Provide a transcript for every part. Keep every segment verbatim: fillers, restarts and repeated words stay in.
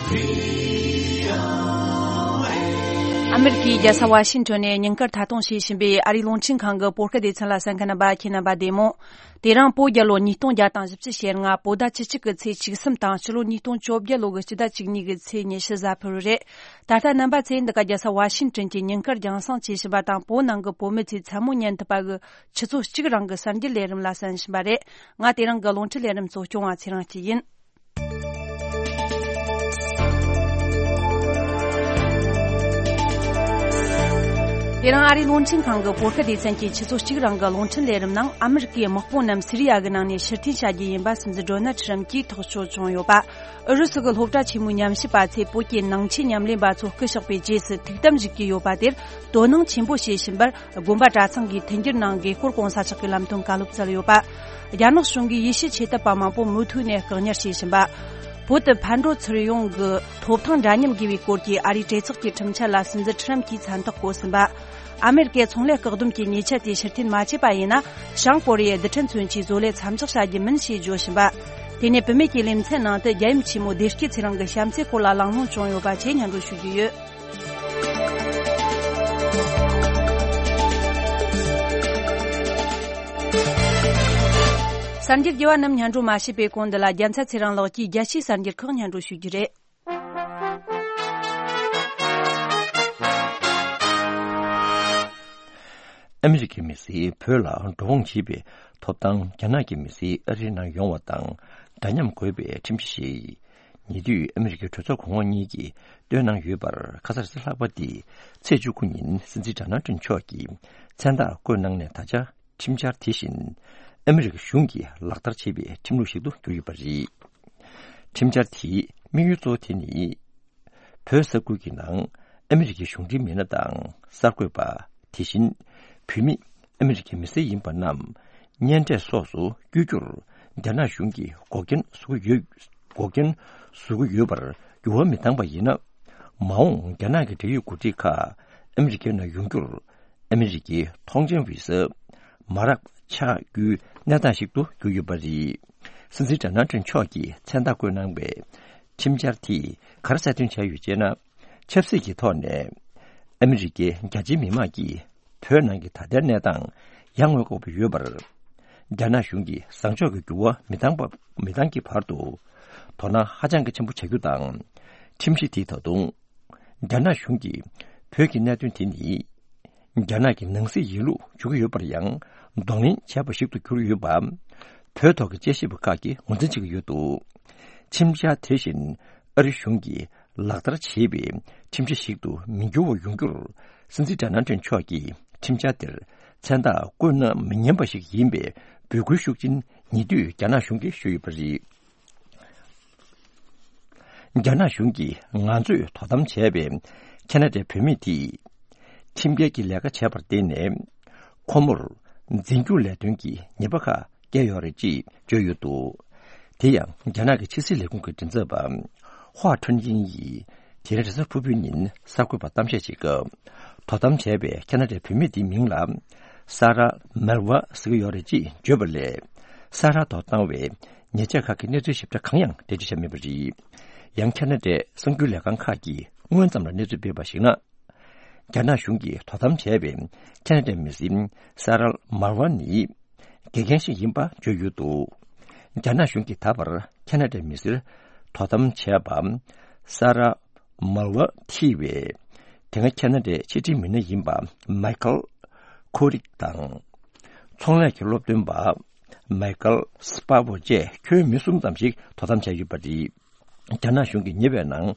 ཨ་མེ་རི་ཀའི་རྒྱལ་ས་ཝ་ཤིང་ཊོན་ནས་ཉིན་དཀར་ཐད་གཏོང་བྱེད་བཞིན་པའི་ཨ་རིའི་རླུང་འཕྲིན་ཁང་གི་བོད་སྐད་སྡེ་ཚན་ལ་གསན་མཁན་རྣམ་པ། ཁྱེད་རྣམ་པ་བདེ་མོ། དེ་རིང་བོད་རྒྱལ་ལོ་ཉིས་སྟོང་བརྒྱ་དང་བཞི་བཅུ་ཞེ་ལྔ། བོད་ཟླ་བཅུ་གཅིག་གི་ཚེས་བཅུ་གསུམ་དང་། ཕྱི་ལོ་ཉིས་སྟོང་བཅོ་བརྒྱད་ལོ་གི་སྤྱི་ཟླ་བཅུ་གཉིས་གི་ཚེས་ཉི་ཤུ་གཟའ་ཕུར་བུ་རེད། ད་ལྟ་རྣམ་པ་ཚོས་འདི་ག་རྒྱལ་ས་ཝ་ཤིང་ཊོན་གྱི་ཉིན་དཀར་རྒྱང་སྲིང་བྱེད་བཞིན་པ་དང་། བོད་ནང་གི་བོད་མི་ཚོས་མཚན་མོ་ཉན་ཐུབ་པ་གི་ཆུ་ཚོད་གཅིག་རིང་གི་གསར་འགྱུར་ལས་རིམ་ལ་གསན་བཞིན་པ་རེད། ང་དེ་རིང་གི་རླུང་འཕྲིན་ལས་རིམ་གཙོ་སྐྱོང་བ་ཚེ་རིང་སྐྱིད་ཡིན། དེ་རིང་ཨ་རིའི་རླུང་འཕྲིན་ཁང་གི་བོད་སྐད་སྡེ་ཚན་གྱི་ཆུ་ཚོད་གཅིག་རིང་གི་རླུང་འཕྲིན་ལས་རིམ་ནང་། ཨ་མེ་རི་ཀའི་དམག་དཔུང་རྣམས་སི་རི་ཡ་གི་ནང་ནས་ཕྱིར་འཐེན་བྱ་རྒྱུ་ཡིན་པ་སྲིད་འཛིན་ཌོ་ནལ་ཁྲི་རམ་གྱིས་ཐག་གཅོད་བྱུང་ཡོད་པ། ཨུ་རུ་སུ་གི་སློབ་གྲྭ་ཆེན་མོའི་ཉམས་ཞིབ་པ་ཚོས་བོད་ཀྱི་ནང་ཆོས་ཉམས་ལེན་པ་ཚོ་སྐུ་གཤེགས་པའི་རྗེས་སུ་ཐུགས་དམ་བཞུགས་ཀྱི་ཡོད་པ་དེར་དོ་སྣང་ཆེན་པོ་བྱེད་བཞིན་པར། དགོན་པ་གྲྭ་ཚང་གིས་མཐུན་འགྱུར་ནང་དགེ་སྐོར་སྐོང་ས་ཆགས་ཀྱི་ལམ་སྟོན་བཀའ་སློབ་སྩལ་ཡོད་པ། རྒྱ་ནག་གཞུང་གིས་ཡེ་ཤུའི་ཆོས་དད་པ་མང་པོ་མུ་མཐུད་ནས་བཀག་ཉར་བྱེད་བཞིན་པ། བོད་དུ་ཕར་འགྲོ་ཚུར་ཡོང་གི་ཐོབ་ཐང་འདྲ་མཉམ་དགོས་པའི་སྐོར་གྱི་ཨ་རིའི་གྲོས་ཚོགས་ཀྱི་ཁྲིམས་འཆར་ལ་སྲིད་འཛིན་ཁྲི་རམ་གྱིས་མཚན་རྟགས་བཀོད་ཟིན་པ། ཨ་མེ་རི་ཀས་ཚོང་ལས་བཀག་སྡོམ་གྱི་ཉེས་ཆད་དེ་ཕྱིར་འཐེན་མ་བྱས་པ་ཡིན་ན། བྱང་ཀོ་རི་ཡའི་རྡུལ་ཕྲན་མཚོན་ཆའི་བཟོ་ལས་མཚམས་འཇོག་བྱ་རྒྱུ་མིན་ཞེས་བརྗོད་བཞིན་པ། དེ་ནས་བུད་མེད་ཀྱི་ལེ་ཚན་ནང་དུ་རྒྱལ་ཡུམ་ཆེན་མོ་བདེ་སྐྱིད་ཚེ་རིང་གི་བྱམས་བརྩེའི་སྐོར་ལ་གླེང་སློང་བྱུང་ཡོད་པ་བཅས་སྙན་སྒྲོན་ཞུ་རྒྱུ་ཡོད། གསར་འགྱུར་རྒྱས་པ་རྣམས་སྙན་སྒྲོན་མ་བྱས་པའི་གོང་། འདི་ལ་རྒྱལ་མཚན་ཚེ་རིང་ལགས་ཀྱིས་རྒྱལ་སྤྱིའི་གསར་འགྱུར་ཁག་སྙན་སྒྲོན་ཞུ་རྒྱུ་རེད། ཨ་མི་རི་ཀའི་མི་སེར་བོད་ལ་འགྲོ་འོང་བྱེད་པའི་ཐོབ་ཐང་རྒྱ་ནག་གི་མི་སེར་ཨ་རིའི་ནང་ཡོང་བ་དང་འདྲ་མཉམ་དགོས་པའི་ཁྲིམས་གཞི་ཞིག་ཉེ་དུས་ཨ་མི་རི་ཀའི་གྲོས་ཚོགས་གོང་འོག་གཉིས་ཀྱིས་བཏོན་གནང་ཡོད་པར། ཁ་སང་རེས་གཟའ་ལྷག་པ་སྟེ་ཚེས་བཅུ་དགུ་ཉིན་སྲིད་འཛིན་ཌོ་ནལ་ཊམ་མཆོག་གིས་མཚན་རྟགས་བཀོད་གནང་ནས། ད་ཆ་ཁྲིམས་འཆར་དེ་བཞིན་ཨ་མི་རི་ཀ་གཞུང་གིས་ལག་བསྟར་བྱེད་པའི་ཁྲིམས་ལུགས་ཤིག་ཏུ་གྱུར་ཡོད་པ་རེད། ཁྲིམས་འཆར་དེའི་དམིགས་ཡུལ་གཙོ་བོ་དེ་ནི། བོད་ས་ཁུལ་གྱི་ནང་ཨ་མི་རི་ཀའི་གཞུང་འབྲེལ་མི་སྣ་དང་གསར་འགོད་པ། དེ་བཞིན་བོད་མི་ཨ་མི་རི་ཀའི་མི་སེར་ཡིན་པ་རྣམས་གཉེན་འཕྲད་སོགས་སུ་བསྐྱོད་རྒྱུར་རྒྱ་ནག་གཞུང་གིས་འགོག་རྐྱེན་བཟོ་གི་ཡོད། འགོག་རྐྱེན་བཟོ་གི་ཡོད་པར་འགྱུར་བ་མི་བཏང་པ་ཡིན་ན། མ་འོངས་རྒྱ་ནག་གི་འབྲེལ་ཡོད་འགོ་ཁྲིད་ཁག་ཨ་མི་རི་ཀའི་ནང་ཡོང་རྒྱུར་ཨ་མི་རི་ཀའི་ཐོངས་མཆན་བི་ཟ་མ་རག་ཆགས་རྒྱུའི་གནས་སྟངས་ཤིག་ཏུ་གྱུར་ཡོད་པ་རེད། སྲིད་འཛིན་ཌོ་ནལ་ཊམ་མཆོག་གིས་མཚན་རྟགས་བཀོད་གནང་བའི་ཁྲིམས་འཆར་དེས་ག་རེ་གསལ་སྟོན་བྱས་ཡོད་ཅེ་ན། ཆབ་སྲིད་ཀྱི་ཐོག་ནས་ཨ་མི་རི་ཀའི་རྒྱ་ཆེའི་མི་མང་གིས་བོད་ནང་གི་ད་ལྟའི་གནས་སྟངས་ཡར་ངོ་ལྐོག་པ་ཡོད་པར། རྒྱ་ནག་གཞུང་གིས་བཟང་ཕྱོགས་ཀྱི་འགྱུར་བ་མི་བཏང་པ། མི་བཏང་གི་བར་དུ་དོ་སྣང་ཧ་ཅང་གི་ཆེན་པོ་བྱ་རྒྱུ་དང་། ཁྲིམས་གཞི་དེས་ད་དུང་རྒྱ་ནག་གཞུང་གིས་བོད་ཀྱི་གནད་དོན་དེ་ནི་རྒྱ་ནག་གི་ནང་སྲིད་ཡིན་ལུགས་བརྗོད་ཀྱི་ཡོད་པར་ཡང་གདོང་ལེན་བྱས་པ་ཞིག་ཏུ་གྱུར་ཡོད་པ། བོད་ཐོག་གི་དཔྱད་ཞིབ་པ་ཁག་གིས་ངོས་འཛིན་བྱེད་ཀྱི་ཡོད་འདུག་ཁྲིམས་འཆར་དེ་བཞིན་ཨ་རི་གཞུང་གིས་ལག་བསྟར་བྱེད་པའི་ཁྲིམས་གཞི་ཞིག་ཏུ་མི་འགྱུར་བ་ཡོང་རྒྱུར། སྲིད་འཛིན་ཌོ་ནལ་ཊམ་མཆོག་གིས་ཁྲིམས་འཆར་དེར་མཚན་རྟགས་བཀོད་གནང་མི་ཉན་པ་ཞིག་ཡིན་པའི་འབོད་སྐུལ་ཤུགས་ཆེན་ཉེ་དུས་རྒྱ་ནག་གཞུང་གིས་ཞུས་ཡོད་པ་རེད། རྒྱ་ནག་གཞུང་གིས་ང་ཚོས་དོ་དམ་བྱས་པའི་ཁ་ན་ཌའི་བུད་མེད་དེས་ཁྲིམས་འགལ་གྱི་ལས་ཀ་བྱས་པར་བརྟེན་ནས། ཁོ་མོར་འཛིན་སྐྱོང་ལས་དོན་གྱི་ཉེས་པ་ཁག་བཀལ་ཡོད་རེད་ཅེས་བརྗོད་ཡོད་འདུག་དེ་ཡང་རྒྱ་ནག་གི་ཕྱི་སྲིད་ལས་ཁུངས་ཀྱི་མགྲིན་ཚབ་པ་ཧྭ་ཁྲུན་ཡིན་ཡིས་དེ་རིང་རེས་གཟའ་ཕུར་བུའི་ཉིན་གསར་འགོད་པར་གཏམ་བཤད་བྱེད་སྐབས། དོ་དམ་བྱས་པའི་ཁ་ན་ཌའི་བུད་མེད་དེའི་མིང་ལ་ས་ར་མལ་ཝ་ཟེར་གྱི་ཡོད་རེད་ཅེས་བརྗོད་པ་ལས། ས་ར་ཐོག་བཏང་བའི་ཉེས་ཆད་ཁག་གི་གནས་ཚུལ་ཞིབ་ཕྲ་གང་ཡང་འགྲེལ་བརྗོད་བྱས་མེད་པ་རེད། ཡང་ཁ་ན་ཌའི་གསར་འགྱུར་ལས་ཁང་ཁག་གིས་སྔོན་ཙམ་ལ་གནས་ཚུལ་སྤེལ་བར་གཞིགས་ན། རྒྱ་ནག་གཞུང་གིས་དོ་དམ་བྱས་པའི་ཁ་ན་ཌའི་མི་སེར་ས་རལ་མལ་ཝ་ནི་དགེ་རྒན་ཞིག་ཡིན་པ་བརྗོད་ཡོད་འདུག་རྒྱ་ནག་གཞུང་གིས་ད་བར་ཁ་ན་ཌའི་མི་སེར་དོ་དམ་བྱས་པ་ས་རལ་མལ་ཝ་ཐི་བའི་དེ་སྔ་ཁ་ན་ཌའི་ཕྱི་འབྲེལ་མི་སྣ་ཡིན་པ་མའི་ཁལ་ཁོ་རིག་དང་། ཚོང་ལས་ཀྱི་སློབ་སྟོན་པ་མའི་ཁལ་སྤ་བོ་བཅས་ཁྱོན་མི་གསུམ་ཙམ་ཞིག་དོ་དམ་བྱས་ཡོད་པ་རེད། རྒྱ་ནག་གཞུང་གིས་ཉེ་བའི་ནང་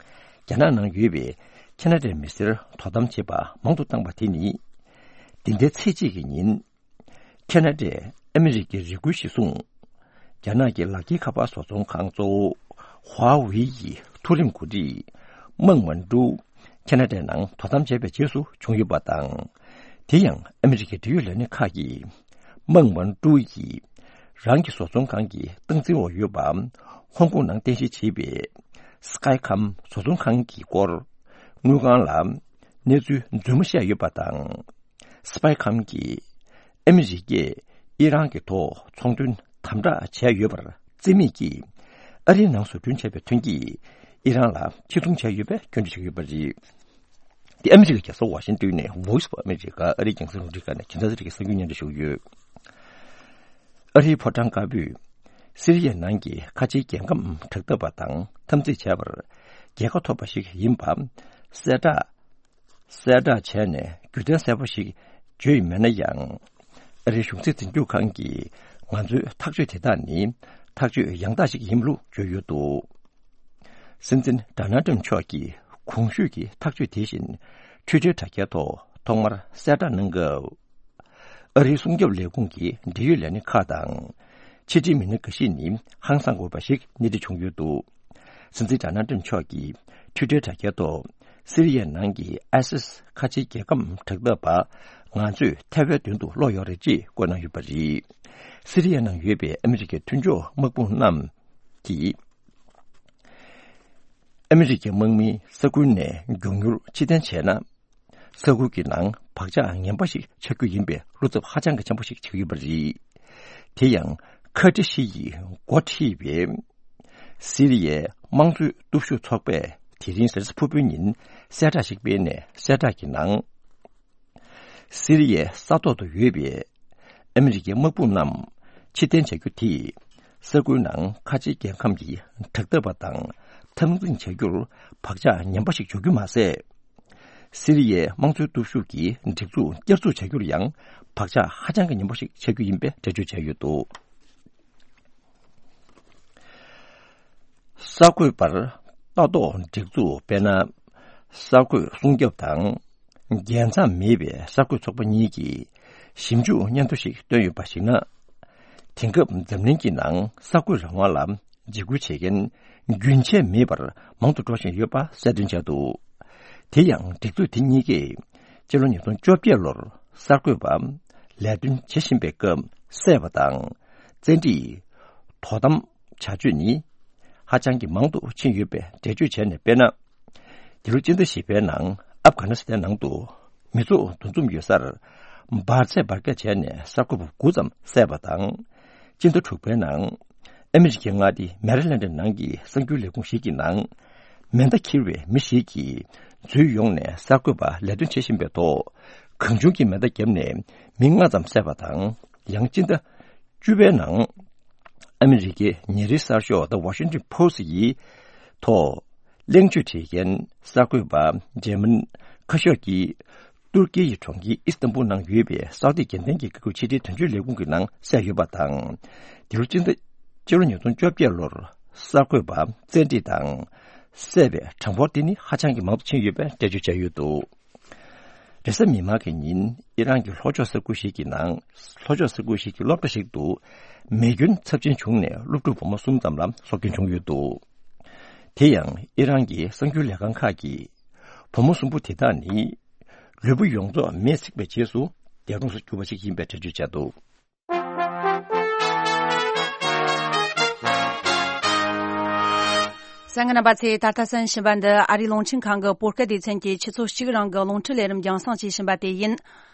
རྒྱ་ནག་ནང་ཡོད་པའི་ཁ་ན་ཌའི་མི་སེར་དོ་དམ་བྱེད་པ་མང་དུ་བཏང་བ་དེ་ནི། འདི་ཟླའི་ཚེས་གཅིག་གི་ཉིན། ཁ་ན་ཌས་ཨ་མི་རི་ཀའི་རེ་སྐུལ་གཞིར་བཟུང་། རྒྱ་ནག་གི་ལག་འཁྱེར་ཁ་པར་བཟོ་ཚོང་ཁང་གཙོ་བོ་ཧྭ་ཝེ་ཡི་མཐོ་རིམ་འགོ་ཁྲིད་མང་མན་ཀྲུའུ་ཁ་ན་ཌའི་ནང་དོ་དམ་བྱས་པའི་རྗེས་སུ་བྱུང་ཡོད་པ་དང་། དེ་ཡང་ཨ་མི་རི་ཀའི་འབྲེལ་ཡོད་ལས་སྣེ་ཁག་གིས་མང་མན་ཀྲུའུ་ཡིས་རང་གི་བཟོ་ཚོང་ཁང་གི་སྟངས་འཛིན་འོག་ཡོད་པ་ཧོང་ཀོང་ནང་རྟེན་གཞི་བྱས་པའི་སི་ཀའི་ཁམ་བཟོ་ཚོང་ཁང་གི་སྐོར་དངུལ་ཁང་ལ་གནས་ཚུལ་རྫུན་མ་བཤད་ཡོད་པ་དང་། སི་པའི་ཁམ་གྱིས་ཨ་མི་རི་ཀས་ཨི་རན་གྱི་ཐོག་ཚོང་དོན་དམ་དྲག་བྱས་ཡོད་པར་བརྩི་མེད་ཀྱིས། ཨ་རིའི་ནང་བཟོ་སྐྲུན་བྱས་པའི་ཐོན་སྐྱེད་ ཨི་རན་ལ་ཕྱིར་ཚོང་བྱས་ཡོད་པའི་སྐྱོན་བརྗོད་བྱས་ཡོད་པ་རེད། འདི་ཨ་མི་རི་ཀའི་རྒྱལ་ས་ཝ་ཤིང་ཏོན་ནས་Voice of America ཨ་རིའི་རྒྱང་སྲིང་རླུང་འཕྲིན་ཁང་ནས་རྒྱལ་ས་རིག་གི་གསར་འགྱུར་སྙན་སྒྲོན་ཞུ་གི་ཡོད། ཨ་རིའི་ཕོ་བྲང་དཀར་པོས་སི་རི་ཡའི་ནང་གི་ཁ་ཆེའི་རྒྱལ་ཁམས་དྲག་འཐབ་པ་དང་འཐབ་འཛིང་བྱས་པར་རྒྱལ་ཁ་ཐོབ་པ་ཞིག་ཡིན་པ་གསལ་བསྒྲགས་གསལ་བསྒྲགས་བྱས་ནས་རྒྱུ་མཚན་གསལ་པོ་ཞིག་བརྗོད་ཡོད་མེད་ན་ཡང་། ཨ་རིའི་གཞུང་འཛིན་འཛིན་སྐྱོང་ཁང་གིས་ང་ཚོའི་ཐག་གཅོད་དེ་དག་ནི་ཐག་གཅོད་ཡང་དག་ཞིག་ཡིན་ལུགས་བརྗོད་ཡོད་འདུག་སྲིད་འཛིན་ཌོ་ནལ་ཊམ་མཆོག་གིས་གོང་ཞུས་ཀྱི་ཐག་གཅོད་དེ་བཞིན་Twitter་དྲ་རྒྱའི་ཐོག་ཐོག་མར་གསལ་བསྒྲགས་གནང་སྐབས། ཨ་རིའི་སྲུང་སྐྱོབ་ལས་ཁུངས་ཀྱི་འབྲེལ་ཡོད་ལས་སྣེ་ཁག་དང་། ཕྱི་འབྲེལ་མི་སྣ་འགའ་ཞིག་ནི་ཧང་སངས་དགོས་པ་ཞིག་སྣེ་ཁྲིད་བྱུང་ཡོད་འདུག་སྲིད་འཛིན་ཌོ་ནལ་ཊམ་མཆོག་གིས་Twitter་དྲ་རྒྱའི་ཐོག་སི་རི་ཡའི་ནང་གི་ཨའི་སིས་ཁ་ཆེའི་རྒྱལ་ཁམས་དྲག་འཐབ་པ་ང་ཚོས་ཐར་བའི་དོན་དུ་བློ་ཡོད་རེད་ཅེས་བཀོད་གནང་ཡོད་པ་རེད། སི་རི་ཡའི་ནང་ཡོད་པའི་ཨ་མི་རི་ཀའི་མཐུན་ཕྱོགས་དམག་དཔུང་རྣམས་ཀྱིས། ཨ་མི་རི་ཀའི་དམག་མིས་ས་ཁུལ་ནས་མགྱོགས་མྱུར་ཕྱིར་འཐེན་བྱས་ན། ས་ཁུལ་གྱི་ནང་བག་ཆགས་ངན་པ་ཞིག་ཆགས་རྒྱུ་ཡིན་པའི་བློ་འཚབ་ཧ་ཅང་གི་ཆེན་པོ་ཞིག་ཆགས་ཡོད་པ་རེད། དེ་ཡང་ཁ་ཏྲི་ཧྲི་ཡིས་འགོ་ཁྲིད་པའི་སི་རི་ཡའི་དམངས་གཙོའི་སྟོབས་ཤུགས་ཚོགས་པས་དེ་རིང་གཟའ་ཕུར་བུའི་ཉིན་གསལ་བསྒྲགས་ཤིག་སྤེལ་ནས། གསལ་བསྒྲགས་ཀྱི་ནང་། སི་རི་ཡའི་ས་ཐོག་ཏུ་ཡོད་པའི་ཨ་མི་རི་ཀའི་དམག་དཔུང་རྣམས་ཕྱིར་འཐེན་བྱ་རྒྱུ་དེས་ས་ཁུལ་ནང་ཁ་ཆེའི་རྒྱལ་ཁམས་ཀྱི་དྲག་འཐབ་པ་དང་འཐབ་འཛིང་བྱ་རྒྱུར་བག་ཆགས་ངན་པ་ཞིག་འཇོག་རྒྱུ་མ་ཟད། སི་རི་ཡའི་དམངས་གཙོའི་སྟོབས་ཤུགས་ཀྱི་སྒྲིག་འཛུགས་བསྐྱར་འཛུགས་བྱ་རྒྱུར་ཡང་བག་ཆགས་ཧ་ཅང་གི་ངན་པ་ཞིག་ཆགས་རྒྱུ་ཡིན་པའི་འགྲེལ་བརྗོད་བྱས་ཡོད་འདུག་གསར་འགོད་པར་ལྟ་རྟོག་སྒྲིག་འཛུགས་དཔེར་ན། གསར་འགོད་སྲུང་སྐྱོབ་དང་རྒྱལ་མཚམས་མེད་པའི་གསར་འགོད་ཚོགས་པ་གཉིས་ཀྱིས་ཞིབ་འཇུག་སྙན་ཐོ་ཞིག་བཏོན་ཡོད་པར་གཞིགས་ན། དེང་སྐབས་འཛམ་གླིང་གི་ནང་གསར་འགོད་རང་དབང་ལ་འཇིགས་སྐུལ་བྱེད་མཁན་རྒྱུན་ཆད་མེད་པར་མང་དུ་འགྲོ་བཞིན་ཡོད་པ་གསལ་སྟོན་བྱས་འདུག་དེ་ཡང་སྒྲིག་འཛུགས་དེ་གཉིས་ཀས་སྤྱི་ལོ་ཉིས་སྟོང་བཅོ་བརྒྱད་ལོར་གསར་འགོད་པ་ལས་དོན་བྱེད་བཞིན་པའི་སྐབས་བསད་པ་དང་བཙན་ཁྲིད། དོ་དམ་བྱ་སྤྱོད་ནི་ཧ་ཅང་གི་མང་དུ་ཕྱིན་ཡོད་པའི་འགྲེལ་བརྗོད་བྱས་ནས་དཔེར་ན། འདི་ལོ་སྤྱི་ཟླ་བཞི་པའི་ནང་ཨབ་གྷ་ནི་སི་ཐན་ནང་དུ་མི་ཚོགས་འདུ་འཛོམས་ཡོད་སར་འབར་རྫས་འབར་གས་བྱས་ནས་གསར་འགོད་པ་དགུ་ཙམ་བསད་པ་དང་། སྤྱི་ཟླ་དྲུག་པའི་ནང་ཨ་མི་རི་ཀའི་མངའ་སྡེ་མེ་རི་ལན་ཌི་ནང་གི་གསར་འགྱུར་ལས་ཁུངས་ཤིག་གི་ནང་མེ་མདའ་འཁྱེར་བའི་མི་ཞིག་གིས་འཛུལ་ཡོང་ནས་གསར་འགོད་པ་ལས་དོན་བྱེད་བཞིན་པའི་ཐོག་གང་བྱུང་གི་མེ་མདའ་བརྒྱབ་ནས་མི་ལྔ་ཙམ་བསད་པ་དང་། ཡང་སྤྱི་ཟླ་བཅུ་པའི་ནང་ཨ་མི་རི་ཀའི་ཉིན་རེའི་གསར་ཤོག་The Washington Post་ཡི་ཐོག་གླེང་བརྗོད་བྱེད་མཁན་གསར་འགོད་པ་འཇར་མན་ཁ་ཤོར་གྱིས་ཏུར་ཀི་ཡི་གྲོང་ཁྱེར་ཨི་སི་ཏན་པུལ་ནང་ཡོད་པའི་སའུ་ཏི་རྒྱལ་མཚན་གྱི་སྐད་སྒྱུར་ཕྱི་དྲིལ་དོན་གཅོད་ལས་ཁུངས་ཀྱི་ནང་གསལ་ཡོད་པ་དང་། འདི་ལོ་སྤྱི་ཟླ་སྤྱི་ལོ་ཉིས་སྟོང་བཅོ་བརྒྱད་ལོར་གསར་འགོད་པ་བཙན་ཁྲིད་དང་བསད་པའི་གྲངས་འབོར་དེ་ནི་ཧ་ཅང་གི་མང་དུ་ཕྱིན་ཡོད་པའི་འགྲེལ་བརྗོད་བྱས་ཡོད་འདུག་རེས་གཟའ་མིག་དམར་གྱི་ཉིན་ཨི་རན་གྱི་ལྷོ་ཕྱོགས་ས་ཁུལ་ཞིག་གི་ནང་ལྷོ་ཕྱོགས་ས་ཁུལ་ཞིག་གི་སློབ་གྲྭ་ཞིག་ཏུ་མེ་སྐྱོན་ཚབས་ཆེན་བྱུང་ནས་སློབ་ཕྲུག་བུ་མོ་གསུམ་ཙམ་ལ་སྲོག་སྐྱོན་བྱུང་ཡོད་འདུག་དེ་ཡང་ཨི་རན་གྱི་གསར་འགྱུར་ལས་ཁང་ཁག་གིས་བུ་མོ་གསུམ་པོ་དེ་དག་ནི་ལུས་པོ་ཡོངས་རྫོགས་མེས་ཚིག་པའི་རྗེས་སུ་འདས་གྲོངས་སུ་གྱུར་པ་ཞིག་ཡིན་པའི་འགྲེལ་བརྗོད་བྱས་འདུག་གསན་མཁན་རྣམ་པ་ཚོས་ད་ལྟ་གསན་བཞིན་པ་འདི་ཨ་རིའི་རླུང་འཕྲིན་ཁང་གི་བོད་སྐད་སྡེ་ཚན་གྱི་ཆུ་ཚོད་གཅིག་རིང་གི་རླུང་འཕྲིན་ལས་རིམ་རྒྱང་སྲིང་བྱེད་བཞིན་པ་དེ་ཡིན།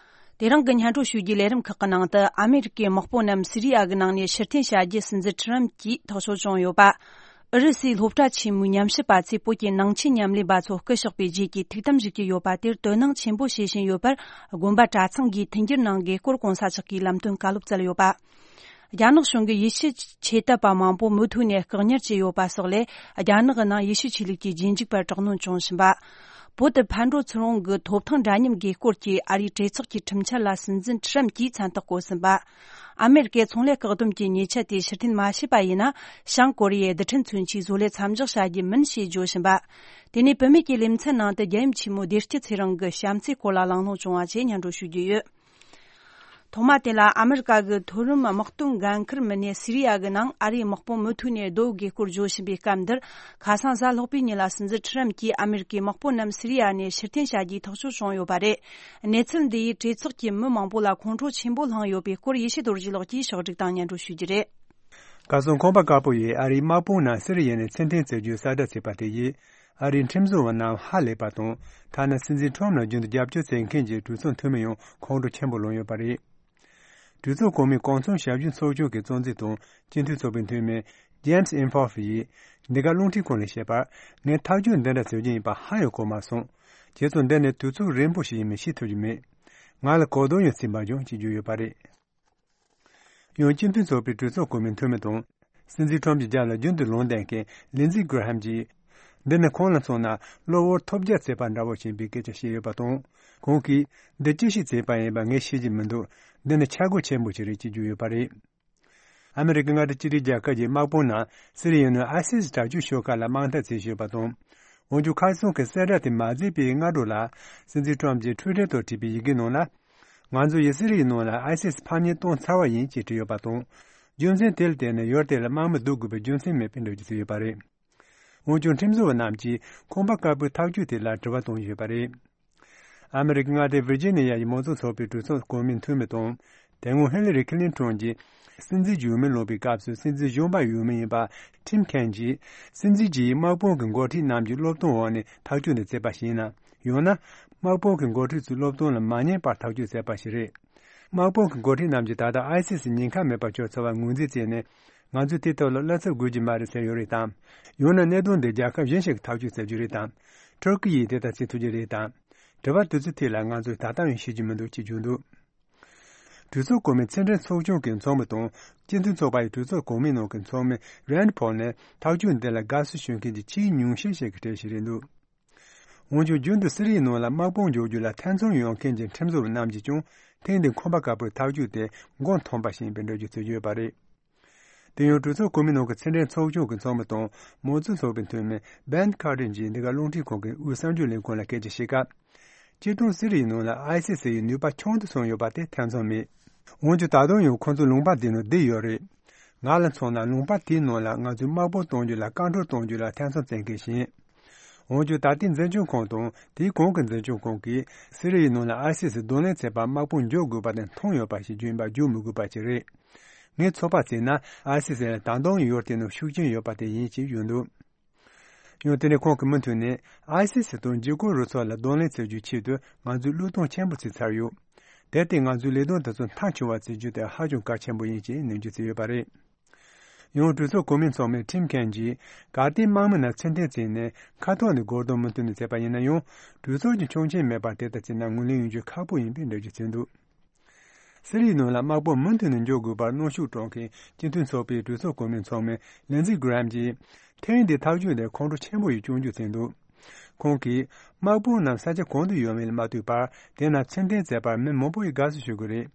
དེ་རིང་གི་སྙན་སྒྲོན་ཞུ་རྒྱུའི་ལས་རིམ་ཁག་གི་ནང་དུ་ཨ་མེ་རི་ཀའི་དམག་དཔོན་རྣམས་སི་རི་ཡ་གི་ནང་ནས་ཕྱིར་འཐེན་བྱ་རྒྱུ་སྲིད་འཛིན་ཁྲི་རམ་གྱིས་ཐག་གཅོད་བྱུང་ཡོད་པ། ཨུ་རུ་སུའི་སློབ་གྲྭ་ཆེན་མོའི་ཉམས་ཞིབ་པ་ཚོས་བོད་ཀྱི་ནང་ཆོས་ཉམས་ལེན་པ་ཚོ་སྐུ་གཤེགས་པའི་རྗེས་ཀྱི་ཐུགས་དམ་བཞེས་ཀྱི་ཡོད་པ་དེར་དོ་སྣང་ཆེན་པོ་བྱེད་བཞིན་ཡོད་པར་དགོན་པ་གྲྭ་ཚང་གིས་མཐུན་འགྱུར་གནང་དགོས་སྐོར་གོང་ས་མཆོག་གིས་ལམ་སྟོན་བཀའ་སློབ་སྩལ་ཡོད་པ། རྒྱ་ནག་གཞུང་གིས་ཡེ་ཤུ་ཆོས་དད་པ་མང་པོ་མུ་མཐུད་ནས་བཀག་ཉར་བྱས་ཡོད་པ་སོགས་ལས། རྒྱ་ནག་གི་ནང་ཡེ་ཤུ་ཆོས་ལུགས་ཀྱི་རྗེས་འཇུག་པར་དྲག་གནོན་བྱུང་བཞིན་པ། བོད་དུ་ཕར་འགྲོ་ཚུར་འོང་གི་ཐོབ་ཐང་འདྲ་མཉམ་དགོས་སྐོར་གྱི་ཨ་རིའི་གྲོས་ཚོགས་ཀྱི་ཁྲིམས་འཆར་ལ་སྲིད་འཛིན་ཁྲི་རམ་གྱིས་མཚན་རྟགས་བཀོད་ཟིན་པ། ཨ་མེ་རི་ཀའི་ཚོང་ལས་བཀག་སྡོམ་གྱི་ཉེས་ཆད་དེ་ཕྱིར་འཐེན་མ་བྱས་པ་ཡིན་ན། བྱང་ཀོ་རི་ཡའི་རྡུལ་ཕྲན་མཚོན་ཆའི་བཟོ་ལས་མཚམས་འཇོག་བྱ་རྒྱུ་མིན་ཞེས་བརྗོད་བཞིན་པ། དེ་ནས་བུད་མེད་ཀྱི་ལེ་ཚན་ནང་དུ་རྒྱལ་ཡུམ་ཆེན་མོ་བདེ་སྐྱིད་ཚེ་རིང་གི་བྱམས་བརྩེའི་སྐོར་ལ་གླེང་སློང་བྱུང་བ་བཅས་སྙན་སྒྲོན་ཞུ་རྒྱུ་ཡོད། ཐོག་མ་དེ་ལ་ཨ་མེ་རི་ཀ་གི་མཐོ་རིམ་དམག་དོན་འགན་འཁུར་མི་སྣས་སི་རི་ཡ་གི་ནང་ཨ་རིའི་དམག་དཔུང་མུ་མཐུད་ནས་སྡོད་དགོས་སྐོར་བརྗོད་བཞིན་པའི་སྐབས་འདིར། ཁ་སང་གཟའ་ལྷག་པའི་ཉིན་ལ་སྲིད་འཛིན་ཁྲི་རམ་གྱིས་ཨ་མེ་རི་ཀའི་དམག་དཔུང་རྣམས་སི་རི་ཡ་ནས་ཕྱིར་འཐེན་བྱ་རྒྱུའི་ཐག་གཅོད་བྱུང་ཡོད་པ་རེད། གནས་ཚུལ་འདི་ཡིས་གྲོས་ཚོགས་ཀྱི་མི་མང་པོ་ལ་ཁོང་ཁྲོ་ཆེན་པོ་བསླངས་ཡོད་པའི་སྐོར་ཡེ་ཤེས་རྡོ་རྗེ་ལགས་ཀྱིས་ཕྱོགས་སྒྲིག་དང་སྙན་སྒྲོན་ཞུ་རྒྱུ་རེད། ཁ་སང་ཁང་པ་དཀར་པོ་ཡིས་ཨ་རིའི་དམག་དཔུང་རྣམས་སི་རི་ཡ་ནས་ཕྱིར་འཐེན་བྱེད་རྒྱུའི་གསལ་བསྒྲགས་བྱས་པ་དེ་ཡིས། ཨ་རིའི་ཁྲིམས་བཟོ་བ་རྣམས་ཧ་ལས་པ་དང་། ཐ་ན་སྲིད་འཛིན་ཁྲོམ་ནང་རྒྱུན་དུ་རྒྱབ་སྐྱོར་བྱེད་མཁན་གྱི་གྲོས་ཚོགས་འཐུས་མི་ཡང་ཁོང་ཁྲོ་ཆེན་པོ་ལངས་ཡོད་པ་རེད། གྲོས་ཚོགས་གོང་མའི་གོང་ཚོང་ཞབས་ཞུ་ཚོགས་ཆུང་གི་གཙོ་འཛིན་དང་སྤྱི་འཐུས་ཚོགས་པའི་འཐུས་མི་ James Inhofe ཡིས་འདི་ག་རླུང་འཕྲིན་ཁང་ལ་བཤད་པར། ངས་ཐག་གཅོད་འདི་འདྲ་བཟོ་རྒྱུ་ཡིན་པ་ཧ་ཡང་གོ་མ་སོང་། བྱས་ཙང་འདི་ནི་དུས་ཚོད་རིང་པོ་ཞིག་ཡིན་མིན་ཤེས་ཐུབ་ཀྱི་མེད། ང་ལ་གོ་དོན་ཡང་ཚིག་འབར་ཀྱང་ཅིག་བརྗོད་ཡོད་པ་རེད། ཡང་སྤྱི་མཐུན་ཚོགས་པའི་གྲོས་ཚོགས་གོང་མའི་འཐུས་མི་དང་། སྲིད་འཛིན་ཁྲོམ་གྱི་རྒྱབ་ལ་རྒྱུན་དུ་ལུང་བསྟན་མཁན་ལིན་ཛི་གྷི་ར་ཧམ་གྱིས། འདི་ནི་ཁོང་ལ་མཚོན་ན་གློ་བུར་ཐོལ་རྒྱག་བྱས་པ་འདྲ་བོ་ཞིག་ཡིན་པའི་སྐད་ཆ་བཤད་ཡོད་པ་དང་། ཁོང་གིས། འདི་ཅི་ཞིག་བྱས་པ་ཡིན་པ་ངས་ཤེས་ཀྱི་མི་འདུག་འདི་ནི་ཆག་སྒོ་ཆེན་པོ་ཞིག་རེད་ཅེས་བརྗོད་ཡོད་པ་རེད། ཨ་མི་རི་ཀའི་མངའ་སྡེ་གཅིག་སྒྲིལ་རྒྱལ་ཁབ་ཀྱི་དམག་དཔུང་རྣམས་སི་རི་ཡའི་ནང་ཨའི་སི་སི་དྲག་སྤྱོད་ཤོག་ཁག་ལ་དམག་འཐབ་བྱེད་བཞིན་ཡོད་པ་དང་། འོན་ཀྱང་ཁ་སང་གི་གསལ་བསྒྲགས་དེ་མ་མཛད་པའི་སྔ་དྲོ་ལ། སྲིད་འཛིན་ཁྲོམ་གྱིས་ཊུའི་ཊར་ཐོག་བྲིས་པའི་ཡི་གེ་ནང་ལ། ང་ཚོ་ཡི་སི་རི་ཡའི་ནང་ལ་ཨའི་སི་སི་ཕམ་ཉེས་བཏང་ཚར་བ་ཡིན་ཅེས་བྲིས་ཡོད་པ་དང་། རྒྱུ་མཚན་དེ་ལ་བརྟེན་ནས་ཡུལ་དེ་ལ་དམག་མི་བསྡུ་དགོས་པའི་རྒྱུ་མཚན་མེད་པའི་འགྲེལ་བརྗོད་བྱས་ཡོད་པ་རེད། འོན་ཀྱང་ཁྲིམས་བཟོ་བ་རྣམས་ཀྱིས་ཁང་པ་དཀར་པོའི་ཐག་གཅོད་དེ་ལ་དྲི་བ་བཏོན་ཡོད་པ་རེད། ཨ་མི་རི་ཀའི་མངའ་སྡེ་ཝིར་ཇི་ནི་ཡ་ཡི་མང་གཙོ་ཚོགས་པའི་གྲོས་ཚོགས་གོང་མའི་འཐུས་མི་དང་། དེ་སྔོན་ཧི་ལི་རི་ཁི་ལིན་ཊོན་གྱིས་སྲིད་འཛིན་འོས་མི་ལངས་པའི་སྐབས་སུ་སྲིད་འཛིན་གཞོན་པ་འོས་མི་ཡིན་པ་ཊིམ་ཁེན་གྱིས། སྲིད་འཛིན་གྱིས་དམག་དཔུང་གི་འགོ་ཁྲིད་རྣམས་ཀྱི་བློས་གཏོང་འོག་ནས་ཐག་གཅོད་འདི་བྱས་པ་ཞིག་ཡིན་ན། ཡང་ན། དམག་དཔུང་གི་འགོ་ཁྲིད་ཚོའི་བློས་གཏོང་ལ་མ་ཉན་པར་ཐག་གཅོད་བྱས་པ་ཞིག་རེད། དམག་དཔུང་གི་འགོ་ཁྲིད་རྣམས་ཀྱིས་ད་ལྟ་ཨའི་སི་སི་ཉེན་ཁ་མེད་པར་བཅོས་ཚར་བར་ངོས་འཛིན་བྱས་ནས། ང་ཚོས་དེའི་ཐོག་ལ་བསླབ་ཚན་དགོས་ཀྱི་མ་རེད་ཟེར་ཡོད་རེད་དམ། ཡང་ན་གནད་དོན་འདི་རྒྱལ་ཁབ་གཞན་ཞིག་གིས་ཐག་གཅོད་བྱ་རྒྱུ་རེད་དམ། ཐུར་ཀི་ཡིས་དེ་ལྟར་བྱེད་ཐུབ་ཀྱི་རེད་དམ། དྲི་བ་དེ་ཚོའི་ཐད་ལ་ང་ཚོས་ད་ལྟ་ཡང་ཤེས་ཀྱི་མི་འདུག་ཅེས་བརྗོད་འདུག་གྲོས་ཚོགས་གོང་མའི་ཕྱི་འབྲེལ་ཚོགས་ཆུང་གི་ཚོགས་མི་དང་། སྤྱི་མཐུན་ཚོགས་པ་ཡི་གྲོས་ཚོགས་གོང་མའི་ནང་གི་ཚོགས་མི་རན་ཕོལ་ནི་ཐག་གཅོད་འདི་ལ་དགའ་བསུ་ཞུ་མཁན་གྱི་ཆེས་ཉུང་ཤས་ཤིག་གི་གྲས་ཤིག་རེད་འདུག་འོན་ཀྱང་རྒྱུན་དུ་སི་རི་ཡའི་ནང་ལ་དམག་དཔུང་འཇོག་རྒྱུ་ལ་ཐེ་ཚོམ་ཡོང་མཁན་གྱི་ཁྲིམས་བཟོ་བ་རྣམས་ཀྱིས་ཀྱང་ཐེངས་འདིའི་ཁང་པ་དཀར་པོའི་ཐག་གཅོད་དེ་མགོ་འཐོམས་པ་ཞིག་ཡིན་པའི་འགྲེལ་བརྗོད་བྱེད་ཀྱི་ཡོད་པ་རེད། དེ་ཡང་གྲོས་ཚོགས་གོང་མའི་ནང་གི་ཕྱི་འབྲེལ་ཚོགས་ཆུང་གི་ཚོགས་མི་དང་མང་གཙོ་ཚོགས་པའི་འཐུས་མི་བན་ཁར་ཏིན་གྱིས་འདི་ག་རླུང་འཕྲིན་ཁང་གི་དབུས་གསར་འགྱུར་ལས་ཁུངས་ལ་སྐད་ཆ་བཤད་སྐབས། སྤྱིར་བཏང་སི་རི་ཡའི་ནང་ལ་ཨའི་སི་སི་ཡི་ནུས་པ་ཆུང་དུ་སོང་ཡོད་པ་དེ་ཐེ་ཚོམ་མེད། འོན་ཀྱང་ད་དུང་ཡང་ཁོང་ཚོ་ལུང་པ་འདི་ནང་བསྡད་ཡོད་རེད། ང་ལ་མཚོན་ན་ལུང་པ་དེའི་ནང་ལ་ང་ཚོས་དམག་དཔུང་གཏོང་རྒྱུ་ལ་བཀག་འགོག་གཏོང་རྒྱུ་ལ་ཐེ་ཚོམ་བྱེད་མཁན་ཞིག་ཡིན། འོན་ཀྱང་ད་ལྟའི་འཛིན་སྐྱོང་ཁང་དང་དེའི་གོང་གི་འཛིན་སྐྱོང་ཁང་གིས་སི་རི་ཡའི་ནང་ལ་ཨའི་སི་སི་གདོང་ལེན་བྱེད་པར་དམག་དཔུང་འཇོག་དགོས་པ་དེ་མཐོང་ཡོད་པ་ཞིག་བརྗོད་པ་བརྗོད་མི་དགོས་པ་ཞིག་རེད། ངས་ཚོད་དཔག་བྱས་ན་ཨའི་སི་སི་ལ་ད་དུང་ཡུལ་དེའི་ནང་ཤུགས་རྐྱེན་ཡོད་པ་དེ་ཡིན་ཞེས་ཡོད་འདུག་ཡང་དེ་ནས་ཁོང་གིས་མུ་མཐུད་ནས་ཨའི་སི་སི་དང་འཇིགས་སྐུལ་རུ་ཚོགས་ལ་གདོང་ལེན་བྱེད་རྒྱུའི་ཆེད་དུ་ང་ཚོས་བློས་གཏོང་ཆེན་པོ་བྱས་ཚར་ཡོད། དེར་བརྟེན་ང་ཚོའི་ལས་དོན་དེ་ཚོ་མཐའ་འཁྱོངས་པ་བྱེད་རྒྱུ་དེ་ཧ་ཅང་གལ་ཆེན་པོ་ཡིན་ཞེས་ནན་བརྗོད་བྱས་ཡོད་པ་རེད། ཡང་གྲོས་ཚོགས་གོང་མའི་ཚོགས་མི་ཁྲིམ་ཁན་གྱིས་གལ་ཏེ་དམག་མི་རྣམས་ཕྱིར་འཐེན་བྱས་ནས་མཁའ་ཐོག་ནས་སྒོར་གདོང་མུ་མཐུད་ནས་བྱས་པ་ཡིན་ན་ཡང་གྲོས་ཚོགས་ཀྱི་ཆོག་མཆན་མེད་པར་དེ་ལྟར་བྱས་ན་ངོས་ལེན་ཡོང་རྒྱུ་ཁག་པོ་ཡིན་པའི་འགྲེལ་བརྗོད་བྱས་འདུག་སི་རིའི་ནང་ལ་དམག་དཔུང་མུ་མཐུད་ནས་འཇོག་དགོས་པར་གནོན་ཤུགས་སྤྲོད་མཁན་སྤྱི་མཐུན་ཚོགས་པའི་གྲོས་ཚོགས་གོང་མའི་ཚོགས་མི་ལིན་ཛི་གྷི་རམ་གྱིས་ཐེངས་འདིའི་ཐག་གཅོད་དེ་ཁོང་ཁྲོ་ཆེན་པོ་ཡི་སྐྱོན་བརྗོད་བྱས་འདུག་ཁོང་གིས་དམག་དཔུང་རྣམས་ས་ཆ་གང་དུ་ཡོད་མེད་ལ་མ་ལྟོས་པར་དེ་ན་ཕྱིར་འཐེན་བྱས་པར་མི་མང་པོ་ཡིས་དགའ་བསུ་ཞུ་གི་རེད།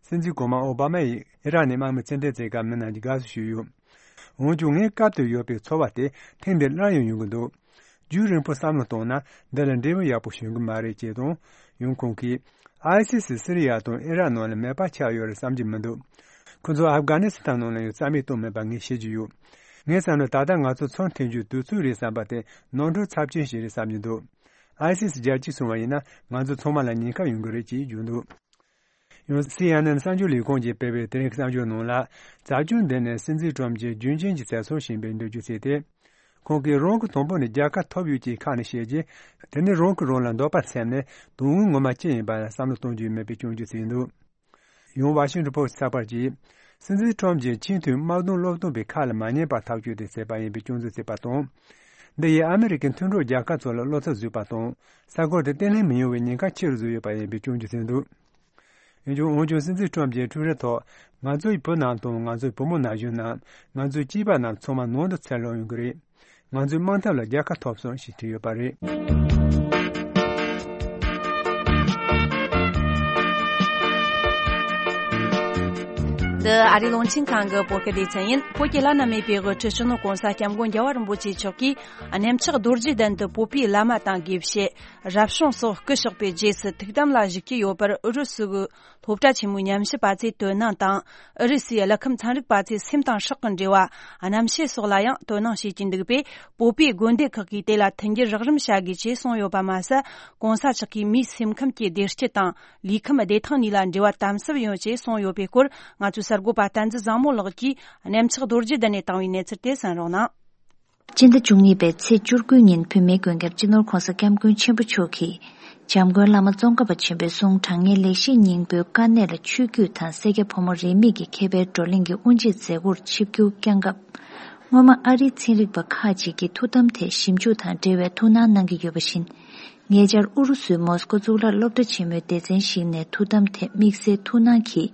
སྲིད་འཛིན་གོང་མ་ཨོ་བྷ་མ་ཡིས་ཨི་རག་ནས་དམག་མི་ཕྱིར་འཐེན་བྱས་སྐབས་མི་རྣམས་ཀྱིས་དགའ་བསུ་ཞུས་ཡོད། འོན་ཀྱང་ངའི་སྐབས་དེར་ཡོད་པའི་ཚོར་བ་དེ་ཐེངས་འདིར་སླར་ཡང་ཡོང་གི་འདུག་རྒྱུན་རིང་པོ་བསམ་བློ་བཏང་ན་འདི་ལ་འབྲས་བུ་ཡག་པོ་བྱུང་གི་མ་རེད་ཅེས་དང་། ཡང་ཁོང་གིས་ཨའི་སི་སི་སི་རི་ཡ་དང་ཨི་རག་ནང་ལ་མེད་པ་ཆགས་ཡོད་རེད་བསམ་གྱི་མི་འདུག་ཁོ་ཚོ་ཨབ་གྷ་ནི་སི་ཐན་ནང་ལ་ཡང་རྩ་མེད་གཏོང་མེད་པ་ངས་ཤེས་ཀྱི་ཡོད། ངའི་བསམ་བློ་ད་ལྟ་ང་ཚོ་ཚུར་འཐེན་རྒྱུའི་དུས་ཚོད་རེད་བསམ་པ་དེ་ནོར་འཁྲུལ་ཚབས་ཆེན་ཞིག་རེད་བསམ་གྱི་འདུག་ཨའི་སི་སི་རྒྱལ་སྤྱིས་གསུངས་པ་ཡིན་ན་ང་ཚོ་ཚང་མ་ལ་ཉེན་ཁ་ཡོང་གི་རེད་ཅེས་བརྗོད་འདུག་ཡང་སི་ཨེན་ཨེན་གསར་འགྱུར་ལས་ཁུངས་ཀྱིས་སྤེལ་བའི་དེ་རིང་གི་གསར་འགྱུར་ནང་ལ། བྱ་སྤྱོད་འདི་ནི་སྲིད་འཛིན་ཀྲོམ་གྱིས་རྒྱུན་ཆད་ཀྱི་བྱ་སྲོལ་ཞིག་ཡིན་པའི་འགྲེལ་བརྗོད་བྱས་ཏེ། ཁོང་གིས་རང་གི་དང་པོ་ནས་རྒྱལ་ཁ་ཐོབ་ཡོད་ཅེས་ཁ་ནས་བཤད་རྗེས། དེ་ནས་རང་གིས་རང་ལ་འདོད་པ་སེམས་ནས་དོན་དངོས་ངོ་མ་ཅི་ཡིན་པ་ལ་བསམ་བློ་གཏོང་རྒྱུ་མེད་པའི་སྐྱོན་བརྗོད་བྱས་འདུག་ཡང་ཝ་ཤིང་ཊོན་པོ་སི་ཚགས་པར་གྱིས། སྲིད་འཛིན་ཀྲོམ་གྱིས་ཆེས་མཐོའི་དམག་དོན་སློབ་སྟོན་པའི་ཁ་ལ་མ་ཉན་པར་ཐག་གཅོད་དེ་བྱས་པ་ཡིན་པའི་སྐྱོན་འཛུགས་བྱས་པ་དང་། འདི་ཡིས་ཨ་མི་རི་ཀའི་མཐུན་གྲོགས་རྒྱལ་ཁབ་ཚོ་ལ་བློ་འཚབ་བཟོས་པ་དང་། ས་ཁུལ་དེ་བརྟན་ལྷིང་མི་ཡོང་བའི་ཉེན་ཁ་ཆེ་རུ་བཟོས་ཡོད་པ་ཡིན་པའི་སྐྱོན་བརྗོད་བྱས་འདུག་འོན་ཀྱང་འོན་ཀྱང་སྲིད་འཛིན་ཀྲོམ་གྱིས་ཊུའི་ཊར་ཐོག་ང་ཚོའི་བུ་རྣམས་དང་ང་ཚོའི་བུ་མོ་ན་གཞོན་རྣམས་ང་ཚོའི་སྐྱེས་པ་རྣམས་ཚང་མ་ནང་དུ་ཚུར་ལོག་ཡོང་གི་རེད། ང་ཚོའི་དམག་འཐབ་ལ་རྒྱལ་ཁ་ཐོབ་སོང་ཞེས་བྲིས་ཡོད་པ་རེད། འདི་ཨ་རིའི་རླུང་འཕྲིན་ཁང་གི་བོད་སྐད་སྡེ་ཚན་ཡིན། བོད་ཀྱི་བླ་ན་མེད་པའི་དབུ་ཁྲིད་སྤྱི་ནོར་གོང་ས་སྐྱབས་མགོན་རྒྱལ་བ་རིན་པོ་ཆེ་མཆོག་གིས་གནམ་ལྕགས་རྡོ་རྗེ་གདན་དུ་བོད་པའི་བླ་མ་དང་དགེ་བཤེས། རབ་བྱུང་སོགས་སྐུ་གཤེགས་པའི་རྗེས་སུ་ཐུགས་དམ་ལ་བཞུགས་ཀྱི་ཡོད་པར་ཨུ་རུ་སུ་གི་སློབ་གྲྭ་ཆེན་མོའི་ཉམས་ཞིབ་པ་ཚོས་དོ་སྣང་དང་། ཨུ་རུ་སུའི་གླུ་ཁམས་ཚན་རིག་པ་ཚོས་སེམས་དང་སྲོག་གི་འབྲེལ་བ། རྣམ་ཤེས་སོགས་ལ་ཡང་དོ་སྣང་བྱེད་ཀྱིན་འདུག་པས། བོད་པའི་དགོན་སྡེ་ཁག་གིས་དེ་ལ་མཐུན་འགྱུར་རོགས་རམ་བྱ་དགོས་ཅེས་གསུངས་ཡོད་པ་མ་ཟད། གོང་ས་མཆོག་གིས་མིའི་སེམས་ཁམས་ཀྱི་བདེ་སྐྱིད་དང་། ལུས་ཁམས་བདེ་ཐང་གཉིས་ལ་འབྲེལ་བ་དམ་ཟབ་ཡོད་ཅེས་གསུངས་ཡོད་པའི་སྐོར། ང་ཚོའི་གསར་འགོད་པ་བསྟན་འཛིན་བཟང་མོ་ལགས་ཀྱིས་གནམ་ལྕགས་རྡོ་རྗེ་གདན་ནས་བཏང་བའི་གནས་ཚུལ་དེ་གསན་རོགས་གནང་། སྤྱི་ཟླ་བཅུ་གཉིས་པའི་ཚེས་བཅུ་དགུ་ཉིན་བོད་མིའི་མགོན་སྐྱབས་སྤྱི་ནོར་གོང་ས་སྐྱབས་མགོན་ཆེན་པོ་མཆོག་གིས། འཇམ་མགོན་བླ་མ་ཙོང་ཁ་པ་ཆེན་པོའི་གསུང་དྲང་ངེས་ལེགས་བཤད་སྙིང་པོའི་དཀའ་གནད་ལ་ཆོས་བརྒྱུད་དང་སེར་སྐྱ་ཕོ་མོ་རིས་མེད་ཀྱི་མཁས་པའི་བགྲོ་གླེང་གི་དབུ་འབྱེད་མཛད་སྒོར་ཆིབས་བསྒྱུར་བསྐྱངས་སྐབས། སྔོན་མ་ཨ་རིའི་ཚན་རིག་པ་ཁག་ཅིག་གིས་ཐུགས་དམ་ཐད་ཞིབ་འཇུག་དང་འབྲེལ་བའི་ཐུགས་སྣང་གནང་གི་ཡོད་པ་བཞིན། ཉེ་ཆར་ཨུ་རུ་སུའི་མོ་སི་ཀོ་གཙུག་ལག་སློབ་གྲྭ་ཆེན་མོའི་སྡེ་ཚན་ཞིག་ནས་ཐུགས་དམ་ཐད་དམིགས་བསལ་ཐུགས་སྣང་གིས་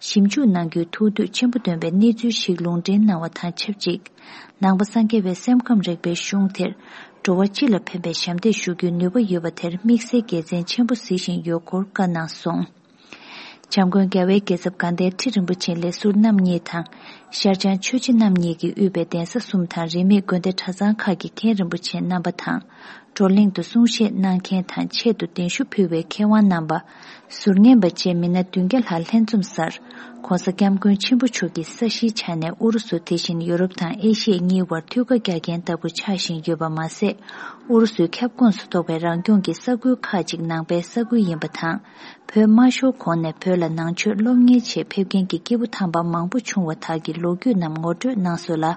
ཞིབ་འཇུག་གནང་རྒྱུའི་ཐུགས་འདོད་ཆེན་པོ་བཏོན་པའི་གནས་ཚུལ་ཞིག་ལུང་འདྲེན་གནང་བ་དང་ཆབས་ཅིག། ནང་པ་སངས་རྒྱས་པའི་སེམས་ཁམས་རིག་པའི་གཞུང་དེར་འགྲོ་བ་སྤྱི་ལ་ཕན་པའི་ཞབས་འདེགས་ཞུ་རྒྱུའི་ནུས་པ་ཡོད་པ་དེར་དམིགས་བསལ་དགེ་མཚན་ཆེན་པོ་གཟིགས་བཞིན་ཡོད་སྐོར་བཀའ་གནང་སོང་། བྱམས་མགོན་རྒྱལ་བའི་རྒྱལ་ཚབ་དགའ་ལྡན་ཁྲི་རིན་པོ་ཆེ་ལས་ཟུར་རྣམ་གཉིས་དང་། ཤར་བྱང་ཆོས་རྗེ་རྣམ་གཉིས་ཀྱིས་དབུས་པའི་གདན་ས་གསུམ་དང་རིས་མེད་དགོན་སྡེ་གྲྭ་ཚང་ཁག་གི་མཁན་རིན་པོ་ཆེ་རྣམ་པ་དང་། བགྲོ་གླེང་དུ་གསུང་བཤད་གནང་མཁན་དང་ཆེད་དུ་གདན་ཞུ་ཕུལ་བའི་མཁས་དབང་རྣམ་པ། ཟུར་ཉན་པ་བཅས་མི་སྣ་བདུན་བརྒྱ་ལྷག་ལྷན་འཛོམས་སར། ྋགོང་ས་ྋསྐྱབས་མགོན་ཆེན་པོ་མཆོག་གིས་ས་གཞིའི་ཆ་ནས་ཨུ་རུ་སུ་དེ་བཞིན་ཡོ་རོབ་དང་ཨེ་ཤི་ཡ་གཉིས་བར་མཐུད་ཁ་རྒྱག་མཁན་ལྟ་བུ་ཆགས་བཞིན་ཡོད་པ་མ་ཟད། ཨུ་རུ་སུའི་ཁྱབ་ཁོངས་སུ་གཏོགས་པའི་རང་སྐྱོང་གི་ས་ཁུལ་ཁག་ཅིག་ནང་པའི་ས་ཁུལ་ཡིན་པ་དང་། བོད་དམར་ཤོག་གོང་ནས་བོད་ལ་ནང་ཆོས་སློབ་གཉེར་ཆེད་ཕེབས་མཁན་གྱི་སྐྱེས་བུ་དམ་པ་མང་པོ་བྱུང་བ་དག་གི་ལོ་རྒྱུས་རྣམས་ངོ་སྤྲོད་གནང་སོང་ལ།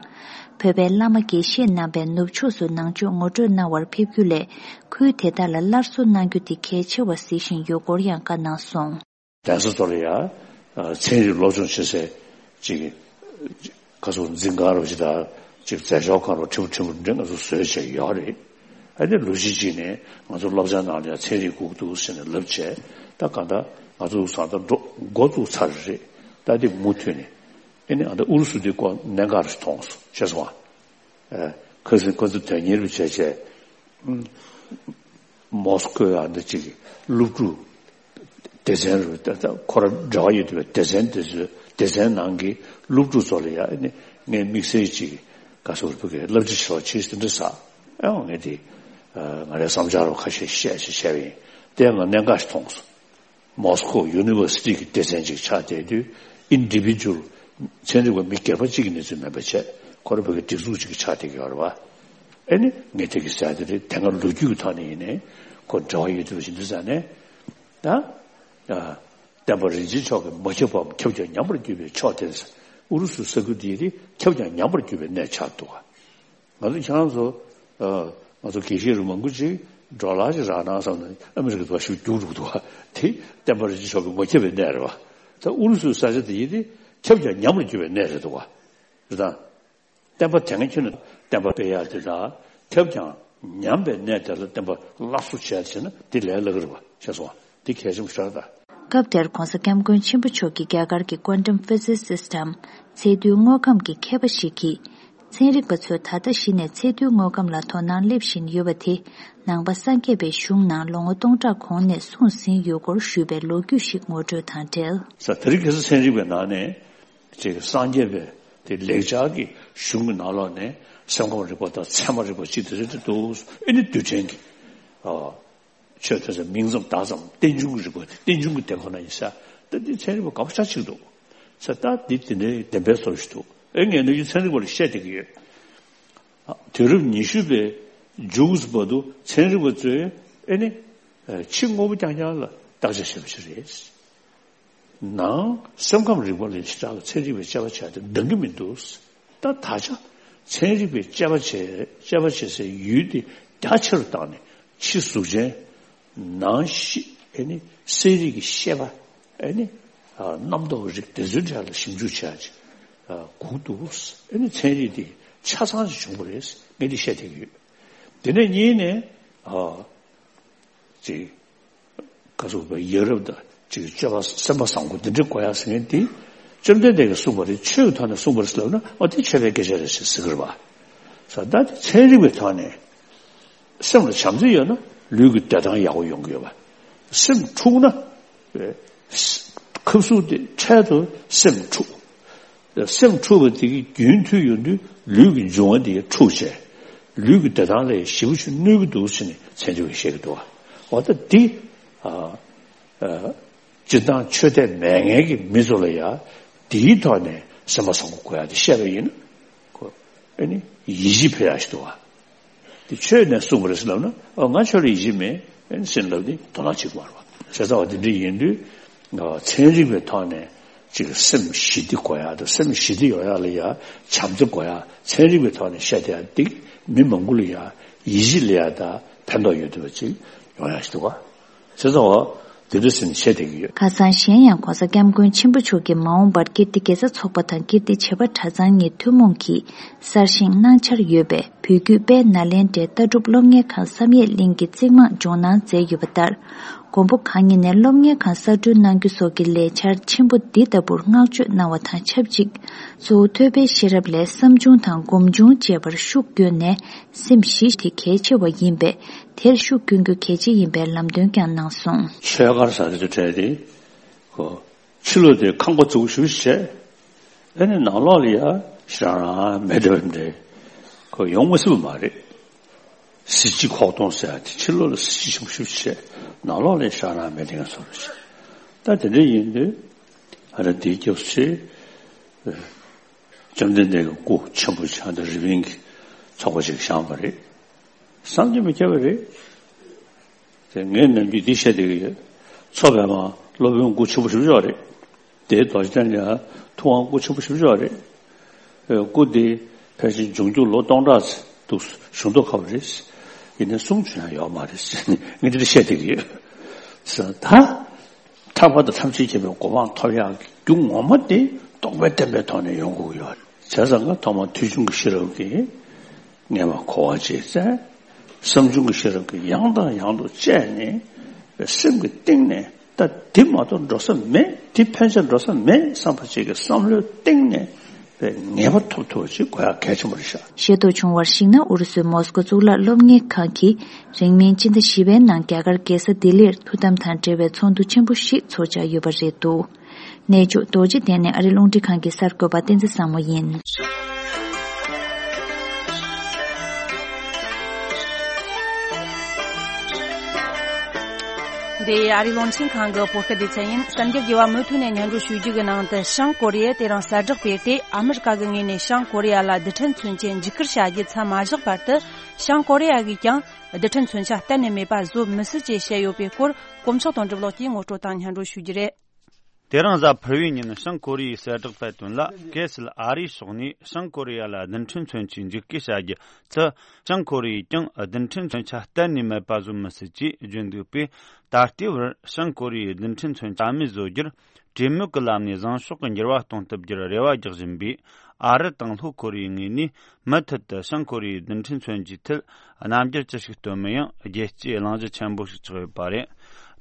བོད་པའི་བླ་མ་དགེ་བཤེས་རྣམ་པས་ནུབ་ཕྱོགས་སུ་ནང་ཆོས་ངོ་སྤྲོད་གནང་བར་ཕེབས་རྒྱུ་ལས། ཁུལ་དེ་དག་ལ་སླར་གསོ་གནང་རྒྱུ་དེ་གལ་ཆེ་བར་གཟིགས་བཞིན་ཡོད་སྐོར་ཡང་བཀའ་གནང་སོང་། གདན་ས་ཚོ་ལ་ཡ། ཚན་རིག་སློབ་སྦྱོང་བྱེད་སའི་ཅིག་ཁ་སོ་འཛིན་གང་རོ་ཞིག་དང་ཅིག་མཛད་ཤོག་གང་རོ་ཁྲི་པོ་ཁྲི་པོ་འདྲ་ང་ཚོ་བཟོས་བྱས་ཡོད་རེད། ཨ་ནི་ལོ་གཞི་གཅིག་ནས་ང་ཚོ་སློབ་ཚན་ནང་ལ་ཡང་ཚན་རིག་སྒུག་འདུག་ཟེར་ནས་ལབ་བྱས། ད་གང་ལྟར་ང་ཚོ་ས་ད་འགྲོ་འགོ་བཙུགས་ཚར་རེད། ད་འདི་མུ་མཐུད་ནས་ཨ་ནི་ཨ་ད་ཨུ་རུ་སུ་འདི་ཀོ་གནད་འགག་རེ་མཐོང་སོང་ཤེས་སོང་ཨ། ཁ་སང་ཁོ་ཚོ་དོན་གཉེར་བྱས་བྱས། མོ་སི་ཀོ་ཡང་འདི་ཅིག་སློབ་ཕྲུག་སྡེ་ཚན་རུ་ད་ལྟ་ཁོ་ར་འབྲེལ་བ་ཡོད་དུས་སྡེ་ཚན་དེ་ཚོའི་སྡེ་ཚན་ནང་གི་སློབ་ཕྲུག་ཚོ་ལ་ཡང་ནི་ངས་དམིགས་བསལ་ཅིག་ག་སོ་རུ་ཕུག་གི་བསླབ་བྱ་ཆེ་བ་ཆེ་ཟིན་འདྲ་ས་ཨེ་འོང་ངས་དེ་ང་རའི་བསམ་འཆར་རུ་ཁ་ཤས་བཤད་ཞེས་བཤད་པ་ཡིན། དེ་ཡང་ང་གནད་འགག་ཞིག་མཐོང་སོང་། མོ་སི་ཀོ་ཡུ་ནི་ཝར་སི་ཊི་གི་སྡེ་ཚན་ཅིག་ཆགས་བསྡད་དུས་ཨིན་ཌི་བི་ཇུ་ཨལ་ཚན་རིག་པ་མི་སྒེར་པ་གཅིག་གི་གནས་ཚུལ་མིན་པ་བྱས་ཁོ་ར་བོད་ཀྱི་སྒྲིག་འཛུགས་གཅིག་གི་ཆགས་བསྡད་ཀྱི་ཡོད་རེད་བ། ཨེ་ནི་ངས་དེ་གི་ཟེར་དེ་རེད་དེ་སྔ་ལོ་རྒྱུས་ཀྱི་ཐོག་ནས་ཡིན་ནའི་ཁོ་འབྲེལ་བ་ཡོད་དུས་ཞིག་འདི་ཟ་ནས་ད་བསྟན་པ་རིན་ཆེན་མཆོག་གིས་མ་ཁྱབ་པའམ་ཁྱབ་ཀྱང་ཉམས་པར་གྱུར་པའི་ཕྱོགས་དེ་ཨུ་རུ་སུའི་ས་ཁུལ་འདིའི་རིགས་ཁྱབ་ཀྱང་ཉམས་པར་གྱུར་པའི་གནས་ཆགས་འདུག་ག་ང་ཚོ་ཁྱེད་རང་ཚོ་ང་ཚོ་དགེ་བཤེས་རུ་མང་པོ་ཅིག་ཌོ་ལར་ཅིག་རག་ན་བསམ་ནས་ཨ་མི་རི་ཀ་དུ་བ་ཞིག་རྒྱུགས་འགྲོ་གི་འདུག་བ། དེ་བསྟན་པ་རིན་ཆེན་མཆོག་གི་མ་ཁྱབ་པའི་གནས་རེད་བ། ད་ཨུ་རུ་སུའི་ས་ཆ་དེ་ཡིན་དེ་ཁྱབ་ཀྱང་ཉམས་པར་གྱུར་པའི་གནས་རེད་འདུག་བ། རེད་དང་། བསྟན་པ་དེ་སྔ་ཁྱོན་ནས་བསྟན་པ་སྤེལ་ཡག་དེ་དང་ཁྱབ་ཀྱང་ཉམས་པའི་གནས་དེ་ལ་བསྟན་པ་སླར་གསོ་བྱས་བྱས་ན་དེ་ལས་སླ་གི་རེད་བ་ཤེས་སོང་བ། དེ་གལ་ཆེན་པོ་ཤར་ད། སྐབས་དེར་༧གོང་ས་༧སྐྱབས་མགོན་ཆེན་པོ་མཆོག་གིས་རྒྱ་གར་གྱི་ཀོན་ཊམ་ཕི་ཛི་སིསི་དམ་ཚད་རྡུལ་དངོས་ཁམས་ཀྱི་མཁས་པ་ཞིག་གིས། ཚན་རིག་པ་ཚོས་ད་ལྟ་གཞི་ནས་ཚད་རྡུལ་དངོས་ཁམས་ལ་དོ་སྣང་སླེབས་བཞིན་ཡོད་པ་དེ། ནང་པ་སངས་རྒྱས་པའི་གཞུང་ནང་ལོ་ངོ་སྟོང་ཕྲག་གོང་ནས་གསུངས་ཟིན་ཡོད་སྐོར་ཞུས་པའི་ལོ་རྒྱུས་ཤིག་ངོ་སྤྲོད་དང་འབྲེལ། ས་དེ་རིང་ཁ་སང་ཚན་རིག་པའི་ནང་ནས་ཅིག་སངས་རྒྱས་པའི་དེ་ལེགས་སྦྱར་གྱི་གཞུང་གི་ནང་ལོགས་ནས་སེམས་ཁམས་རིག་པ་དང་ཚད་མ་རིག་པ་ཅིག་དེ་ཚོ་དེ་འདུག་ཨེ་ནི་རྡུལ་ཕྲན་གྱི་ཨ། ཆོས་ཐོས་ཚད་མིང་ཙམ་བརྡ་ཙམ་རྟེན་འབྱུང་གི་རིག་པ་དེ་རྟེན་འབྱུང་གི་དེ་ཁོ་ན་ཡིན་ས། ད་འདི་ཚན་རིག་པ་ག་པ་ཆ་གཅིག་འདུག་ས། ད་འདི་དེ་འདྲའི་བདེན་པའི་བཟོ་ཞིག་འདུག་ཨེ་ངས་ནུས་རྒྱུ་ཚན་རིག་པ་ལ་བཤད་བསྡད་ཀྱི་ཡོད། དུས་རབས་ཉི་ཤུ་པའི་མཇུག་བར་དུ་ཚན་རིག་པ་ཚོས་ཨེ་ནི་ཕྱི་དངོས་པོ་རྐྱང་རྐྱང་ལ་བརྟག་དཔྱད་བྱེད་པ་ཞིག་རེད། ནང་སེམས་ཁམས་རིག་པ་ལ་ཞེ་དྲག་ལ་ཚན་རིག་པའི་དཔྱད་པ་བྱས་ཏེ་འདང་གི་མི་འདུག་ད་ད་ཆ་ཚན་རིག་པའི་དཔྱད་པ་བྱས་དཔྱད་པ་བྱེད་སའི་ཡུལ་དེ་རྒྱ་ཆེ་རུ་བཏང་ནས་ཕྱི་གཟུགས་ཅན་ནང་ཤི་ཨེ་ནི་གསལ་རིག་གི་ཤེས་པ་ཨེ་ནི་རྣམ་རྟོག་རིག་དེ་ཚོའི་གྲས་ལ་ཞིབ་འཇུག་བྱས་ཅིག་སྒུག་འདུག་ཨེ་ནི་ཚན་རིག་དེ་ཆ་ཚང་ཞིག་བྱུང་བ་རེད་ངས་འདི་བཤད་བསྡད་ཀྱི་ཡོད། དེ་ནས་གཉིས་ནས། ཅིག་ཁ་སོག་པའི་ཡ་རབས་དང་ཅིག་སྤྱོད་པ་སེམས་པ་བཟང་པོ་འདི་འདྲ་དགོས་ཡ་ཟེར་མཁན་དེ། བཅོམ་ལྡན་འདས་ཀྱིས་གསུངས་པ་རེད་ཆོས་ཀྱི་ཐོག་ནས་གསུངས་པ་རེད་ཟེར་ལབ་ན་ཨ་དེ་ཆོས་པའི་སྐད་ཆ་རེད་ཟེར་ཟེར་གི་རེད་བ། ས་ད་དེ་ཚན་རིག་པའི་ཐོག་ནས་སེམས་ལ་བྱམས་བརྩེ་ཡོད་ན་ལུས་ཀྱི་བདེ་ཐང་ཡག་པོ་ཡོང་གི་ཡོད་པ། སེམས་འཁྲུགས་ན་ཁབ་གསུག་དེ་འཕྲལ་དུ་སེམས་འཁྲུགས། སེམས་འཁྲུགས་པ་དེ་གི་རྒྱུན་མཐུད་ཡོང་དུས་ལུས་ཀྱི་འབྱུང་བ་དེ་འཁྲུགས་བྱས། ལུས་ཀྱི་བདེ་ཐང་ལ་ཞེ་པོ་ཅིག་གནོད་ཀྱི་འདུག་ཟེར་ནས་ཚན་རིག་པས་བཤད་ཀྱི་འདུག་བ། འོ་ད་འདི་ཨ་ཨ་སྤྱིར་བཏང་ཆོས་དད་མེད་མཁན་གྱི་མི་ཚོ་ལ་ཡང་འདིའི་ཐོག་ནས་སེམས་པ་བཟང་པོ་དགོས་ཡ་དེ་བཤད་པ་ཡིན་ན་ཁོ་ཨ་ནི་ཡིད་ཆེས་འཕེར་ཡ་ཞིག་འདུག་བ། དེ་ཆོས་ནས་གསུངས་པ་རེད་ཟེར་ལབ་ན་ཨ་ང་ཆོས་ལ་ཡིད་ཆེས་མེད་ཨེ་ཟེར་ལབ་དེ་དོ་སྣང་བྱེད་ཀྱི་མ་རེད་བ། བྱས་ཙང་བ་དེ་འདྲ་ཡིན་དུས་ཨ་ཚན་རིག་པའི་ཐོག་ནས་ཅིག་སེམས་ཞི་བདེ་དགོས་ཡ་དང་སེམས་ཞི་བདེ་ཡོང་ཡ་ལ་ཡ་བྱམས་བརྩེ་དགོས་ཡ་ཚན་རིག་པའི་ཐོག་ནས་བཤད་བསྡད་ཡ་འདི་མི་མང་པོ་ལ་ཡ་ཡིད་ཆེས་སླེབས་ཡ་དང་ཕན་ཐོགས་ཡོད་བསྡད་པ་ཅིག་ཡོང་ཡ་ཞིག་འདུག་བ། བྱས་ཙང་བ། འདི་འདྲ་ཟེར་ནས་བཤད་བསྡད་ཀྱི་ཡོད། ཁ་སང་གཞན་ཡང་༸གོང་ས་༸སྐྱབས་མགོན་ཆེན་པོ་མཆོག་གིས་མ་འོངས་པར་ཀིརྟི་དགེ་རྩ་ཚོགས་པ་དང་ཀིརྟི་བྱེས་པ་གྲྭ་ཚང་གཉིས་ཐུན་མོང་གིས་གསར་བཞེངས་གནང་འཆར་ཡོད་པས། བོད་བརྒྱུད་དཔལ་ནཱ་ལེནྡྲའི་ལྟ་གྲུབ་སློབ་གཉེར་ཁང་བསམ་ཡས་གླིང་གི་རྩིག་རྨང་འཇོག་གནང་མཛད་ཡོད་པ་ལྟར། མགོན་པོ་གང་ཉིད་ནས་སློབ་གཉེར་ཁང་གསར་སྐྲུན་གནང་རྒྱུ་སོགས་ཀྱི་ལས་འཆར་ཆེན་པོ་འདི་ལྟ་བུར་བསྔགས་བརྗོད་གནང་བ་དང་ཆབས་ཅིག། གཙོ་བོ་ཐོད་པའི་ཤེས་རབ་ལས་བསམ་བྱུང་དང་སྒོམ་བྱུང་བཅས་པར་ཤུགས་བསྐྱོན་ནས། སེམས་གཞི་དེ་གལ་ཆེ་བ་ཡིན་པས། དེར་ཤུགས་བསྐྱོན་རྒྱུ་གལ་ཆེ་ཡིན་པའི་ལམ་སྟོན་ཀྱང་གནང་སོང་། ཆོས་སྒར་ཟེར་དེ་ཚོ་གྲས་དེ། ཁོ། ཕྱི་ལོགས་དེ་ཁང་པ་བཙུགས་ཞུ་བྱས། ཨ་ནི་ནང་ལོགས་ལ་ཡ་ཞེ་དྲག་རང་མེད་འདྲ་བ་འདྲ། ཁོ་ཡོང་མ་སྲིད་པ་མ་རེད། གཟི་བརྗིད་ཁོག་སྟོང་ཟེར་ཡ་དེ་ཕྱི་ལོགས་ལ་གཟི་བརྗིད་ཆེན་པོ་ཞུ་བྱས། ནང་ལོགས་ལ་ཡ་ཞེ་དྲག་རང་མེད་འདྲ་བ་བཟོ་འདྲ་བྱས། ད་དེ་འདྲ་ཡིན་དུས། ཨ་ར་དེའི་སྐབས་སུ། བཅོམ་ལྡན་འདས་ཀྱི་སྐུ་ཆེན་པོ་ཆགས་འདི་རི་པིན་གྱི་ཚོགས་པ་ཞིག་བཞེངས་པ་རེད། བསམ་གྱིས་མི་ཁྱབ་པ་རེད། དེ་ངས་ནམ་རྒྱུན་འདི་བཤད་བསྡད་ཀྱི་ཡོད། མཚོ་པདྨ་སློབ་དཔོན་སྐུ་ཆེན་པོ་ཞེ་པོ་ཅིག་རེད། དེའི་རྡོ་རྗེ་གདན་ལ་ཐུབ་དབང་སྐུ་ཆེན་པོ་ཞེ་པོ་ཅིག་རེད། སྐུ་དེ་ཕལ་ཆེར་འབྱུང་འགྱུར་ལོ་སྟོང་ཕྲག་ཙམ་འདུག། བཞུགས་མདོག་ཁ་པོ་རེད། ཡིན་ནའི་གསུང་བྱུང་ཡང་ཡོད་མ་རེད་ཟེར་ནས་ངས་འདི་འདྲ་བཤད་བསྡད་ཀྱི་ཡོད། ད། ཐར་པ་དང་ཐམས་ཅད་མཁྱེན་པའི་གོ་འཕང་ཐོབ་ཡག་གི་རྒྱུ་ངོ་མ་དེ་རྟོགས་པའི་བརྟན་པའི་ཐོག་ནས་ཡོང་དགོས་ཀྱི་ཡོད། བྱས་ཙང་ང་ཐོག་མར་ཐོས་བྱུང་གི་ཤེས་རབ་ཀྱིས་ངེས་པར་གོ་བ་བྱས་ཙང་། བསམ་བྱུང་གི་ཤེས་རབ་ཀྱིས་ཡང་དང་ཡང་དུ་དཔྱད་ནས་སེམས་ཀྱི་གཏིང་ནས་ད་དེ་མ་གཏོགས་འགྲོ་ས་མེད། དེ་ཕན་ཆད་འགྲོ་ས་མེད་བསམ་པ་ཅིག་གི་བསམ་བློའི་གཏིང་ནས། པའི་ངེས་པ་ཐོབ་ཐུབ་པ་ཅིག་དགོས་ཡག་གལ་ཆེན་པོ་རེད་ཤག། ཤེས་རྟོགས་བྱུང་བར་གཞིགས་ན། ཨུ་རུ་སུའི་མོ་སྐོ་གཙུག་ལག་སློབ་གཉེར་ཁང་གིས་རིང་མིན་སྤྱི་ཟླ་བཞི་པའི་ནང་རྒྱ་གར་རྒྱལ་ས་ལྡི་ལིར་ཐུགས་དམ་དང་འབྲེལ་བའི་ཚོགས་འདུ་ཆེན་པོ་ཞིག་ཚོགས་འཆར་ཡོད་པ་རེད་འདུག། གནས་མཆོག་རྡོ་རྗེ་གདན་ནས་ཨ་རི་རླུང་འཕྲིན་ཁང་གི་གསར་འགོད་པ་བསྟན་འཛིན་བཟང་མོ་ཡིན། འདི་ཨ་རིའི་རླུང་འཕྲིན་ཁང་གི་བོད་སྐད་སྡེ་ཚན་ཡིན། གསར་འགྱུར་རྒྱས་པ་མུ་མཐུད་ནས་སྙན་སྒྲོན་ཞུ་རྒྱུ་གི་ནང་དུ། བྱང་ཀོ་རི་ཡས་དེ་རིང་གསལ་བསྒྲགས་སྤེལ་ཏེ། ཨ་མི་རི་ཀ་གི་ངོས་ནས་བྱང་ཀོ་རི་ཡ་ལ་རྡུལ་ཕྲན་མཚོན་ཆའི་འཇིགས་སྐུལ་བྱ་རྒྱུ་མཚམས་མ་བཞག་བར་དུ། བྱང་ཀོ་རི་ཡ་གིས་ཀྱང་རྡུལ་ཕྲན་མཚོན་ཆ་གཏན་ནས་མེད་པ་བཟོ་མི་སྲིད་ཅེས་བཤད་ཡོད་པའི་སྐོར། གོ་མཆོག་དོན་གྲུབ་ལགས་ཀྱིས་ངོ་སྤྲོད་དང་སྙན་སྒྲོན་ཞུ་རྒྱུ་རེད། དེ་རིང་གཟའ་ཕུར་བུའི་ཉིན་བྱང་ཀོ་རི་ཡས་གསལ་བསྒྲགས་སྤེལ་དོན་ལ། གལ་སྲིད་ཨ་རིའི་ཕྱོགས་ནས་བྱང་ཀོ་རི་ཡ་ལ་རྡུལ་ཕྲན་མཚོན་ཆའི་འཇིགས་སྐུལ་བྱ་རྒྱུ་ཚུ། བྱང་ཀོ་རི་ཡས་ཀྱང་རྡུལ་ཕྲན་མཚོན་ཆ་གཏན་ནས་མེད་པ་བཟོ་མི་སྲིད་ཅེས་བརྗོད་འདུག་པས། ད་ལྟའི་བར་བྱང་ཀོ་རི་ཡས་རྡུལ་ཕྲན་མཚོན་ཆ་རྩ་མེད་བཟོ་རྒྱུར་གྲོས་མོལ་གྱི་ལམ་ནས་བཟང་ཕྱོགས་ཀྱི་འགྱུར་བ་གཏོང་ཐུབ་རྒྱུར་རེ་བ་རྒྱག་བཞིན་པའི་ཨ་རི་དང་ལྷོ་ཀོ་རི་ཡའི་ངོས་ནས། མུ་མཐུད་དུ་བྱང་ཀོ་རི་ཡས་རྡུལ་ཕྲན་མཚོན་ཆའི་ཐད་རྣམ་འགྱུར་ཅི་ཞིག་སྟོན་མིན་ཡང་རྒྱལ་སྤྱིའི་གླེང་གཞི་ཆེན་པོ་ཞིག་ཆགས་ཡོད་པ་རེད།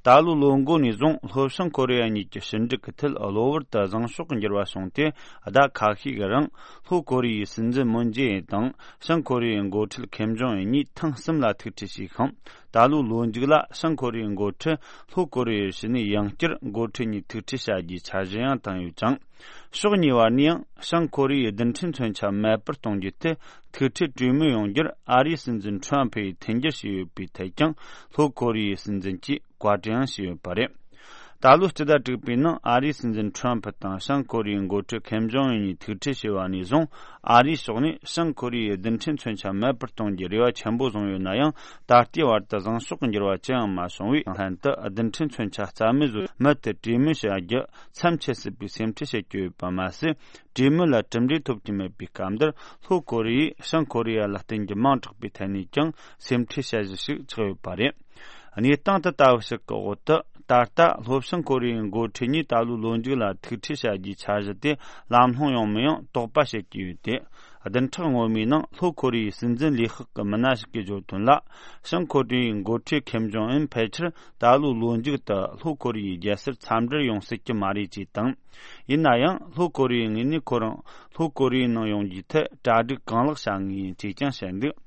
ད་ལོའི་ལོ་འགོ་ནས་བཟུང་ལྷོ་བྱང་ཀོ་རི་ཡ་གཉིས་ཀྱི་ཕྱི་འབྲེལ་གྱི་ཐད་གློ་བུར་དུ་བཟང་ཕྱོགས་ཀྱི་འགྱུར་བ་བྱུང་སྟེ། ཟླ་ཁ་ཤས་ཀྱི་རིང་ལྷོ་ཀོ་རི་ཡའི་སྲིད་འཛིན་མུན་ཇེ་ཨིན་དང་བྱང་ཀོ་རི་ཡའི་འགོ་ཁྲིད་ཁེམ་ཇོང་ཨུན་གཉིས་ཐེངས་གསུམ་ལ་ཐུག་འཕྲད་བྱས་ཤིང་། ད་ལོའི་ལོ་མཇུག་ལ་བྱང་ཀོ་རི་ཡའི་འགོ་ཁྲིད་ལྷོ་ཀོ་རི་ཡའི་ཕྱི་ནས་ཡང་བསྐྱར་འགོ་ཁྲིད་གཉིས་ཐུག་འཕྲད་བྱ་རྒྱུའི་འཆར་གཞི་ཡང་བཏིང་ཡོད་ཅིང་། ཕྱོགས་གཉིས་བར་ནས་ཡང་བྱང་ཀོ་རི་ཡའི་རྡུལ་ཕྲན་མཚོན་ཆ་མེད་པར་གཏོང་རྒྱུའི་ཐད་ཐུག་འཕྲད་གྲོས་མོལ་ཡོང་རྒྱུར་ཨ་རིའི་སྲིད་འཛིན་ཁྲོམ་ཕུ་ཡིས་མཐུན་འགྱུར་བྱས་ཡོད་པའི་ཐད་ཀྱང་ལྷོ་ཀོ་རི་ཡའི་སྲིད་འཛིན་གྱིས་བཀའ་དྲིན་ཡང་ཞུས་ཡོད་པ་རེད། ད་ལོའི་སྤྱི་ཟླ་དྲུག་པའི་ནང་ཨ་རིའི་སྲིད་འཛིན་ཁྲོམ་ཕུ་དང་བྱང་ཀོ་རི་ཡའི་འགོ་ཁྲིད་ཁེམ་ཇོང་ཨུན་གཉིས་ཐུག་འཕྲད་བྱས་པ་ནས་བཟུང་། ཨ་རིའི་ཕྱོགས་ནས་བྱང་ཀོ་རི་ཡའི་རྡུལ་ཕྲན་མཚོན་ཆ་མེད་པར་གཏོང་རྒྱུའི་རེ་བ་ཆེན་པོ་བཟུང་ཡོད་ན་ཡང་། ད་ལྟའི་བར་དུ་བཟང་ཕྱོགས་ཀྱི་འགྱུར་བ་ཅི་ཡང་མ་བྱུང་བས། ལྷན་དུ་རྡུལ་ཕྲན་མཚོན་ཆ་རྩ་མེད་བཟོ་རྒྱུའི་ཐད་གྲོས་མོལ་བྱ་རྒྱུ་མཚམས་ཆད་སྲིད་པའི་སེམས་ཁྲལ་བྱེད་ཀྱི་ཡོད་པ་མ་ཟད། གྲོས་མོལ་ལ་གྲུབ་འབྲས་ཐོབ་ཀྱི་མེད་པའི་སྐབས་འདིར། ལྷོ་ཀོ་རི་ཡས་བྱང་ཀོ་རི་ཡ་ལ་བརྟེན་རྒྱུ་མང་དྲགས་པའི་ཐད་ནས་ཀྱང་སེམས་ཁྲལ་བྱ་གཞི་ཞིག་ཆགས་ཡོད་པ་རེད། གནས་སྟངས་དེ་ལྟ་བུ་ཞིག་གི་འོག་ཏུ། ད་ལྟ་ལྷོ་བྱང་ཀོ་རི་ཡའི་འགོ་ཁྲིད་གཉིས་ད་ལོའི་ལོ་མཇུག་ལ་ཐུག་འཕྲད་བྱ་རྒྱུའི་འཆར་གཞི་དེ་ལམ་ལྷོང་ཡོང་མིན་ཡང་དོགས་པ་བྱེད་ཀྱི་ཡོད་དེ། བདུན་ཕྲག་སྔོན་མའི་ནང་ལྷོ་ཀོ་རི་ཡའི་སྲིད་འཛིན་ལས་ཁུངས་ཀྱི་མི་སྣ་ཞིག་གིས་བརྗོད་དོན་ལ། བྱང་ཀོ་རི་ཡའི་འགོ་ཁྲིད་ཁེམ་ཇོང་ཨུན་ཕལ་ཆེར་ད་ལོའི་ལོ་མཇུག་ཏུ་ལྷོ་ཀོ་རི་ཡའི་རྒྱལ་སར་འཚམས་འདྲིར་ཡོང་སྲིད་ཀྱི་མ་རེད་ཅེས་དང་། ཡིན་ན་ཡང་ལྷོ་ཀོ་རི་ཡའི་ངོས་ནས་ཁོ་རང་ལྷོ་ཀོ་རི་ཡའི་ནང་ཡོང་རྒྱུའི་ཐད་གྲ་སྒྲིག་གང་ལེགས་བྱ་ངེས་ཡིན་ཅེས་ཀྱང་བཤད་འདུག།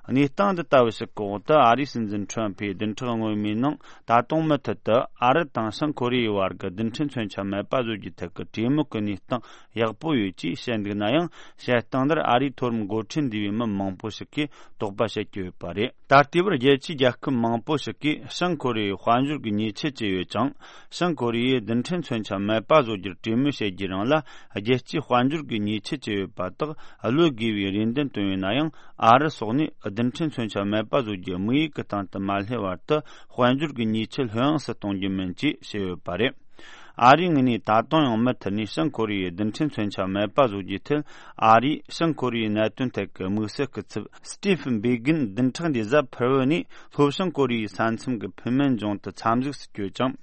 གནས་སྟངས་འདི་ལྟ་བུ་ཞིག་གི་འོག་ཏུ། ཨ་རིའི་སྲིད་འཛིན་ཁྲོམ་ཕུས་བདུན་ཕྲག་སྔོན་མའི་ནང་ད་དུང་མུ་མཐུད་དུ་ཨ་རི་དང་བྱང་ཀོ་རི་ཡའི་བར་གྱི་རྡུལ་ཕྲན་མཚོན་ཆ་མེད་པ་བཟོ་རྒྱུའི་ཐད་ཀྱི་གྲོས་མོལ་གྱི་གནས་སྟངས་ཡག་པོ་ཡོད་ཅེས་བཤད་འདུག་ན་ཡང་། བཤད་སྟངས་འདིར་ཨ་རིའི་མཐོ་རིམ་འགོ་ཁྲིད་འདུས་པའི་མི་མང་པོ་ཞིག་གིས་དོགས་པ་བྱེད་ཀྱི་ཡོད་པ་རེད། ད་ལྟའི་བར་རྒྱལ་སྤྱིའི་རྒྱལ་ཁབ་མང་པོ་ཞིག་གིས་བྱང་ཀོ་རི་ཡའི་དཔལ་འབྱོར་གྱི་ཉེས་ཆད་བཅད་ཡོད་ཅིང་། བྱང་ཀོ་རི་ཡས་རྡུལ་ཕྲན་མཚོན་ཆ་མེད་པ་བཟོ་རྒྱུར་གྲོས་མོལ་བྱེད་རྒྱུའི་རིང་ལ། རྒྱལ་སྤྱིའི་དཔལ་འབྱོར་གྱི་ཉེས་ཆད་བཅད་ཡོད་པ་དག་གློད་དགོས་པའི་རེ་འདུན་བཏོན་ཡོད་ན་ཡང་། ཨ་རི་སོགས་ནས་རྡུལ་ཕྲན་མཚོན་ཆ་མེད་པ་བཟོ་རྒྱུའི་དམིགས་ཡུལ་གྱི་སྟེང་དུ་མ་སླེབས་བར་དུ། དཔལ་འབྱོར་གྱི་ཉེས་ཆད་ལྷོད་ཡངས་སུ་གཏོང་རྒྱུ་མིན་ཅེས་བཤད་ཡོད་པ་རེད། ཨ་རིའི་ངོས་ནས་ད་དུང་ཡང་མུ་མཐུད་ནས་བྱང་ཀོ་རི་ཡའི་རྡུལ་ཕྲན་མཚོན་ཆ་མེད་པ་བཟོ་རྒྱུའི་ཐད། ཨ་རིས་བྱང་ཀོ་རི་ཡའི་གནད་དོན་ཐད་ཀྱི་དམིགས་བསལ་སྐུ་ཚབ་སི་ཏི་ཕན་བྷེ་གིན་བདུན་ཕྲག་འདིའི་གཟའ་ཕུར་བུ་ནས་ལྷོ་བྱང་ཀོ་རི་ཡའི་ས་མཚམས་ཀྱི་ཕུ་མན་ལྗོངས་དུ་འཚམས་གཟིགས་སུ་བསྐྱོད་ཅིང་།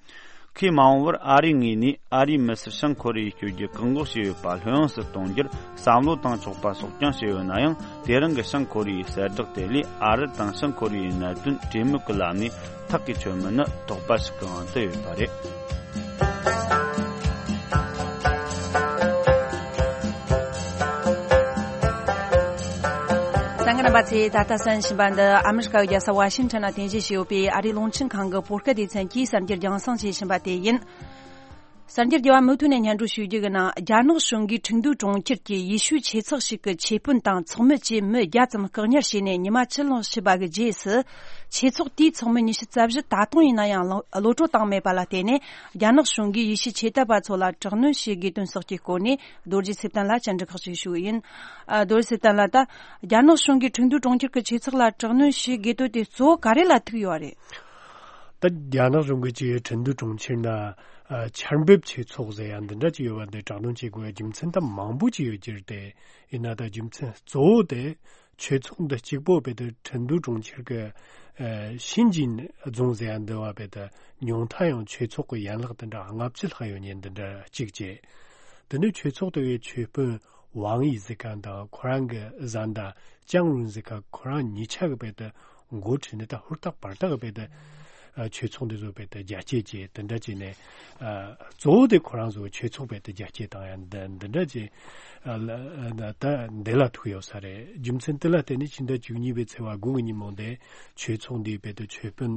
ཁོས་མ་འོངས་པར་ཨ་རིའི་ངོས་ནས་ཨ་རིའི་མི་སེར་བྱང་ཀོ་རི་ཡར་བསྐྱོད་རྒྱུ་བཀག་འགོག་བྱས་ཡོད་པ་ལྷོད་ཡངས་སུ་གཏོང་རྒྱུར་བསམ་བློ་བཏང་ཆོག་པ་སོགས་ཀྱང་བཤད་ཡོད་ན་ཡང་། དེ་རིང་གི་བྱང་ཀོ་རི་ཡའི་གསལ་བསྒྲགས་དེ་ལས་ཨ་རི་དང་བྱང་ཀོ་རི་ཡའི་གནད་དོན་གྲོས་མོལ་གྱི་ལམ་ནས་ཐག་གིས་ཆོད་མིན་ནི་དོགས་པ་ཞིག་གི་དབང་དུ་ཡོད་པ་རེད། གསན་མཁན་རྣམ་པ་ཚོས་ད་ལྟ་གསན་བཞིན་པ་འདི་ཨ་མི་རི་ཀའི་རྒྱལ་ས་ཝ་ཤིང་ཊོན་ལ་རྟེན་གཞི་བྱས་ཡོད་པའི་ཨ་རིའི་རླུང་འཕྲིན་ཁང་གི་བོད་སྐད་སྡེ་ཚན་གྱིས་གསར་འགྱུར་རྒྱང་སྲིང་བྱེད་བཞིན་པ་དེ་ཡིན། གསར་འགྱུར་རྒྱས་པ་མུ་མཐུད་ནས་སྙན་སྒྲོན་ཞུ་རྒྱུ་གི་ནང་། རྒྱ་ནག་གཞུང་གིས་ཁྲིན་ཏུའུ་གྲོང་ཁྱེར་གྱི་ཡེ་ཤུའི་ཆོས་ཚོགས་ཤིག་གི་ཆོས་དཔོན་དང་ཚོགས་མི་བཅས་མི་བརྒྱ་ཙམ་བཀག་ཉར་བྱས་ནས་ཉི་མ་ཕྱེད་ལོང་ཕྱིན་པ་གི་རྗེས་སུ། ཆོས་ཚོགས་དེའི་ཚོགས་མི་ཉི་ཤུ་རྩ་བཞི་ད་དུང་ཡིན་ན་ཡང་གློད་གྲོལ་བཏང་མེད་པ་ལ་བརྟེན་ནས། རྒྱ་ནག་གཞུང་གིས་ཡེ་ཤུའི་ཆོས་དད་པ་ཚོ་ལ་དྲག་གནོན་བྱེད་དགོས་དོན་སོགས་ཀྱི་སྐོར་ནས་རྡོ་རྗེ་ཚེ་བརྟན་ལ་བཅར་འདྲི་ཁག་ཅིག་ཞུས་ཡིན། ཨ། རྡོ་རྗེ་ཚེ་བརྟན་ལགས། ད་རྒྱ་ནག་གཞུང་གིས་ཁྲིན་ཏུའུ་གྲོང་ཁྱེར་གྱི་ཆོས་ཚོགས་ལ་དྲག་གནོན་བྱེད་དགོས་དོན་དེ་གཙོ་བོ་ག་རེ་ལ་ཐུག་ཡོད་རེད། ད་རྒྱ་ནག་གཞུང་གིས་ཀྱི་ཁྲིན་ཏུའུ་གྲོང་ཁྱེར་ན་ཨ་ཆར་འབེབས་ཆོས་ཚོགས་ཟེར་ཡ་འདི་འདྲ་ཅིག་ཡོད་པ་འདི་དྲག་གནོན་བྱེད་དགོས་པའི་རྒྱུ་མཚན་ད་མང་པོ་ཅིག་ཡོད་ཀྱི་རེད་དེ། ཡིན་ན་ད་རྒྱུ་མཚན་གཙོ་བོ་དེ་ཆོས་ཚོགས་འདི་གཅིག་པོ་བས་ད་ཁྲིན་ཏུའུ་གྲོང་ཁྱེར་གྱི་ཨ་ཤིན་ཅིན་རྫོང་ཟེར་ཡ་འདི་བ་བས་ད་ཉུང་མཐའ་ཡང་ཆོས་ཚོགས་ཀྱི་ཡན་ལག་དེ་འདྲ་ལྔ་བཅུ་ལྷག་ཡོད་མཁན་འདི་འདྲ་གཅིག་བྱས། དེ་ནས་ཆོས་ཚོགས་དེ་བའི་ཆོས་དཔོན་ཝང་ཡི་ཟེར་མཁན་དང་ཁོ་རང་གི་བཟའ་ཟླ་ཅང་རུན་ཟེར་མཁན་ཁོ་རང་གཉིས་ཆ་གི་བས་ད་འགོ་ཁྲིད་ནས་ད་ཧུར་ཐག་བར་ཐག་བས་ད་ཨ་ཆོས་ཚོགས་འདི་ཚོ་བས་ད་རྒྱ་སྐྱེད་བྱས། དེ་འདྲ་བྱས་ནས་ཨ་གཙོ་བོ་དེ་ཁོ་རང་ཚོ་ཆོས་ཚོགས་བས་ད་རྒྱ་སྐྱེད་བཏང་ཡ་འདི་འདི་འདྲ་བྱས། ཨ་ལ་ཨ་ད་འདི་ལ་ཐུག་ཡོད་ས་རེད། རྒྱུ་མཚན་དེ་ལ་བརྟེན་ནས་ཕྱི་ཟླ་བཅུ་གཉིས་པའི་ཚེས་པ་དགུ་གི་ཉིན་མོ་འདི་ཆོས་ཚོགས་འདིའི་བས་ད་ཆོས་དཔོན་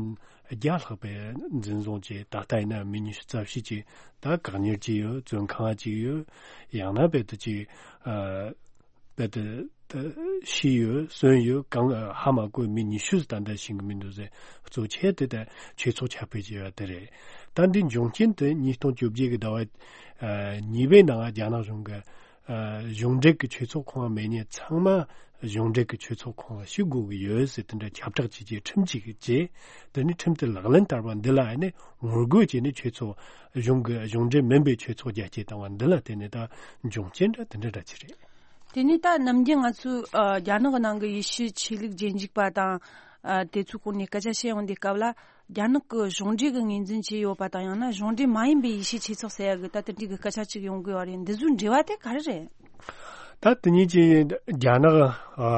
བརྒྱ་ལྷག་པའི་འཛིན་བཟུང་བྱས། ད་ལྟ་ཡིན་ན་མི་ཉི་ཤུ་རྩ་བཞི་ཅིག་ད་བཀག་ཉར་བྱས་ཡོད། བཙོན་ཁང་བྱས་ཡོད། ཡང་ན་བས་ད་ཅིག་ཨ་བས་ད་ད་ཤི་ཡོད། གསོན་ཡོད། གང་ཧ་མ་གོ་མི་ཉི་ཤུ་ཙམ་ད་ལྟ་ཤི་གི་མི་འདུག་ཟེར། གཙོ་ཆེ་དེ་ད་ཆོས་ཚོགས་ཁྱབ་སྤེལ་བྱས་པ་དེ་རེད། ད་འདི་འབྱུང་རྐྱེན་དེ་ཉིས་སྟོང་བཅོ་བརྒྱད་ཀྱི་ཟླ་བ་ཨ་གཉིས་པའི་ནང་རྒྱ་ནག་གཞུང་གི་ཨ་གཞུང་འབྲེལ་གྱི་ཆོས་ཚོགས་ཁང་མེད་མཁན་ཚང་མ་གཞུང་འབྲེལ་གྱི་ཆོས་ཚོགས་ཁང་ལ་ཞུགས་དགོས་ཀྱི་ཡོད་ཟེར་དེ་འདྲ་ཁྱབ་བསྒྲགས་བྱས་རྗེས་ཁྲིམས་གཅིག་བྱས། དེ་ནས་ཁྲིམས་དེ་ལག་ལེན་བསྟར་བ་འདི་ལ་ཨ་ནི་ངོ་རྒོལ་བྱས་ནས་ཆོས་ཚོགས་གཞུང་གི་གཞུང་འབྲེལ་མིན་པའི་ཆོས་ཚོགས་རྒྱ་སྐྱེད་བཏང་བ་འདི་ལ་བརྟེན་ནས་ད་འབྱུང་རྐྱེན་འདྲ་དེ་འདྲ་འདྲ་ཅིག་རེད། དེ་ནས་ད་ནམ་རྒྱུན་ང་ཚོས་ཨ་རྒྱ་ནག་གི་ནང་གི་ཡེ་ཤུའི་ཆོས་ལུགས་རྗེས་འཇུག་པ་དང་ཨ་དེ་ཚོའི་སྐོར་ནས་སྐད་ཆ་བཤད་ཡོང་དུས་སྐབས་ལ། རྒྱ་ནག་གི་གཞུང་འབྲེལ་གྱི་ངོས་འཛིན་བྱས་ཡོད་པ་དང་། ཡང་ན་གཞུང་འབྲེལ་མ་ཡིན་པའི་ཡེ་ཤུའི་ཆོས་ཚོགས་ཟེར་ཡ་གི་ད་དེ་འདྲའི་གི་སྐད་ཆ་ཅིག་ཡོང་གི་ཡོད་རེད། འདི་ཚོའི་འབྲེལ་བ་དེ་ག་རེ་རེད། ད་དེ་གཉིས་ཀྱི་རྒྱ་ནག་ཨ་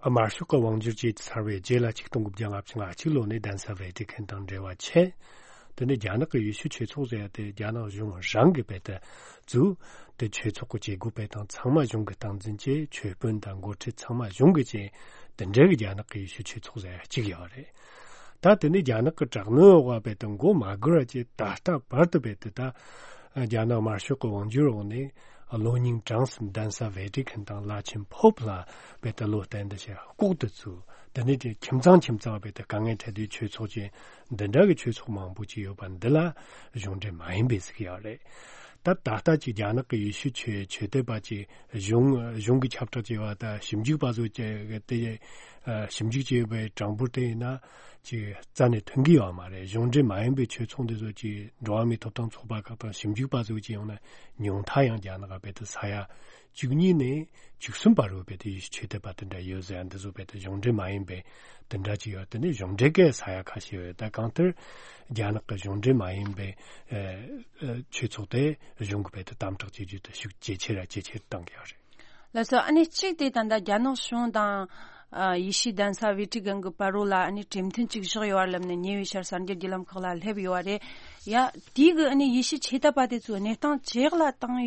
དམར་ཤོག་གི་དབང་སྒྱུར་བྱས་ཚར་བའི་རྗེས་ལ་ཆིག་སྟོང་དགུ་བརྒྱ་ལྔ་བཅུ་ང་གཅིག་ལོ་ནས་གདན་ས་ཝེ་ཏི་ཁན་དང་འབྲེལ་བ་ཆད། དེ་ནས་རྒྱ་ནག་གི་ཡེ་ཤུ་ཆོས་ཚོགས་ཟེར་ཡ་དེ་རྒྱ་ནག་གཞུང་རང་གི་བས་ཏེ་བཙུགས། དེ་ཆོས་ཚོགས་ཀྱི་བྱེད་སྒོ་སྤེལ་སྟངས་ཚང་མ་གཞུང་གིས་སྟངས་འཛིན་བྱས། ཆོས་དཔོན་དང་འགོ་ཁྲིད་ཚང་མ་གཞུང་གིས་བྱས། དེ་འདྲའི་གི་རྒྱ་ནག་གི་ཡེ་ཤུ་ཆོས་ཚོགས་ཟེར་ཡ་གཅིག་ཡོད་རེད། ད་དེ་ནས་རྒྱ་ནག་གི་དྲག་གནོན་འོག་བས་ཏེ་མགོ་མ་སྒུར་བ་བྱས། ད་ལྟ་བར་དུ་བས་ཏེ་ད་རྒྱ་ནག་དམར་ཤོག་གི་དབང་སྒྱུར་འོག་ནས་བློ་སྙིང་བྲང་གསུམ་གདན་ས་ཝེ་ཏི་ཁན་དང་བླ་ཆེན་ཕོབ་ལ་བས་ཏེ་བློ་གཏད་འདི་བྱས་ལྐོག་ཏུ་བཙུགས། དེ་ནས་དེ་ཁྱིམ་ཚང་ཁྱིམ་ཚང་བས་ཏེ་དཀའ་ངལ་འཕྲད་དུས་ཆོས་ཚོགས་ཀྱི་འདི་འདྲ་གི་ཆོས་ཚོགས་མང་པོ་ཅིག་ཡོད་པ་འདི་ལ་གཞུང་འབྲེལ་མ་ཡིན་པའི་ཟེར་གྱི་ཡོད་རེད། ད་ད་ལྟ་ཅིག་རྒྱ་ནག་གི་ཡེ་ཤུ་ཆོས་ཆོས་དད་པ་ཅིག་གཞུང་གཞུང་གི་ཁྱབ་བསྒྲགས་བྱས་པ་དང་ཞིབ་འཇུག་པ་ཚོ་ཅིག་གི་དེ་ཨ་ཞིབ་འཇུག་བྱས་པའི་གྲངས་འབོར་དེ་ཡིན་ན་ཅིག་རྩ་ནས་ཐོན་གྱི་ཡོད་མ་རེད། གཞུང་འབྲེལ་མ་ཡིན་པའི་ཆོས་ཚོགས་འདི་ཚོ་ཅིག་འགྲོ་བ་མིའི་ཐོབ་ཐང་ཚོགས་པ་ཁག་དང་ཞིབ་འཇུག་པ་ཚོ་ཅིག་ཡོང་ན་ཉུང་མཐའ་ཡང་རྒྱ་ནག་རྦད་དེ་ས་ཡ་བཅུ་གཉིས་ནས་བཅུ་གསུམ་བར་རུ་རྦད་དེ་ཆོས་དད་པ་དེ་འདྲ་ཡོད་ཟེར་ཡ་འདི་ཚོ་རྦད་དེ་གཞུང་འབྲེལ་མ་ཡིན་པའི་དེ་འདྲ་ཅིག་ཡོད། དེ་ནས་གཞུང་འབྲེལ་གྱི་ས་ཡ་ཁ་ཤས་ཡོད། ད་གང་ལྟར་རྒྱ་ནག་གི་གཞུང་འབྲེལ་མ་ཡིན་པའི་ཨ་ཨ་ཆོས་ཚོགས་དེ་གཞུང་གིས་རྦད་དེ་དམ་དྲག་བྱེད་རྒྱུ་དེ་ཤུགས་ཇེ་ཆེ་ར་ཇེ་ཆེར་བཏང་གི་ཡོད་རེད། ལགས་སོ། ཨ་ནི་གཅིག་དེ་ད་ལྟ་རྒྱ་ནག་གཞུང་དང་ཨ་ཡེ་ཤུའི་གདན་ས་ཝེ་ཏི་ཀན་གྱི་བར་རོ་ལ་ཨ་ནི་གྲོས་མཐུན་ཅིག་བཞག་ཡོད་པ་ལབ་ནས་ཉེ་བའི་ཆར་གསར་འགྱུར་བརྒྱུད་ལམ་ཁག་ལ་སླེབས་ཡོད་པ་རེད། ཡ་དེའི་གི་ཨ་ནི་ཡེ་ཤུའི་ཆོས་དད་པ་དེ་ཚོའི་གནས་སྟངས་ཇེ་ཡག་ལ་བཏང་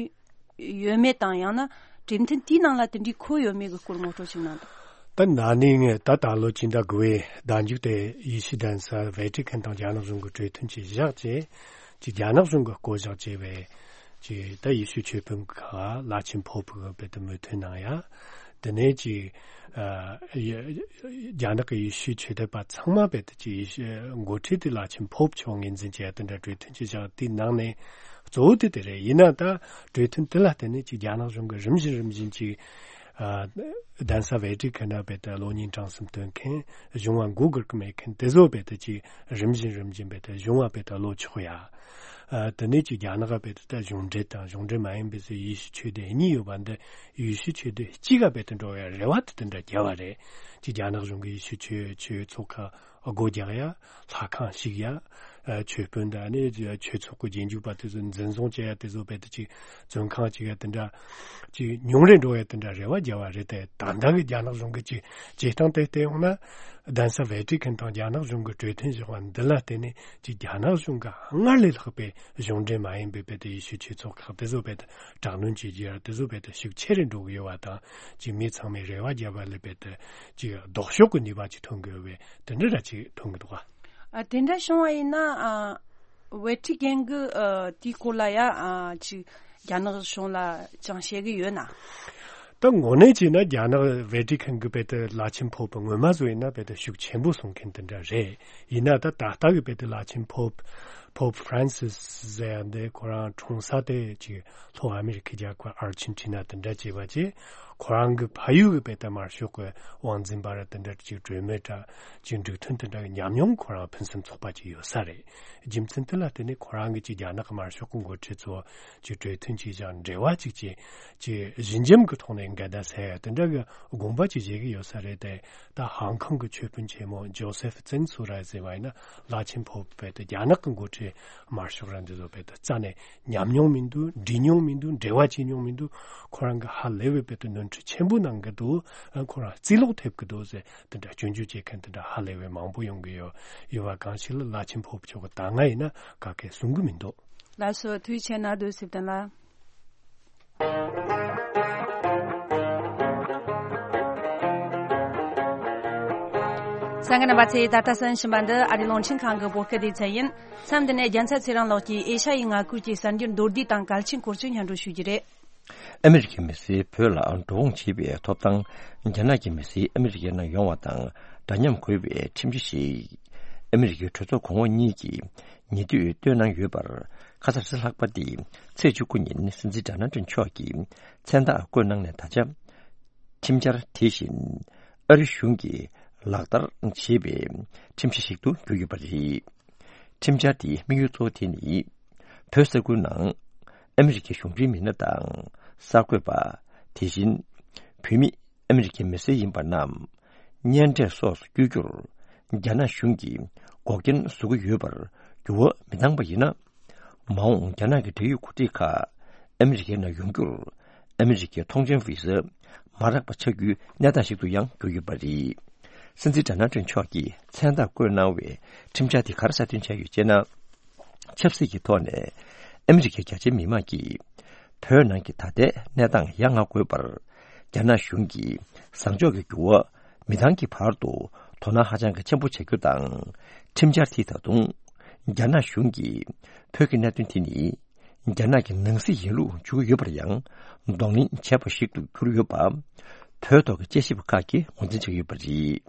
ཡོད་མེད་དང་། ཡང་ན་གྲོས་མཐུན་དེའི་ནང་ལ་དེ་འདྲའི་འཁོད་ཡོད་མེད་ཀྱི་སྐོར་ངོ་སྤྲོད་ཅིག་གནང་དང་། ད་ན་ནིང་ད་ད་ལོ་སྤྱི་ཟླ་དགུ་པའི་ཟླ་མཇུག་དེ་ཡེ་ཤུའི་གདན་ས་ཝེ་ཏི་ཁན་དང་རྒྱ་ནག་གཞུང་གི་གྲོས་མཐུན་ཅིག་བཞག་རྗེས་ཀྱི་རྒྱ་ནག་གཞུང་གི་བསྐོ་གཞག་བྱས་པའི་ཀྱི་ད་ཡེ་ཤུའི་ཆོས་དཔོན་ཁག་བླ་ཆེན་ཕོབ་གི་རྦད་དེ་མོས་མཐུན་གནང་ཡ། དེ་ནས་ཀྱི་ཨ་ཡ་རྒྱ་ནག་གི་ཡེ་ཤུའི་ཆོས་དད་པ་ཚང་མ་རྦད་དེ་ཀྱི་ཡེ་ཤུ་འགོ་ཁྲིད་དེ་བླ་ཆེན་ཕོབ་མཆོག་ངོས་འཛིན་བྱས་ཡ་དེ་འདྲ་གྲོས་མཐུན་ཅིག་བཞག། དེའི་ནང་ནས་གཙོ་བོ་དེ་དེ་རེད། ཡིན་ན་ད་གྲོས་མཐུན་དེ་ལ་བརྟེན་ནས་ཀྱི་རྒྱ་ནག་གཞུང་གིས་རིམ་བཞིན་རིམ་བཞིན་ཀྱི་ གདན་ས་ཝེ་ཏི་ཁན་ན་བེད་དེ་གློག་བརྙན་གྲངས་སུམ་སྟོན་མཁན། གཞུང་བ་མགོ་སྒུར་གི་མེད་མཁན་དེ་ཚོ་བེད་དེ་ཅིག་རིམ་བཞིན་རིམ་བཞིན་བེད་དེ་གཞུང་བ་བེད་དེ་ལོ་ཆོག་ཡ། དེ་ནས་ཅིག་རྒྱ་ནག་བེད་དེ་ད་གཞུང་འབྲེལ་དང་གཞུང་འབྲེལ་མ་ཡིན་པའི་ཡེ་ཤུ་ཆོས་སྡེ་གཉིས་ཡོད་པ་འདི་ཡེ་ཤུ་ཆོས་སྡེ་གཅིག་ག་བེད་དེ་འགྲོ་ཡ་རེ་བ་དེ་དེ་འདྲ་རྒྱབ་པ་རེད། ཅིག་རྒྱ་ནག་གཞུང་གི་ཡེ་ཤུ་ཆོས་ཆོས་ཚོགས་ཁག་སྒོ་རྒྱག་ཡ། ལྷ་ཁང་བཤིག་ཡ། ཆོས་དཔོན་དང་ནི་ཆོས་ཚོགས་ཀྱི་རྗེས་འཇུག་པ་དེ་ཚོ་འཛིན་བཟུང་བྱེད་ཡ་དེ་ཚོ་བེད་དེ་ཅིག་བཙོན་ཁང་ཅིག་ཡ་དེ་འདྲ་ཅིག་ཉུང་རུ་འགྲོ་ཡ་དེ་འདྲ་རེ་བ་རྒྱབ་པ་རེད་དེ། ད་ལྟ་གི་རྒྱ་ནག་གཞུང་གི་ཅིག་བྱེད་སྟངས་དེ་བལྟས་ཡོང་ན། གདན་ས་ཝེ་ཏི་ཁན་དང་རྒྱ་ནག་གཞུང་གི་གྲོས་མཐུན་བཞག་པ་འདི་ལ་བརྟེན་ནས་ཅིག་རྒྱ་ནག་གཞུང་གི་སྔར་ལས་ལྷག་པའི་གཞུང་འབྲེལ་མ་ཡིན་པའི་བེད་དེ་ཡེ་ཤུ་ཆོས་ཚོགས་ཁག་དེ་ཚོ་བེད་དེ་དྲག་གནོན་བྱེད་རྒྱུ་ཡ་དེ་ཚོ་བེད་དེ་ཤུགས་ཆེ་རུ་འགྲོ་གི་ཡོད་པ་དང་། ཅིག་མི་ཚང་མས་རེ་བ་རྒྱབ་པ་ལས་བེད་དེ་ཅིག་ལྡོག་ཕྱོགས་ཀྱི་ནུས་པ་ཅིག་ཐོན་གི་ཡོད་པའི་དེ་འདྲ་ར་ཅིག་མཐོང་གི་འདུག་ག་ཨ། དེ་འདྲ་བྱུང་བ་ཡིན་ན། ཨ། ཝེ་ཏི་ཁན་གི་ཨ། དེའི་སྐོར་ལ་ཡ། ཨ། ཅིག་རྒྱ་ནག་གཞུང་ལ་ཅང་བཤད་གི་ཡོད་ན། ད་དངོས་གནས་བྱས་ན་རྒྱ་ནག་ཝེ་ཏི་ཁན་གི་བེད་དེ་བླ་ཆེན་ཕོབ་སྔོན་མ་བཟོ་ཡིན་ན་བེད་དེ་ཤུགས་ཆེན་པོ་སོང་མཁན་དེ་འདྲ་རེད། ཡིན་ན་ད་ད་ལྟ་གི་བེད་དེ་བླ་ཆེན་ཕོབ་ཕོབ་ཧྥ་རན་སིས་ཟེར་ཡ་འདི་ཁོ་རང་འཁྲུངས་ས་དེ་ཅིག་ལྷོ་ཨ་མེ་རི་ཁའི་རྒྱལ་ཁབ་ཨར་ཅན་ཊི་ན་དེ་འདྲ་བྱས་པ་བྱས། ཁོ་རང་གི་ཕ་ཡུལ་གི་བེད་དེ་དམར་ཤོག་གི་དབང་འཛིན་པ་ར་དེ་འདྲ་ཅིག་གྲོས་མོལ་འདྲ་ཅིག་འགྲིག་མཐུན་དེ་འདྲ་གི་ཉམས་མྱོང་ཁོ་རང་ཕུན་སུམ་ཚོགས་པ་ཅིག་ཡོད་ས་རེད། རྒྱུ་མཚན་དེ་ལ་བརྟེན་ནས་ཁོ་རང་གི་ཅིག་རྒྱ་ནག་གི་དམར་ཤོག་གི་འགོ་ཁྲིད་ཚོ་ཅིག་གྲོས་མཐུན་ཅིག་བཞག་འབྲེལ་བ་ཅིག་བྱས། ཅིག་ཞི་འཇམ་གི་ཐོག་ནས་འགལ་ཟླ་སེལ་ཡ་དེ་འདྲ་གི་དགོངས་པ་ཅིག་བཞེས་གི་ཡོད་ས་རེད་དེ། ད་ཧང་ཀང་གི་ཆོས་དཔོན་ཆེན་མོ་ཇོ་སེ་ཕི་ཙིང་སུ་ར་ཟེར་བ་ཡིན་ན་བླ་ཆེན་ཕོབ་བེད་དེ་རྒྱ་ནག་གི་འགོ་ཁྲིད་དམར་ཤོག་ར་འདི་ཚོ་བེད་དེ་རྩ་ནས་ཉམས་མྱོང་མི་འདུག་འདྲི་མྱོང་མི་འདུག་འབྲེལ་བ་བྱེད་མྱོང་མི་འདུག་ཁོ་རང་གི་ཧ་ལས་པའི་བེད་དེ་ནོར་འཁྲུལ་ཆེན་པོ་གནང་གི་འདུག་ཁོ་རང་རྩིས་ལོག་ཐེབས་གི་འདུག་ཟེར། དེ་འདྲ་སྐྱོན་བརྗོད་བྱེད་མཁན་དེ་འདྲ་ཧ་ལས་པའི་མང་པོ་ཡོང་གི་ཡོད། ཡོད་པ་གང་ཞིག་ལ་བླ་ཆེན་ཕོབ་མཆོག་གི་ད་སྔ་ཡིན་ན་ག་གེ་གསུང་གི་མི་འདུག་ལགས་སོ། ཐུགས་རྗེ་ཆེ་གནང་། རྡོ་སེབ་ཏན་ལ། གསན་མཁན་རྣམ་པ་ཚོས་ད་ལྟ་གསན་བཞིན་པ་འདི་ཨ་རིའི་རླུང་འཕྲིན་ཁང་གི་བོད་སྐད་སྡེ་ཚན་ཡིན། མཚམས་འདི་ནས་རྒྱལ་མཚན་ཚེ་རིང་ལགས་ཀྱིས་ཨེ་ཤ་ཡའི་མངའ་ཁུལ་གྱི་གསར་འགྱུར་མདོར་བསྡུས་དང་གལ་ཆེན་སྐོར་ཅིག་སྙན་སྒྲོན་ཞུ་རྒྱུ་རེད། ཨ་མི་རི་ཀའི་མི་སེར་བོད་ལ་འགྲོ་འོང་བྱེད་པའི་ཐོབ་ཐང་རྒྱ་ནག་གི་མི་སེར་ཨ་མི་རི་ཀའི་ནང་ཡོང་བ་དང་འདྲ་མཉམ་དགོས་པའི་ཁྲིམས་གཞི་ཞིག་ཨ་མི་རི་ཀའི་གྲོས་ཚོགས་གོང་འོག་གཉིས་ཀྱིས་ཉེ་དུས་བཏོན་གནང་ཡོད་པར། ཁ་སང་རེས་གཟའ་ལྷག་པ་སྟེ་ཚེས་བཅུ་དགུ་ཉིན་སྲིད་འཛིན་ཌོ་ནལ་ཊམ་མཆོག་གིས་མཚན་རྟགས་བཀོད་གནང་ནས་ད་ཆ་ཁྲིམས་འཆར་དེ་བཞིན་ཨ་རི་གཞུང་གིས་ལག་བསྟར་བྱེད་པའི་ཁྲིམས་གཞི་ཞིག་ཏུ་གྱུར་ཡོད་པ་རེད། ཁྲིམས་འཆར་དེའི་དམིགས་ཡུལ་གཙོ་བོ་དེ་ནི། བོད་ས་ཁུལ་ནང་ཨ་མི་རི་ཀའི་གཞུང་འབྲེལ་མི་སྣ་དང་གསར་འགོད་པ། དེ་བཞིན་བོད་མི་ཨ་མི་རི་ཀའི་མི་སེར་ཡིན་པ་རྣམས་གཉེན་འཕྲད་སོགས་སུ་བསྐྱོད་རྒྱུར་རྒྱ་ནག་གཞུང་གིས་འགོག་རྐྱེན་བཟོ་གི་ཡོད་པར་འགྱུར་བ་མི་བཏང་པ་ཡིན་ན། མ་འོངས་རྒྱ་ནག་གི་འབྲེལ་ཡོད་འགོ་ཁྲིད་ཁག་ཨ་མི་རི་ཀའི་ནང་ཡོང་རྒྱུར་ཨ་མི་རི་ཀའི་ཐོངས་མཆན་བི་ཟ་མ་རག་པ་ཆགས་རྒྱུའི་གནས་སྟངས་ཤིག་ཏུ་ཡང་གྱུར་ཡོད་པ་རེད། སྲིད་འཛིན་ཌོ་ནལ་ཊམ་མཆོག་གིས་མཚན་རྟགས་བཀོད་གནང་བའི་ཁྲིམས་འཆར་དེ་ག་རེ་གསལ་སྟོན་བྱས་ཡོད་ཅེ་ན། ཆབ་སྲིད་ཀྱི་ཐོག་ནས་ཨ་མི་རི་ཀའི་རྒྱ་ཆེའི་མི་མང་གིས་བོད་ནང་གི་ད་ལྟའི་གནས་སྟངས་ཡ་ང་དགོས་པར་རྒྱ་ནག་གཞུང་གིས་བཟང་ཕྱོགས་ཀྱི་འགྱུར་བ་མི་བཏང་གི་བར་དུ་དོ་སྣང་ཧ་ཅང་གི་ཆེན་པོ་བྱ་རྒྱུ་དང་། ཁྲིམས་འཆར་དེས་ད་དུང་རྒྱ་ནག་གཞུང་གིས་བོད་ཀྱི་གནད་དོན་དེ་ནི་རྒྱ་ནག་གི་ནང་སྲིད་ཡིན་ལུགས་འཇོག་གི་ཡོད་པར་ཡང་གདོང་ལེན་བྱས་པ་ཞིག་ཏུ་གྱུར་ཡོད་པ། བོད་ཐོག་གི་དཔྱད་ཞིབ་པ་ཁག་གིས་ངོས་འཛིན་བྱེད་ཀྱི་ཡོད་པ་རེད།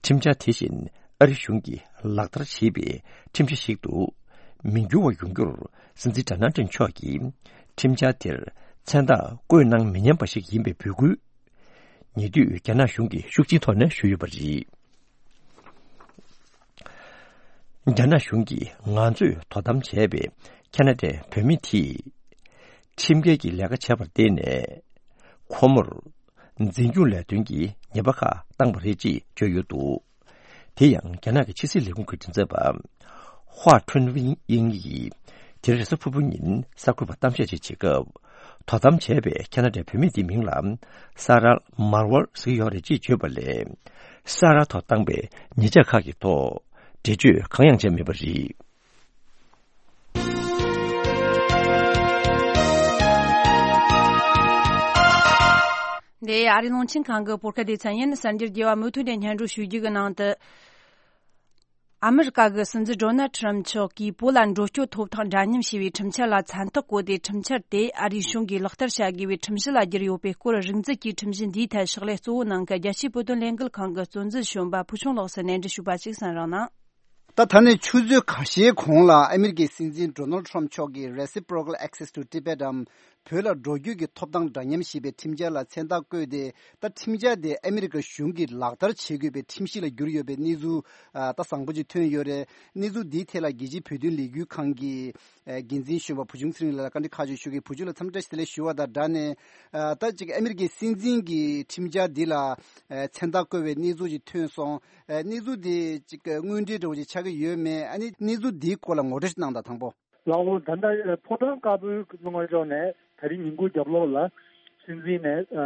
ཁྲིམས་འཆར་དེ་བཞིན་ཨ་རི་གཞུང་གིས་ལག་བསྟར་བྱས་པའི་ཁྲིམས་གཞི་ཞིག་ཏུ་མི་འགྱུར་བ་ཡོང་རྒྱུར་སྲིད་འཛིན་ཌོ་ནལ་ཊམ་མཆོག་གིས་ཁྲིམས་འཆར་དེར་མཚན་རྟགས་བཀོད་གནང་མི་ཉན་པ་ཞིག་ཡིན་པའི་འབོད་སྐུལ། ཉེ་དུས་རྒྱ་ནག་གཞུང་གིས་ཤུགས་ཆེའི་ཐོག་ནས་ཞུས་ཡོད་པ་རེད། རྒྱ་ནག་གཞུང་གིས་ང་ཚོས་དོ་དམ་བྱས་པའི་ཁ་ན་ཌའི་བོད་མི་དེས་ཁྲིམས་འགལ་གྱི་ལས་ཀ་བྱས་པར་བརྟེན་ནས་ཁོ་མོར་འཛིན་སྐྱོང་ལས་དོན་གྱི་ཉེས་པ་ཁག་བཏང་པ་རེད་ཅེས་བརྗོད་ཡོད་འདུག་དེ་ཡང་རྒྱ་ནག་གི་ཕྱི་སྲིད་ལས་ཁུངས་ཀྱི་མགྲིན་ཚབ་པ་ཧྭ་ཁྲུན་དབྱིང་ཡིས་དེ་རིང་རེས་གཟའ་ཕུར་བུ་ཉིན་གསར་འགོད་པར་གཏམ་བཤད་ཅིག་བྱེད་སྐབས། དོ་དམ་བྱས་པའི་ཁ་ན་ཌའི་བོད་མི་དེའི་མིང་ལ་ས་རཱ་མར་ཝལ་ཟེར་གྱི་ཡོད་རེད་ཅེས་བརྗོད་པ་ལས། ས་རཱ་ཐོག་བཏང་པའི་ཉེས་ཆད་ཁག་གི་ཐོག་འགྲེལ་བརྗོད་གང་ཡང་བྱས་མེད་པ་རེད། འདི་ཨ་རིའི་རླུང་འཕྲིན་ཁང་གི་བོད་སྐད་སྡེ་ཚན་ཡིན། གསར་འགྱུར་རྒྱས་པ་མུ་མཐུད་ནས་སྙན་སྒྲོན་ཞུ་རྒྱུ་གི་ནང་དུ། ཨ་མི་རི་ཀ་གི་སྲིད་འཛིན་ཌོ་ནལ་ཁྲམ་མཆོག་གིས་བོད་ལ་འགྲོ་སྐྱོད་ཐོབ་ཐང་འདྲ་མཉམ་ཞེས་པའི་ཁྲིམས་འཆར་ལ་མཚན་རྟགས་བཀོད་དེ། ཁྲིམས་འཆར་དེ་ཨ་རིའི་གཞུང་གིས་ལག་བསྟར་བྱ་དགོས་པའི་ཁྲིམས་གཞི་ལ་བསྒྱུར་ཡོད་པའི་སྐོར། རིག་འཛིན་གྱིས་ཁྲིམས་གཞི་འདིའི་ཐད་ཕྱག་ལས་གཙོ་བོ་གནང་མཁན་རྒྱལ་སྤྱིའི་བོད་དོན་ལས་འགུལ་ཁང་གི་གཙོ་འཛིན་གཞོན་པ་ཕུལ་བྱུང་ལགས་སུ་ནན་འདྲི་ཞུས་པ་ཅིག་གསན་རོགས་གནང་། ད་ད་ནས་ཆུ་ཚོད་ཁ་ཤས་གོང་ལ་ཨ་མི་རི་ཀའི་སྲིད་འཛིན་ཌོ་ནལ་ཁྲམ་མཆོག་གིས་Reciprocal Access to Tibet འམ། བོད་ལ་འགྲོ་སྐྱོད་ཀྱི་ཐོབ་ཐང་འདྲ་མཉམ་ཞེས་པའི་ཁྲིམས་འཆར་ལ་མཚན་རྟགས་བཀོད་དེ། ད་ཁྲིམས་འཆར་དེ་ཨ་མི་རི་ཀ་གཞུང་གིས་ལག་བསྟར་བྱེད་དགོས་པའི་ཁྲིམས་གཞི་ལ་གྱུར་ཡོད་པའི་གནས་ཚུལ་ཨ་ད་བཟང་པོ་ཅིག་ཐོན་ཡོད་རེད། གནས་ཚུལ་འདིའི་ཐད་ལ་རྒྱལ་སྤྱིའི་བོད་དོན་ལས་འགུལ་ཁང་གི་ཨ་འགན་འཛིན་གཞོན་པ་བུ་ཆུང་ཚེ་རིང་ལགས་ལ་བཀའ་འདྲི་ཁག་ཅིག་ཞུ་གི། བུ་ཆུང་ལགས་འཚམས་འདྲི་བཀྲ་ཤིས་བདེ་ལེགས་ཞུ་བ་དང་སྦྲགས་ནས། ཨ་ད་ཅིག་ཨ་མི་རི་ཀའི་སྲིད་འཛིན་གྱི་ཁྲིམས་འཆར་འདི་ལ་ཨ་མཚན་རྟགས་བཀོད་པའི་གནས་ཚུལ་ཅིག་ཐོན་སོང་། ཨ་གནས་ཚུལ་འདི་ཅིག་དངོས་འབྲེལ་འདྲ་བོ་ཅིག་ཆགས་ཀྱི་ཡོད་མེད། ཨ་ནི་གནས་ཚུལ་འདིའི་སྐོར་ལ་ངོ་སྤྲོད་ཅིག་གནང་དང་། དང་པོ། ལགས་འོང་། ད་ལྟ་ཕོ་བྲང་དཀར་པོའི་ལུང་པ་ཕྱོགས་ནས་ད་རིང་ཉིན་གུང་རྒྱབ་ལོགས་ལ་སྲིད་འཛིན་ནས་ཨ་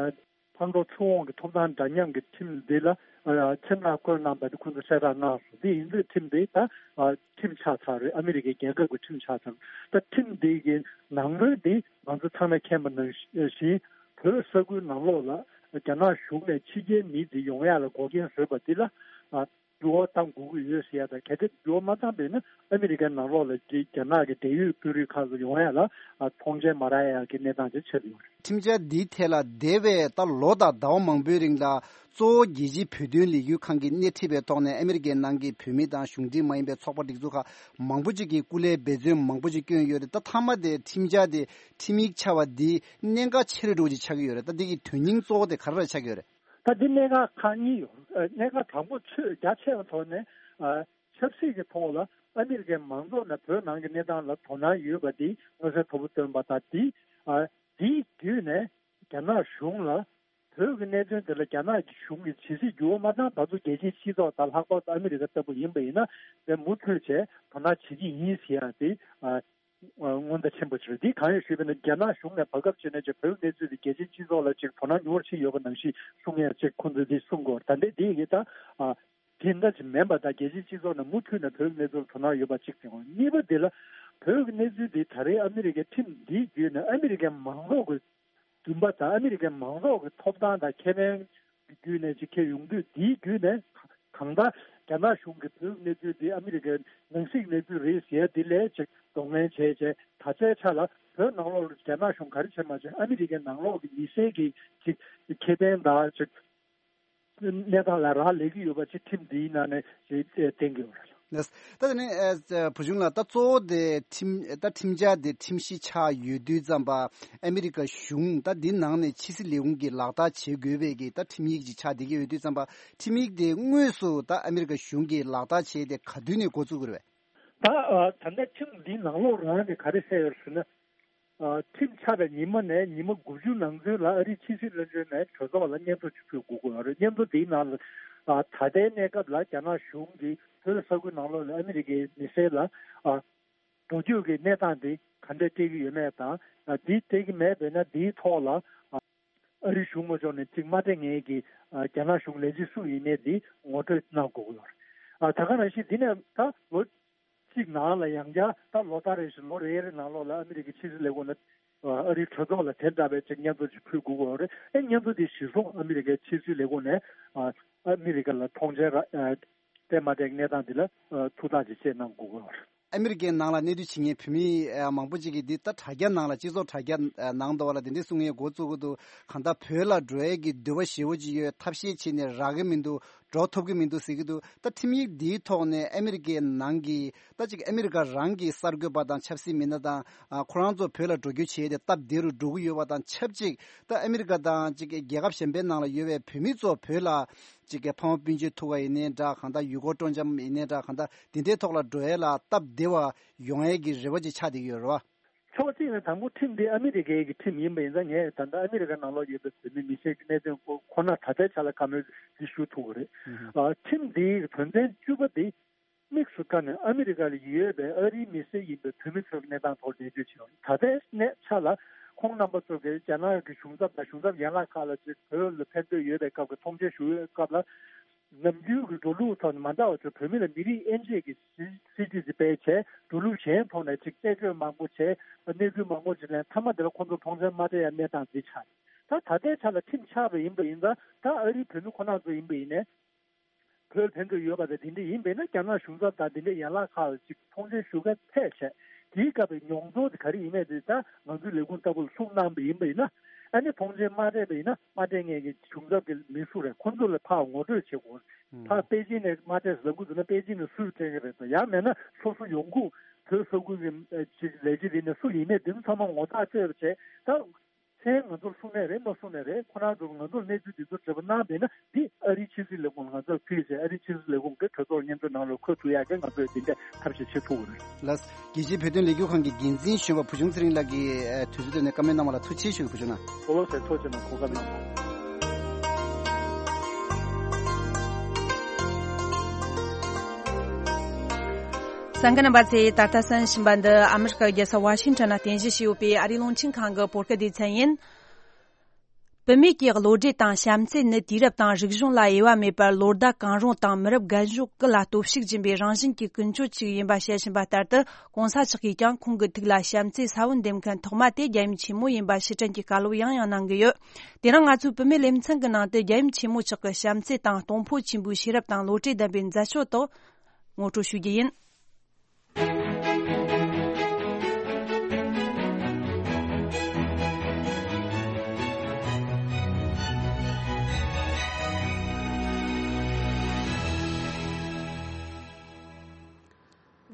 མཐའ་འཁོར་ཚུར་འོང་གི་ཐོབ་ཐང་འདྲ་མཉམ་གྱི་ཁྲིམས་འདི་ལ་ཨ་མཚན་རྟགས་བཀོད་གནང་བ་དེ་ཁོང་ཚོས་གསལ་བསྒྲགས་གནང་སོང་། འདི་ཡིན་དུས་ཁྲིམས་འདི་ད་ཨ་ཁྲིམས་ཆགས་ཚར་རེད། ཨ་མི་རི་ཀའི་རྒྱལ་ཁབ་ཀྱི་ཁྲིམས་ཆགས་ཚར། ད་ཁྲིམས་འདི་གི་ནང་དོན་འདི་ང་ཚོ་ཚང་མས་མཁྱེན་པ་ནང་བཞིན་བོད་ས་ཁུལ་ནང་ལོགས་ལ་རྒྱ་ནག་གཞུང་ནས་ཕྱི་རྒྱལ་མི་འདི་ཡོང་ཡ་ལ་འགོག་རྐྱེན་བཟོས་པ་འདི་ལ་ཨ་འགྱུར་བ་གཏང་དགོས་ཀྱི་ཡོད་ཟེར་ཡ་དང་། གལ་ཏེ་འགྱུར་བ་མ་བཏང་པ་ཡིན་ན་ཨ་མི་རི་ཀའི་ནང་ལོགས་ལ་རྒྱ་ནག་གི་འབྲེལ་ཡོད་དཔོན་རིགས་ཁག་ཚོ་ཡོང་ཡ་ལ་ཨ་མཐོང་མཆན་མ་རག་ཡ་གི་གནས་སྟངས་ཅིག་ཆགས་ཡོད་རེད། ཁྲིམས་འཆར་འདིའི་ཐད་ལ་འདས་པའི་ད་ལོ་དང་ཟླ་བ་མང་པོའི་རིང་ལ་གཙོ་བོ་རྒྱལ་སྤྱིའི་བོད་དོན་ལས་འགུལ་ཁང་གིས་སྣེ་ཁྲིད་པའི་ཐོག་ནས་ཨ་མི་རི་ཀའི་ནང་གི་བོད་མི་དང་གཞུང་འབྲེལ་མ་ཡིན་པའི་ཚོགས་པ་སྒྲིག་འཛུགས་ཁག་མང་པོ་ཅིག་གིས་སྐུ་ལས་འབད་བརྩོན་མང་པོ་ཅིག་བསྐྱོན་ཡོད་རེད། ད་མཐའ་མ་དེ་ཁྲིམས་འཆར་དེ་ཁྲིམས་ཡིག་ཆགས་པ་འདི་གནད་འགག་ཆེ་རུ་འགྲོ་ཅིག་ཆགས་ཀྱི་ཡོད་རེད། ད་འདི་གི་དོན་སྙིང་གཙོ་བོ་དེ་ག་རེ་ལ་ཆགས་ཀྱི་ཡོད་རེད། ད་འདི་གནད་འགག་ཁག་གཉིས་ཡོད། ཨ་གནད་འགག་དང་པོ་ཆོས་རྒྱ་ཆེ་བའི་ཐོག་ནས་ཨ་ཆབ་སྲིད་ཀྱི་ཐོག་ལ་ཨ་མི་རི་ཀའི་མང་ཚོགས་ནས་བོད་ནང་གི་གནས་སྟངས་ལ་དོ་སྣང་ཡོད་པ་འདི་མངོན་གསལ་དོད་པོ་སྟོན་པ་དང་། འདི་ཨ་འདིའི་བརྒྱུད་ནས་རྒྱ་ནག་གཞུང་ལ་བོད་ཀྱི་གནད་དོན་དེ་ལ་རྒྱ་ནག་གི་གཞུང་གིས་ཇི་སྲིད་འགྱུར་བ་མ་བཏང་ད་ཚོ་རྒྱལ་སྤྱིའི་སྤྱི་ཚོགས་དང་ལྷག་པར་དུ་ཨ་མི་རི་ཀ་ལྟ་བུ་ཡིན་པ་ཡིན་ན་དེ་མུ་མཐུད་བྱས་དོ་སྣང་བྱེད་ཀྱི་ཡིན་ཟེར་ཡ་དེ་ཨ། ཨ་སྔོན་བརྡ་ཆེན་པོ་ཞིག་རེད། འདི་གང་ཡིན་ཞུས་པ་ན་རྒྱ་ནག་གཞུང་ནས་བར་སྐབས་བྱས་ན་ཅིག་བོད་གནས་ཚུལ་དེ་རྒྱལ་སྤྱིའི་སྤྱི་ཚོགས་ལ་ཅིག་དོ་སྣང་ཉུང་བ་ཕྱིན་ཡོད་པ་ནང་བཞིན་གསུང་ཡས་ཅིག་ཁོང་ཚོས་འདི་གསུང་དགོས། ད་ལྟའི་འདི་ཡི་གེ་ད་ཨ་དེ་འདྲ་ཅིག་མིན་པ་དང་རྒྱལ་སྤྱིའི་སྤྱི་ཚོགས་ནས་མུ་མཐུད་ནས་བོད་གནས་ཚུལ་དོ་སྣང་ཡོད་པ་གཅིག་དེ་དགོས། གཉིས་པ་འདི་ལ་བོད་ཀྱི་གནས་ཚུལ་འདི་ད་རེས་ཨ་མི་རི་ཀའི་ཁྲིམས་འདིའི་བརྒྱུད་ནས་ཨ་མི་རི་ཀའི་མང་ཚོགས་ཀྱི་འདུན་པ་དང་ཨ་མི་རི་ཀའི་མང་ཚོགས་ཀྱི་ཐོབ་ཐང་དང་ཁེ་ཕན་གྱི་བརྒྱུད་ནས་ཅིག་ཁྱེར་ཡོང་དུས། འདིའི་བརྒྱུད་ནས་གང་ལྟར་རྒྱ་ནག་གཞུང་གིས་བོད་ཀྱི་གནས་ཚུལ་འདི་ཨ་མི་རི་ཀའི་ནང་སྲིད་གནས་ཚུལ་རེད་ཟེར་ཡ་འདི་ལས་ཅིག་གདོང་ལེན་བྱས་བྱས། ད་ལྟའི་ཆ་ལ་བོད་ནང་ལོགས་ལ་རྒྱ་ནག་གཞུང་ག་རེ་བྱས་མ་བྱས། ཨ་མི་རི་ཀའི་ནང་ལོགས་ཀྱི་མི་སེར་གྱི་ཅིག་ཁེ་ཕན་དང་ཅིག་གནས་སྟངས་ལ་རག་ལས་ཀྱི་ཡོད་པ་ཅིག་ཁྲིམས་འདིའི་ནང་ནས་ཅིག་བསྟན་གྱི་ཡོད་རེད། ལགས། ད་དེ་ནས་ཨ་བུ་ཆུང་ལགས། ད་གཙོ་བོ་དེ་ཁྲིམས་ད་ཁྲིམས་འཆར་དེ་ཁྲིམས་གཞི་ཆགས་ཡོད་དུས་ཙམ་པ་ཨ་མི་རི་ཀ་གཞུང་ད་འདི་ནང་ནས་ཕྱི་སྲིད་ལས་ཁུངས་ཀྱིས་ལག་བསྟར་བྱེད་དགོས་པའི་གི་ད་ཁྲིམས་ཡིག་ཅིག་ཆགས་བསྡད་ཀྱི་ཡོད་དུས་ཙམ་པ། ཁྲིམས་ཡིག་དེ་དངོས་སུ་ད་ཨ་མི་རི་ཀ་གཞུང་གིས་ལག་བསྟར་བྱས་ཏེ་ག་དུས་ནས་འགོ་བཙུགས་དགོས་རེད་པས། ད་ཨ་ད་ལྟ་ཁྲིམས་འདིའི་ནང་ལོགས་རང་ནས་ག་རེ་གསལ་ཡོད་ཟེར་ན། ཨ་ཁྲིམས་ཆགས་པའི་ཉི་མ་ནས་ཉི་མ་དགུ་བཅུ་ནང་ཚུན་ལ་ཨ་རིའི་ཕྱི་སྲིད་བློན་ཆེན་ནས་གྲོས་ཚོགས་ལ་སྙན་ཐོ་ཅིག་ཕུལ་དགོས་ཀྱི་ཡོད་རེད། སྙན་ཐོ་འདིའི་ནང་ལ་ཨ་ད་ལྟའི་གནས་སྐབས་ལ་རྒྱ་ནག་གཞུང་གིས་བོད་ས་ཁུལ་ནང་ལོགས་ལ་ཨ་མི་རི་ཀའི་མི་སེར་ལ་ཨ་འགྲོ་སྐྱོད་ཀྱི་གནས་སྟངས་འདི་ག་འདྲ་སྤྲད་ཀྱི་ཡོད་མེད་དང་། ཨ་འདི་སྤྲད་ཀྱི་མེད་པས་ན་འདིའི་ཐོག་ལ་ཨ་ཨ་རིའི་གཞུང་ངོས་ཕྱོགས་ནས་ཅིག་མ་སྤྲད་མཁན་གྱི་ཨ་རྒྱ་ནག་གཞུང་ལས་བྱེད་སུ་ཡིན་མིན་འདི་ངོ་སྤྲོད་གནང་དགོས་ཀྱི་ཡོད་རེད། ཨ་ད་ག་ནང་བཞིན་འདི་ནས་ད་ལོ་གཅིག་ནང་ལ་ཡང་བསྐྱར་ད་ལོ་ལྟར་རེ་བཞིན་ལོ་རེ་རེ་ནང་ལོགས་ལ་ཨ་མི་རི་ཀའི་ཕྱི་སྲིད་ལས་ཁུངས་ལ་ཨ་རིའི་གྲོས་ཚོགས་ལ་དེ་འདྲ་བའི་ཅིག་སྙན་ཐོ་ཅིག་ཕུལ་དགོས་ཀྱི་ཡོད་རེད། ཨེ་སྙན་ཐོ་དེ་གཞིར་བཟུང་ཨ་མི་རི་ཀའི་ཕྱི་སྲིད་ལས་ཁུངས་ནས་ཨ་ཨ་མི་རི་ཀ་ལ་མཐོང་མཆན་ར་ཨ་སྤྲད་མ་སྤྲད་གནས་སྟངས་འདི་ལ་ཨ་ཐུགས་ཐག་ཅིག་བཅད་གནང་དགོས་ཀྱི་ཡོད་རེད། ཨ་མི་རི་ཀའི་ནང་ལ་གནས་སྡོད་བྱེད་མཁན་བོད་མི་ཨ་མང་པོ་ཅིག་གིས་འདི་ད་དྲ་རྒྱ་ནང་ལ་སྤྱི་ཚོགས་དྲ་རྒྱ་ཨ་ནང་དུ་བ་ལ་དེ་འདྲའི་གསུང་ཡས་འགོ་བཙུགས་ཀྱི་འདུག་གང་ལྟར་བོད་ལ་འགྲོ་ཡས་ཀྱི་འདོད་པ་ཞེ་པོ་ཅིག་ཡོད། ཐབས་ཤེས་བྱས་ནས་རག་གི་མི་འདུག་འགྲོ་ཐུབ་ཀྱི་མི་འདུག་ཟེར་གྱི་འདུག་ད་ཁྲིམས་ཡིག་འདིའི་ཐོག་ནས་ཨ་མི་རི་ཀའི་ནང་གི་ད་ཅིག་ཨ་མི་རི་ཀ་རང་གི་གསར་འགོད་པ་དང་ཆབ་སྲིད་མི་སྣ་དང་ཨ་ཁོ་རང་ཚོ་བོད་ལ་འགྲོ་རྒྱུ་བྱས་ཏེ་སྟབས་བདེ་རུ་འགྲོ་གི་ཡོད་པ་དང་ཆབས་ཅིག་ད་ཨ་མི་རི་ཀ་དང་ཅིག་རྒྱལ་ཁབ་གཞན་པའི་ནང་ལ་ཡོད་པའི་བོད་མི་ཚོ་བོད་ལ་ཅིག་གི་ཕ་མ་སྤུན་མཆེད་ཐུག་པ་ཡིན་ནའི་འདྲ། གང་ལྟར་ཡུལ་སྐོར་སྤྲོ་འཆམ་ཡིན་ནའི་འདྲ། གང་ལྟར་འདི་འདྲའི་ཐོག་ལ་འགྲོ་ཡས་ལ་སྟབས་བདེ་བ་ཡོང་ཡས་ཀྱི་རེ་བ་ཅིག་ཆགས་བསྡད་ཀྱི་ཡོད་རེད་བ། ཕྱོགས་གཅིག་ནས་དང་པོ་ཁྲིམས་འདི་ཨ་མི་རི་ཀའི་གི་ཁྲིམས་ཡིན་པ་ཡིན་ཙང་། ངས་ད་ལྟ་ཨ་མི་རི་ཀ་ནང་ལོགས་ཡོད་པའི་བོད་མི་མི་སེར་གྱི་གནད་དོན་ཁོ་ཁོ་ན་ད་ལྟའི་ཆ་ལ་བཀའ་མོལ་འདི་ཞུ་ཐུབ་ཀྱི་རེད། ཨ་ཁྲིམས་འདིའི་དོན་ཚན་བཅུ་པ་འདི་དམིགས་སུ་བཀར་ནས་ཨ་མི་རི་ཀ་ལ་ཡོད་པའི་ཨ་རིའི་མི་སེར་ཡིན་པའི་བོད་མི་ཚོའི་གནས་སྟངས་ཐོག་ལ་ངོ་སྤྲོད་བྱས་ཡོད། ད་ལྟའི་གནས་ཆ་ལ་ཁོང་རྣམ་པ་ཚོ་གིས་རྒྱ་ནག་གི་གཞུང་ཚབ་དང་གཞུང་ཚབ་ཡན་ལག་ཁག་ལ་ཅིག་བོད་ལ་ཕེབས་འདོད་ཡོད་པའི་སྐབས་ཀྱི་ཐུགས་འཆར་ཞུ་བའི་སྐབས་ལ། ནམ་རྒྱུན་གྱི་འགྲོ་ལུགས་ཐོག་ནས་མ་འདྲ་བ་ཚོ་བོད་མི་ལ་མི་རིགས་དབྱེ་འབྱེད་ཀྱི་སྲིད་སྲིད་ཇུས་ཅིག་སྤེལ་བྱས། འགྲོ་ལུགས་གཞན་ཐོག་ནས་ཅིག་རྩད་གཅོད་མང་པོ་བྱས། གནས་ཚུལ་མང་པོ་ཅིག་ལེན། མཐའ་མ་དེ་ལ་ཁོང་ཚོ་མཐོང་མཆན་མ་སྤྲད་ཡ་གནས་སྟངས་འདི་ཆགས་ཡོད། ད་ད་ལྟའི་ཆ་ལ་ཁྲིམས་ཆགས་པ་ཡིན་པ་ཡིན་ཙང་། ད་ཨ་རིའི་བོད་མི་ཁོ་རང་ཚོ་ཡིན་པ་ཡིན་ནའི་བོད་ཕེབས་འདོད་ཡོད་པ་དང་དེ་འདྲ་ཡིན་པས་ན། རྒྱ་ནག་གཞུང་ཚབ་དང་དེ་འདྲའི་ཡན་ལག་ཁག་ལ་ཅིག་མཐོང་མཆན་ཞུ་མཁན་ཕེབས་བྱས། དེའི་སྐབས་ཀྱི་མྱོང་ཚོར་དེ་ག་རེ་ཡིན་མིན་དེ་ད་ང་ཚོའི་ལས་ཁུངས་ལྟ་བུ་ལ་གསུངས་གནང་པ་ཡིན་པ་ཡིན་ན། ཨ་ནི་མཐོང་མཆན་མ་སྤྲད་པ་ཡིན་ན། མ་སྤྲད་མཁན་གྱི་གཞུང་ཚབ་ཀྱི་མི་སུ་རེད། ཁོ་ཚོ་ལ་ཕར་ངོ་སྤྲོད་བྱེད་དགོས། ཕར་པེ་ཅིན་ནས་མ་སྤྲད་ཟེར་ལབ་དགོས་འདུག་ན། པེ་ཅིན་ནས་སུས་སྤྲད་ཀྱི་རེད་དང་། ཡང་མེད་ན་སོ་སོ་ཡོང་ཁུངས་ བོད་ས་ཁུལ་གྱི་ཅིག་ལས་བྱེད་དེ་ནས་སུ་ཡིན་མེད་དེ་ཚོ་ཚང་མ་ངོ་ཐག་བཅད་པ་བྱས། ད་མཚན་ང་ཚོར་གསུངས་ནའི་རེད། མ་གསུངས་ནའི་རེད། ཁོ་རང་ཚོ་ང་ཚོར་གནས་ཚུལ་དེ་ཚོ་འབྲེལ་བ་གནང་བས་ན་འདི་ཨ་རིའི་ཕྱི་སྲིད་ལས་ཁུངས་ལ་ང་ཚོར་ཕུལ་བྱས། ཨ་རིའི་ཕྱི་སྲིད་ལས་ཁུངས་ཀྱིས་གྲོས་ཚོགས་ལ་སྙན་སྒྲོན་ནང་ལ་འཁོད་ཐུབ་ཡག་གི་ང་ཚོས་འདི་འདྲའི་ཐབས་ཤེས་བྱེད་ཐུབ་ཀྱི་རེད། ལགས། རྒྱལ་སྤྱིའི་བོད་དོན་ལས་འགུལ་ཁང་གི་འགན་འཛིན་གཞོན་པ་བུ་ཆུང་ཚེ་རིང་ལགས་ཀྱིས་དུས་ཚོད་བཏོན་ནས་བཀའ་མོལ་གནང་བ་ལ་ཐུགས་རྗེ་ཆེ་ཞུ་བ་ཆུང་ན། གོ་ལོ་སེ་ཐོ་ཆེ་ན་གོ་སྐབས་གནང་བ། གསན་མཁན་རྣམ་པ་ཚོས་ད་ལྟ་གསན་བཞིན་པ་འདི་ཨ་མི་རི་ཀ་རྒྱལ་ས་ཝ་ཤིང་ཊོན་ནས་རྟེན་གཞི་བྱས་ཡོད་པའི་ཨ་རིའི་རླུང་འཕྲིན་ཁང་གི་བོད་སྐད་སྡེ་ཚན་ཡིན། བུད་མེད་ཀྱི་བློ་གྲོས་དང་བྱམས་བརྩེ་ནི་དུས་རབས་དང་རིག་གཞུང་ལ་དབྱེ་བ་མེད་པར་ལོ་ཟླ་གང་རུང་དང་མི་རབས་རྒན་གཞོན་ཀུན་ལ་སྟོབས་ཤུགས་སྦྱིན་པའི་རང་བཞིན་གྱི་ཀུན་སྤྱོད་ཅིག་ཡིན་པ་བཤད་བཞིན་པ་ལྟར་དུ། གོང་ས་མཆོག་གིས་ཀྱང་ཁོང་གི་ཐུགས་ལ་བྱམས་བརྩེའི་ས་བོན་འདེབས་མཁན་ཐོག་མ་དེ་རྒྱལ་ཡུམ་ཆེན་མོ་ཡིན་པ་ཕྱིར་དྲན་གྱི་བཀའ་སློབ་ཡང་ཡང་གནང་གི་ཡོད། དེ་རིང་ང་ཚོའི་བུད་མེད་ལེ་ཚན་གྱི་ནང་དུ་རྒྱལ་ཡུམ་ཆེན་མོ་མཆོག་གི་བྱམས་བརྩེ་དང་གཏོང་ཕོད་ཆེན་པོའི་ཤེས་རབ་དང་བློ་གྲོས་ལྡན་པའི་མཛད་སྤྱོད་དག་ངོ་སྤྲོད་ཞུ་རྒྱུ་ཡིན།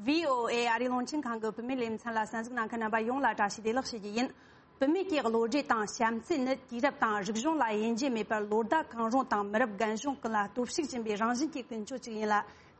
བྷི་ཨོ་ཨེ་ཨ་རིའི་རླུང་འཕྲིན་ཁང་གི་བུད་མེད་ལེ་ཚན་ལ་གསན་གཟིགས་གནང་མཁན་རྣམ་པ་ཡོངས་ལ་བཀྲ་ཤིས་བདེ་ལེགས་ཞུ་རྒྱུ་ཡིན། བུད་མེད་ཀྱི་བློ་གྲོས་དང་བྱམས་བརྩེ་ནི་དུས་རབས་དང་རིག་གཞུང་ལ་དབྱེ་འབྱེད་མེད་པར་ལོ་ཟླ་གང་རུང་དང་མི་རབས་རྒན་གཞོན་ཀུན་ལ་སྟོབས་ཤུགས་སྦྱིན་པའི་རང་བཞིན་གྱི་ཀུན་སྤྱོད་ཅིག་ཡིན་ལ།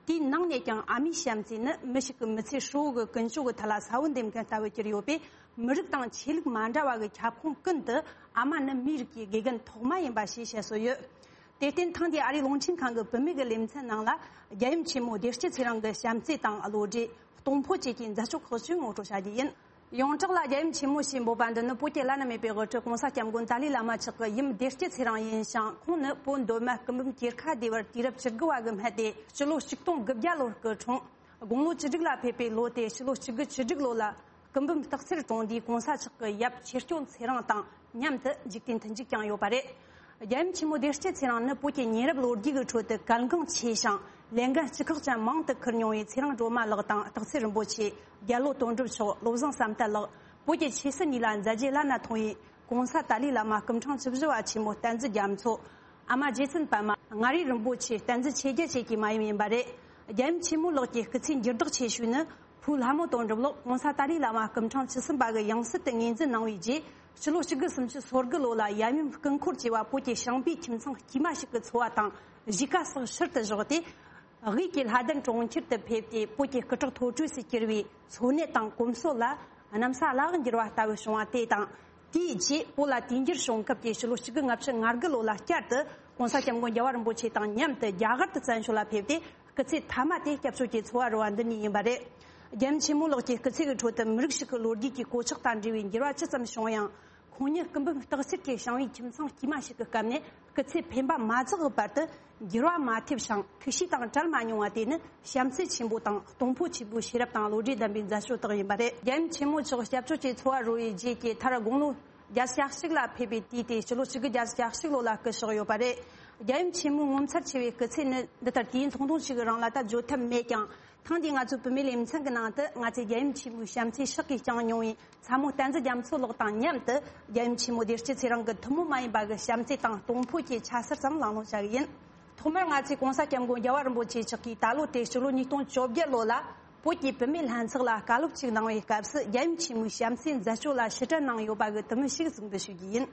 དེའི་ནང་ནས་ཀྱང་ཨ་མའི་བྱམས་བརྩེ་ནི་མི་ཞིག་གི་མི་ཚེ་ཧྲིལ་བོ་གི་ཀུན་སྤྱོད་ཀྱི་ཐད་ལ་ས་བོན་འདེབས་མཁན་ལྟ་བུར་གྱུར་ཡོད་པས། མི་རིགས་དང་ཆོས་ལུགས་མ་འདྲ་བ་གི་ཁྱབ་ཁོངས་ཀུན་ཏུ་ཨ་མ་ནི་མིའི་རིགས་ཀྱི་དགེ་རྒན་ཐོག་མ་ཡིན་པ་ཞེས་བཤད་སྲོལ་ཡོད། དེར་བརྟེན་ཐེངས་འདིའི་ཨ་རིའི་རླུང་འཕྲིན་ཁང་གི་བུད་མེད་ཀྱི་ལེ་ཚན་ནང་ལ། རྒྱལ་ཡུམ་ཆེན་མོ་བདེ་སྐྱིད་ཚེ་རིང་གི་བྱམས་བརྩེ་དང་བློ་གྲོས། གཏོང་ཕོད་བཅས་ཀྱི་མཛད་སྤྱོད་ཁག་ཅིག་ངོ་སྤྲོད་བྱ་རྒྱུ་ཡིན། ཡོངས་གྲགས་ལ་རྒྱལ་ཡུམ་ཆེན་མོ་ཞེས་འབོད་པ་འདི་ནི་བོད་ཀྱི་བླ་ན་མེད་པའི་དབུ་ཁྲིད་༸གོང་ས་༸སྐྱབས་མགོན་ཏཱ་ལའི་བླ་མ་མཆོག་གི་ཡུམ་བདེ་སྐྱིད་ཚེ་རིང་ཡིན་ཞིང་། ཁོང་ནི་བོད་མདོ་སྨད་སྐུ་འབུམ་གྱེར་ཁ་སྡེ་བར་དུས་རབས་བཅུ་དགུ་བ་གི་སྨད་དེ་ཕྱི་ལོ་ཆིག་སྟོང་དགུ་བརྒྱ་ལོར་སྐུ་འཁྲུངས། དགུང་ལོ་བཅུ་དྲུག་ལ་ཕེབས་པའི་ལོ་དེ་ཕྱི་ལོ་གཅིག་དགུ་བཅུ་དྲུག་ལོ་ལ། སྐུ་འབུམ་སྟག་འཚེར་གྲོང་སྡེའི་༸གོང་ས་མཆོག་གི་ཡབ་ཆོས་སྐྱོང་ཚེ་རིང་དང་མཉམ་དུ་འཇིག་རྟེན་མཐུན་འཇུག་བསྐྱངས་ཡོད་པ་རེད། རྒྱལ་ཡུམ་ཆེན་མོ་བདེ་སྐྱིད་ཚེ་རིང་ནི་བོད་ཀྱི་ཉེ་རབས་ལོ་རྒྱུས་ཀྱི་ཁྲོད་དུ་གལ་འགངས་ཆེ་ཞིང་ལས་འགན་ལྕི་ཁག་ཅན་མང་དུ་འཁུར་མྱོང་བའི་ཚེ་རིང་སྒྲོལ་མ་ལགས་དང་སྟག་འཚེར་རིན་པོ་ཆེ། རྒྱལ་ལོ་དོན་གྲུབ་མཆོག་བློ་བཟང་བསམ་གཏན་ལགས། བོད་ཀྱི་ཆོས་སྲིད་གཉིས་ལ་མཛད་རྗེས་བླ་ན་མཐོ་བའི་༸གོང་ས་ཏཱ་ལའི་བླ་མ་སྐུ་ཕྲེང་བཅུ་བཞི་པ་ཆེན་མོ་བསྟན་འཛིན་རྒྱ་མཚོ། ཨ་མ་རྗེ་བཙུན་པདྨ། མངའ་རིས་རིན་པོ་ཆེ་བསྟན་འཛིན་ཆོས་རྒྱལ་བཅས་ཀྱི་མ་ཡུམ་ཡིན་པ་རེད། རྒྱལ་ཡུམ་ཆེན་མོ་ལགས་ཀྱི་སྐུ་ཚེའི་འགྱུར་ལྡོག་ཆེ་ཤོས་ནི། ཕུ་ལྷ་མོ་དོན་གྲུབ་ལགས་༸གོང་ས་ཏཱ་ལའི་བླ་མ་སྐུ་ཕྲེང་བཅུ་གསུམ་པ་གི་ཡང་སྲིད་དུ་ངོས་འཛིན་གནང་བའི་རྗེས། ཕྱི་ལོ་གཅིག་དགུ་སུམ་ཅུ་སོ་དགུ་ལོ་ལ་ཡབ་ཡུམ་སྐུ་འཁོར་བཅས་པ་བོད་ཀྱི་ཞིང་པའི་ཁྱིམ་ཚང་དཀྱུས་མ་ཞིག་གི་འཚོ་བ་དང་གཞིས་ཀ་སོགས་ཕྱིར་དུ་བཞག་སྟེ། དབུས་ཀྱི་ལྷ་ལྡན་གྲོང་ཁྱེར་དུ་ཕེབས་ཏེ། བོད་ཀྱི་སྐུ་དྲག་ཐོག་གྲོས་སུ་གྱུར་བའི་འཚོ་གནས་དང་གོམས་སྲོལ་ལ་གནམ་ས་བླ་འོག་འགྱུར་བ་ལྟ་བུ་བྱུང་བ་དེ་དང་། དེའི་རྗེས་བོད་ལ་དུས་འགྱུར་བྱུང་སྐབས་ཀྱི་ཕྱི་ལོ་གཅིག་དགུ་ལྔ་བཅུ་ང་དགུ་ལོ་ལ་བསྐྱར་དུ་༸གོང་ས་༸སྐྱབས་མགོན་རྒྱལ་བ་རིན་པོ་ཆེ་དང་མཉམ་དུ་རྒྱ་གར་དུ་བཙན་བྱོལ་ལ་ཕེབས་ཏེ། སྐུ་ཚེ་མཐའ་མ་དེ་སྐྱབས་བཅོལ་གྱི་འཚོ་བ་རོལ་བ་འདི་ནས་ཡིན་པ་རེད། རྒྱལ་ཡུམ་ཆེན་མོ་ལགས་ཀྱི་སྐུ་ཚེ་གི་ཁྲོད་དུ་མི་རིགས་ཤིག་གི་ལོ་རྒྱུས་ཀྱི་གོད་ཆག་དང་འབྲེལ་བའི་འགྱུར་བ་ཅི་ཙམ་བྱུང་ཡང་། ཁོང་ཉིད་སྐུ་འབུམ་སྟག་འཚེར་གྱི་ཞིང་པའི་ཁྱིམ་ཚང་དཀྱུས་མ་ཞིག་གི་སྐབས་ནས་སྐུ་ཚེ་འཕེན་པ་མ་རྫོགས་པའི་བར་དུ་འགྱུར་བ་མ་ཐེབས་ཤིང་ཐུགས་གཤིས་དང་བྲལ་མ་མྱོང་བ་དེ་ནི་བྱམས་བརྩེ་ཆེན་པོ་དང་གཏོང་ཕོད་ཆེན་པོའི་ཤེས་རབ་དང་བློ་གྲོས་ལྡན་པའི་མཛད་སྤྱོད་དག་ཡིན་པ་རེད། རྒྱལ་ཡུམ་ཆེན་མོ་མཆོག་སྐྱབས་བཅོལ་གྱི་འཚོ་བ་རོལ་བའི་རྗེས་ཀྱི་མཐར་དགུང་ལོ་བརྒྱད་ཅུ་གྱ་གཅིག་ལ་ཕེབས་པའི་དུས་དེ་ཕྱི་ལོ་གཅིག་དགུ་བརྒྱད་ཅུ་གྱ་གཅིག་ལོ་ལ་སྐུ་གཤེགས་ཡོད་པ་རེད། རྒྱལ་ཡུམ་ཆེན་མོའི་ངོ་མཚར་ཆེ་བའི་སྐུ་ཚེ་ནི་འདི་ལྟར་དུས་ཡུན་ཐུང་ཐུང་ཞིག་གི་རིང་ལ་ད་བརྗོད་ཐབས་མེད་ཀྱང་། ཐེངས་འདིའི་ང་ཚོའི་བུད་མེད་ལེ་ཚན་གྱི་ནང་དུ་ང་ཚོས་རྒྱལ་ཡུམ་ཆེན་མོའི་བྱམས་བརྩེའི་ཕྱག་གིས་བསྐྱངས་མྱོང་བའི་ཚ་མོ་བསྟན་འཛིན་རྒྱ་མཚོ་ལགས་དང་མཉམ་དུ་རྒྱལ་ཡུམ་ཆེན་མོ་བདེ་སྐྱིད་ཚེ་རིང་གི་ཐུན་མོང་མ་ཡིན་པ་གི་བྱམས་བརྩེ་དང་གཏོང་ཕོད་ཀྱི་ཆ་ཤས་ཙམ་གླེང་སློང་བྱ་གི་ཡིན། ཐོག་མར་ང་ཚོས་༸གོང་ས་༸སྐྱབས་མགོན་རྒྱལ་བ་རིན་པོ་ཆེ་མཆོག་གིས་ད་ལོ་དེ་ཕྱི་ལོ་ཉིས་སྟོང་བཅོ་བརྒྱད་ལོ་ལ་བོད་ཀྱི་བུད་མེད་ལྷན་ཚོགས་ལ་བཀའ་སློབ་ཅིག་གནང་བའི་སྐབས་སུ་རྒྱལ་ཡུམ་ཆེན་མོའི་བྱམས་བརྩེའི་མཛད་སྤྱོད་ལ་ཕྱིར་དྲན་གནང་ཡོད་པ་གི་དུམ་བུ་ཞིག་གཟིགས་འབུལ་ཞུ་རྒྱུ་ཡིན།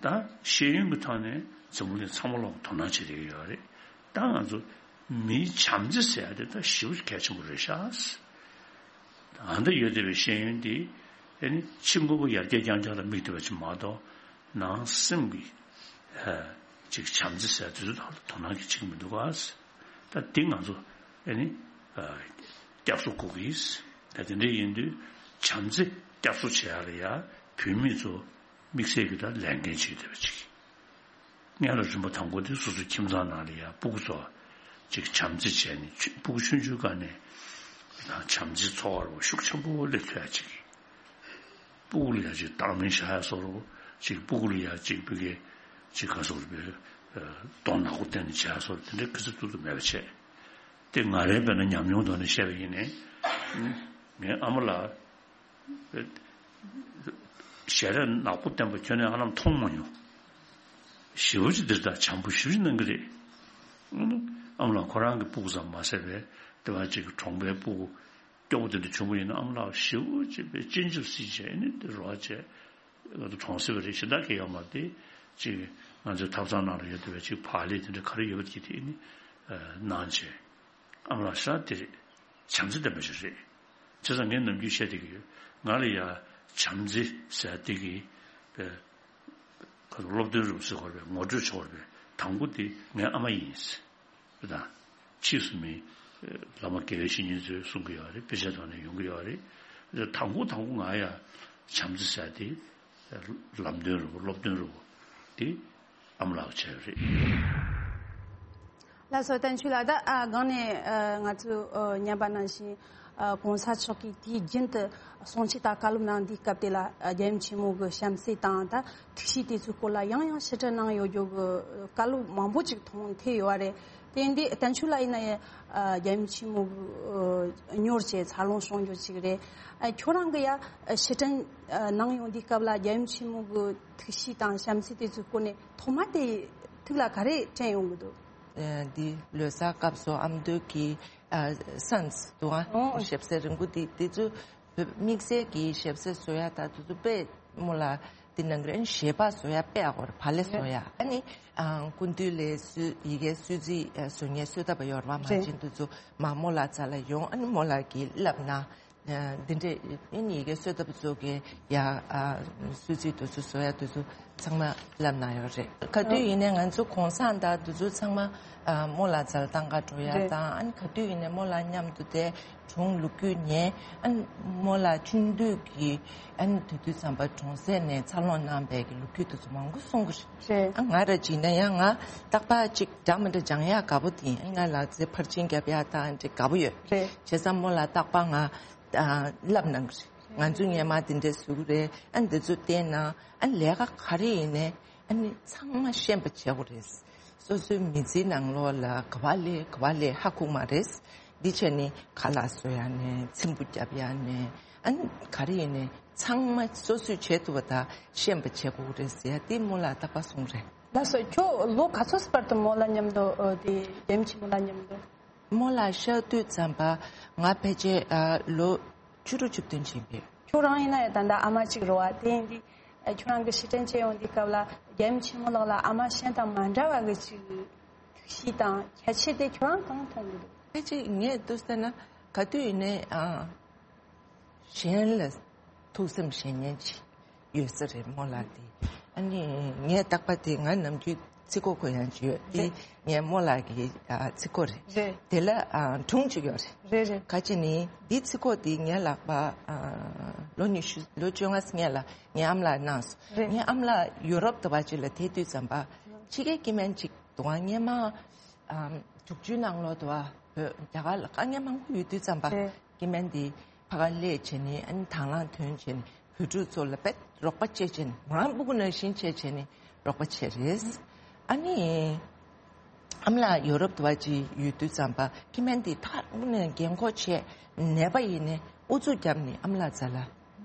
ད་ཤེས་ཡོན་གྱི་ཐོག་ནས་འཛམ་བུ་གླིང་ཚང་མ་ལོག་དོ་སྣང་བྱེད་བསྡད་ཀྱི་ཡོད་རེད། ད་ང་ཚོ་མིའི་བྱམས་བརྩེ་ཟེར་ཡ་དེ་ད་ཞེ་པོ་གལ་ཆེན་པོ་རེད་ཤག་ཨ་ད་ཡོད་བསྡད་པའི་ཤེས་ཡོན་དེ་ཨ་ནི་ཕྱི་དངོས་པོ་ཡར་རྒྱས་རྐྱང་རྐྱང་ལ་དམིགས་བསྡད་པ་ཅིག་མ་གཏོགས། ནང་སེམས་ཀྱི་ཨ་ཅིག་བྱམས་བརྩེ་ཟེར་ཡ་དེ་ཚོ་ད་དོ་སྣང་གི་བྱེད་ཀྱི་མི་འདུག་ག་ད་དེ་ང་ཚོ་ཨ་ནི་ཨ་བསྐྱར་གསོ་དགོས་ཀྱི། ད་དེ་འདྲ་ཡིན་དུས་བྱམས་བརྩེ་བསྐྱར་གསོ་བྱེད་ཡ་ལ་ཡ་བུད་མེད་ཚོ་དམིགས་བསལ་གྱི་ད་ལས་འགན་བྱེད་བསྡད་པ་ཅིག་སྔོན་ལ་རིམ་པ་དང་པོ་དེ་སོ་སོའི་ཁྱིམ་ཚང་ནང་ལ་ཡ་སྤུ་གུ་ཚོ་ཅིག་བྱམས་བརྩེ་བྱས་ནས་ཆུ་སྤུ་གུ་ཆུང་ཆུང་སྒང་ནས་བྱམས་བརྩེའི་ཚོར་བ་ཤུགས་ཆེན་པོ་སླེབས་ཐུབ་ཡ་ཅིག་སྤུ་གུ་ལ་ཡ་ཅིག་བརྡེག་གཏམ་བྱ་ཡ་བཟོ་འདྲ་ཅིག་སྤུ་གུ་ལ་ཡ་ཅིག་བུ་གའི་ཅིག་ག་ཟེར་དགོས་རེད། གདོང་ནག་པོ་བསྟན་ནས་བྱ་ཡ་བཟོ་འདྲ་དེ་འདྲའི་ག་ཚོད་ཐུབ་ཐུབ་མེད་པ་བྱས། དེ་ང་རའི་དཔེར་ན་ཉམས་མྱོང་ཐོག་ནས་བཤད་པ་ཡིན་ནའི། ངའི་ཨ་མ་ལགས་ཞལ་རས་ནག་པོ་བསྟན་པ་ཁྱོན་ནས་ཧ་ལམ་མཐོང་མ་མྱོང་། ཞེ་པོ་ཅིག་འདིར་ད་བྱམས་པོ་ཞེ་པོ་ཅིག་གནང་གི་རེད། ཨ་མ་ལགས་ཁོ་རང་གི་སྤུ་གུ་ཙམ་མ་ཟད་པའི་དེ་བ་ཅིག་གི་གྲོང་པའི་སྤུ་གུ་སྐྱོ་པོ་དེ་འདྲ་བྱུང་བ་ཡིན་ན། ཨ་མ་ལགས་ཞེ་པོ་ཅིག་པའི་སྤྱན་ཆབ་སྲིད་བྱས་ནས་དེ་རོགས་བྱས་གྲོངས་སྲིད་པ་རེད། གཞན་དག་གི་ཡོད་མ་རེད། དེ་ཅིག་ང་ཚོའི་ཐབ་ཚང་ནང་ལ་ཡོད་བསྡད་པའི་ཅིག་བག་ལེབ་དེ་འདྲ་ག་རེ་ཡོད་པ་དེ་དེ་ནི་གནང་བྱས། ཨ་མ་ལགས་ཤ་དེ་རེད། བྱམས་བརྩེ་ལྡན་པ་ཞིག་རེད། བྱས་ཙང་ངས་ནམ་རྒྱུན་བཤད་བསྡད་ཀྱི་ཡོད། ང་ལ་ཡ་བྱམས་བརྩེ་ཟེར་བསྡད་ཀྱི་པའི་ཁ་སློབ་སྟོན་རུ་ཟེར་དགོས་པའི་ངོ་སྤྲོད་བྱེད་དགོས་པའི་དང་པོ་དེ་ངའི་ཨ་མ་ཡིན། དེ་དང་ཕྱིས་སུ་མི་བླ་མ་དགེ་བའི་བཤེས་གཉེན་ཚོས་གསུང་གི་ཡོད་རེད། དཔེ་ཆའི་ཐོག་ནས་ཡོང་གི་ཡོད་རེད། དང་པོ་དང་པོ་ང་ཡ་བྱམས་བརྩེ་ཟེར་དེ་ལམ་སྟོན་རུ་སློབ་སྟོན་རུ་དེ་ཨ་མ་ལགས་བྱས་ཡོད་རེད། ལགས་སོ། བསྟན་ཆོས་ལགས། ད་ཨ་སྒང་ནས་ཨ་ང་ཚོས་ཨ་ཉན་པ་ནང་བཞིན་ཨ་གོང་ས་མཆོག་གིས་དུས་རྒྱུན་དུ་གསུང་ཆོས་དང་བཀའ་སློབ་གནང་དུས་སྐབས་དེ་ལ་ཨ་རྒྱལ་ཡུམ་ཆེན་མོ་གི་བྱམས་བརྩེ་དང་ད་ཐུགས་གཤིས་དེ་ཚོའི་སྐོར་ལ་ཡང་ཡང་ཕྱིར་དྲན་གནང་ཡོད་རྒྱུ་གི་བཀའ་སློབ་མང་པོ་ཅིག་མཐོང་ཐོས་ཡོད་རེད། དེ་ཡིན་དུས་བསྟན་ཆོས་ལགས་ཡིན་ན་ཡང་ཨ་རྒྱལ་ཡུམ་ཆེན་མོ་གི་ཨ་གཉོར་བྱས་འཚར་ལོངས་བྱུང་རྒྱུ་ཅིག་རེད། ཨ་ཁྱོད་རང་གི་ཡ་ཨ་ཕྱིར་དྲན་ཨ་གནང་ཡོང་དུས་སྐབས་ལ་རྒྱལ་ཡུམ་ཆེན་མོ་གི་ཐུགས་གཤིས་དང་བྱམས་བརྩེ་དེ་ཚོའི་སྐོར་ནས་ཐོག་མ་དེ་ཐུགས་ལ་ག་རེ་དྲན་ཡོང་གི་འདུག་ཨ་འདི་ལོ་གསར་སྐབས་སུ་ཨ་མདོ་གི་ཨ་སན་སི་འདུག་ཨ། ཨོ། ཞབས་སེ་རིང་པོ་འདི་དེ་ཚོ་དམིགས་བསལ་གྱི་ཞབས་སེ་བཟོ་ཡ་ད་དེ་ཚོ་དཔེ་མོ་ལ་འདི་ནང་གི་ཞལ་པར་བཟོ་ཡ་དཔེ་ཨ་གོར་བ་ལེ་བཟོ་ཡ། ཨ་ནི་ཨ་སྐུ་མདུན་ལས་སུ་ཡི་གེ་སུ་ཙི་བཟོ་ངེས་སུ་ད་པ་ཡོར་བ་མ་ཅན་དེ་ཚོ་མ་མོ་ལ་ཙ་ལ་ཡོང་། ཨ་ནི་མོ་ལ་གི་ལབ་ན། འདི་འདྲས་ཨིན་ཡི་གེ་གསོལ་ཐབ་ཚོ་གི་ཡ་ཨ་སུ་ཙི་དུ་ཚོ་བཟོ་ཡ་དུ་ཚོ་ཚང་མ་ལབ་ན་ཡོད་རེད། ག་དུས་ཡིན་ནའི་ང་ཚོ་གོང་སང་དང་དུ་ཚོ་ཚང་མ་ཨ་མོ་ལ་ཛལ་ཏང་ག་འགྲོ་ཡ་རེད། དང་ཨ་ནི་ག་དུས་ཡིན་ནའི་མོ་ལ་མཉམ་དུ་དེ་གྲོང་ལུག་རྒྱུ་ཉན། ཨ་ནི་མོ་ལ་ཆུང་དུས་ཀྱི་ཨ་ནི་དུས་དུས་ཙམ་པ་གྲོང་གསེབ་ནས་འཚར་ལོངས་གནང་པའི་གི་ལུག་རྒྱུ་དུ་ཚོ་མང་པོ་གསུང་གི་རེད། རེད། ཨ་ང་ར་ཅིག་ན་ཡང་ང་རྟག་པར་ཅིག་འདྲ་མི་འདྲ་སྦྱང་ཡ་དགའ་པོ་དེ་ཡིན། ང་ལ་ཚེ་ཕར་ཕྱིན་རྒྱབ་ཡ་དང་ཅིག་དགའ་པོ་ཡོད། རེད། བྱས་ཙང་མོ་ལ་རྟག་པར་ང་ཨ་ལབ་གནང་གི་རེད། ང་ཚོ་སྔས་མ་དེ་འདྲས་བཟོ་གི་རེད། ཨ་འདི་ཚོ་བལྟས་ན་ཨ་ལས་ཀ་ག་རེ་ཡིན་ནའི་ཨ་ནི་ཚང་མ་ཤེས་པ་བྱེད་དགོས་རེད། སོ་སོའི་མི་ཚེའི་ནང་ལོགས་ལ་ག་བ་ལས་ག་བ་ལས་ཧ་ཁུག་མ་རེད། འདི་བྱས་ནི་ཁ་ལག་བཟོ་ཡ་ནས་ཚེམ་བུ་རྒྱབ་ཡ་ནས་ཨ་ནི་ག་རེ་ཡིན་ནའི་ཚང་མ་སོ་སོས་བྱེད་ཐུབ་པ་དང་ཤེས་པ་བྱེད་དགོས་རེད་ཟེར་ཡ་དེ་མོ་ལ་རྟག་པར་གསུངས་རེད། ལགས་སོ། ཁྱོད་ལོ་ག་ཚོད་བར་དུ་མོ་ལ་མཉམ་དུ་ཨ་དེ་རྒྱལ་ཡུམ་ཆེན་མོ་ལ་མཉམ་དུ། མོ་ལ་ཤར་དུས་ཙམ་པ་ང་ཕལ་ཆེར་ཨ་ལོ་བཅུ་དྲུག་བཅུ་བདུན་ཕྱིན་པས། ཁྱོད་རང་ཡིན་ན་ཡང་ད་ལྟ་ཨ་མ་གཅིག་རེད་བ། དེ་ཡིན་དུས་ཨ་ཁྱོད་རང་གི་ཕྱིར་དྲན་བྱེད་ཡོང་དུས་སྐབས་ལ་རྒྱལ་ཡུམ་ཆེན་མོ་ལགས་ལ་ཨ་མ་གཞན་དང་མ་འདྲ་བ་གི་ཅིག་ཐུགས་གཤིས་དང་ཁྱད་ཆོས་དེ་ཁྱོད་རང་གང་མཐོང་གི་འདུག་ཕལ་ཆེར་ངས་འདུག་ཟེར་ན་ག་དུས་ཡིན་ནའི་ཨ་གཞན་ལ་ཐུགས་སེམས་བཞེས་མཁན་ཅིག་ཡོད་ས་རེད་མོ་ལགས་དེ། ཨ་ནི་ངས་རྟག་པར་དེ་ང་ནམ་རྒྱུན་ཚིག་གོ་གོ་ཡང་ཅིག་ཡོད་དེ། ངས་མོ་ལགས་ཀྱི་ཨ་ཚིག་གོ་རེད། རེད། དེ་ལ་ཨ་སྒྲུང་ཅིག་ཡོད་རེད། རེད་རེད། ག་ཅི་ནི་འདི་ཚིག་གོ་དེ་ངའི་ལག་པ་ཨ་ལོ་ཉི་ཤུ་ལོ་བཅོ་ལྔ་སྔས་ལ་ངའི་ཨ་མ་ལགས་གནང་སོང་། རེད། ངའི་ཨ་མ་ལགས་ཡུ་རོབ་དུ་བ་ཅིག་ལ་དེ་དུས་ཙམ་པ་ཕྱི་རྒྱལ་སྐྱེ་དམན་ཅིག་འདུག་ཨ། སྔས་མ་ཨ་དྲུག་ཅུའི་ནང་ལོགས་དུ་བ་བོད་རྒྱ་གར་ལ་དཀའ་ངལ་མང་པོ་ཡོད་དུས་ཙམ་པ་རེད། སྐྱེ་དམན་དེ་ཕ་ག་སླེབས་བྱས་ནས་ཨ་ནི་དང་བླངས་ཐོན་བྱས་ནས་བོད་ཕྲུག་ཚོ་ལ་དཔེ་རོགས་པ་བྱེད་བྱས་ནས་མོ་རང་སྤུ་གུ་ནང་བཞིན་བྱས་བྱས་ནས་རོགས་པ་བྱས་རེད། ཨ་ནི་ཨ་མ་ལགས་ཡོ་རོབ་དུ་བ་ཅིག་ཡོད་དུས་ཙམ་པ་སྐྱེ་དམན་དེ་ཐག་ནས་རྒན་གོག་བྱས་ནད་པ་ཡིན་ནས་ཨུ་ཚུགས་བརྒྱབ་ནས་ཨ་མ་ལགས་རྩ་ལ་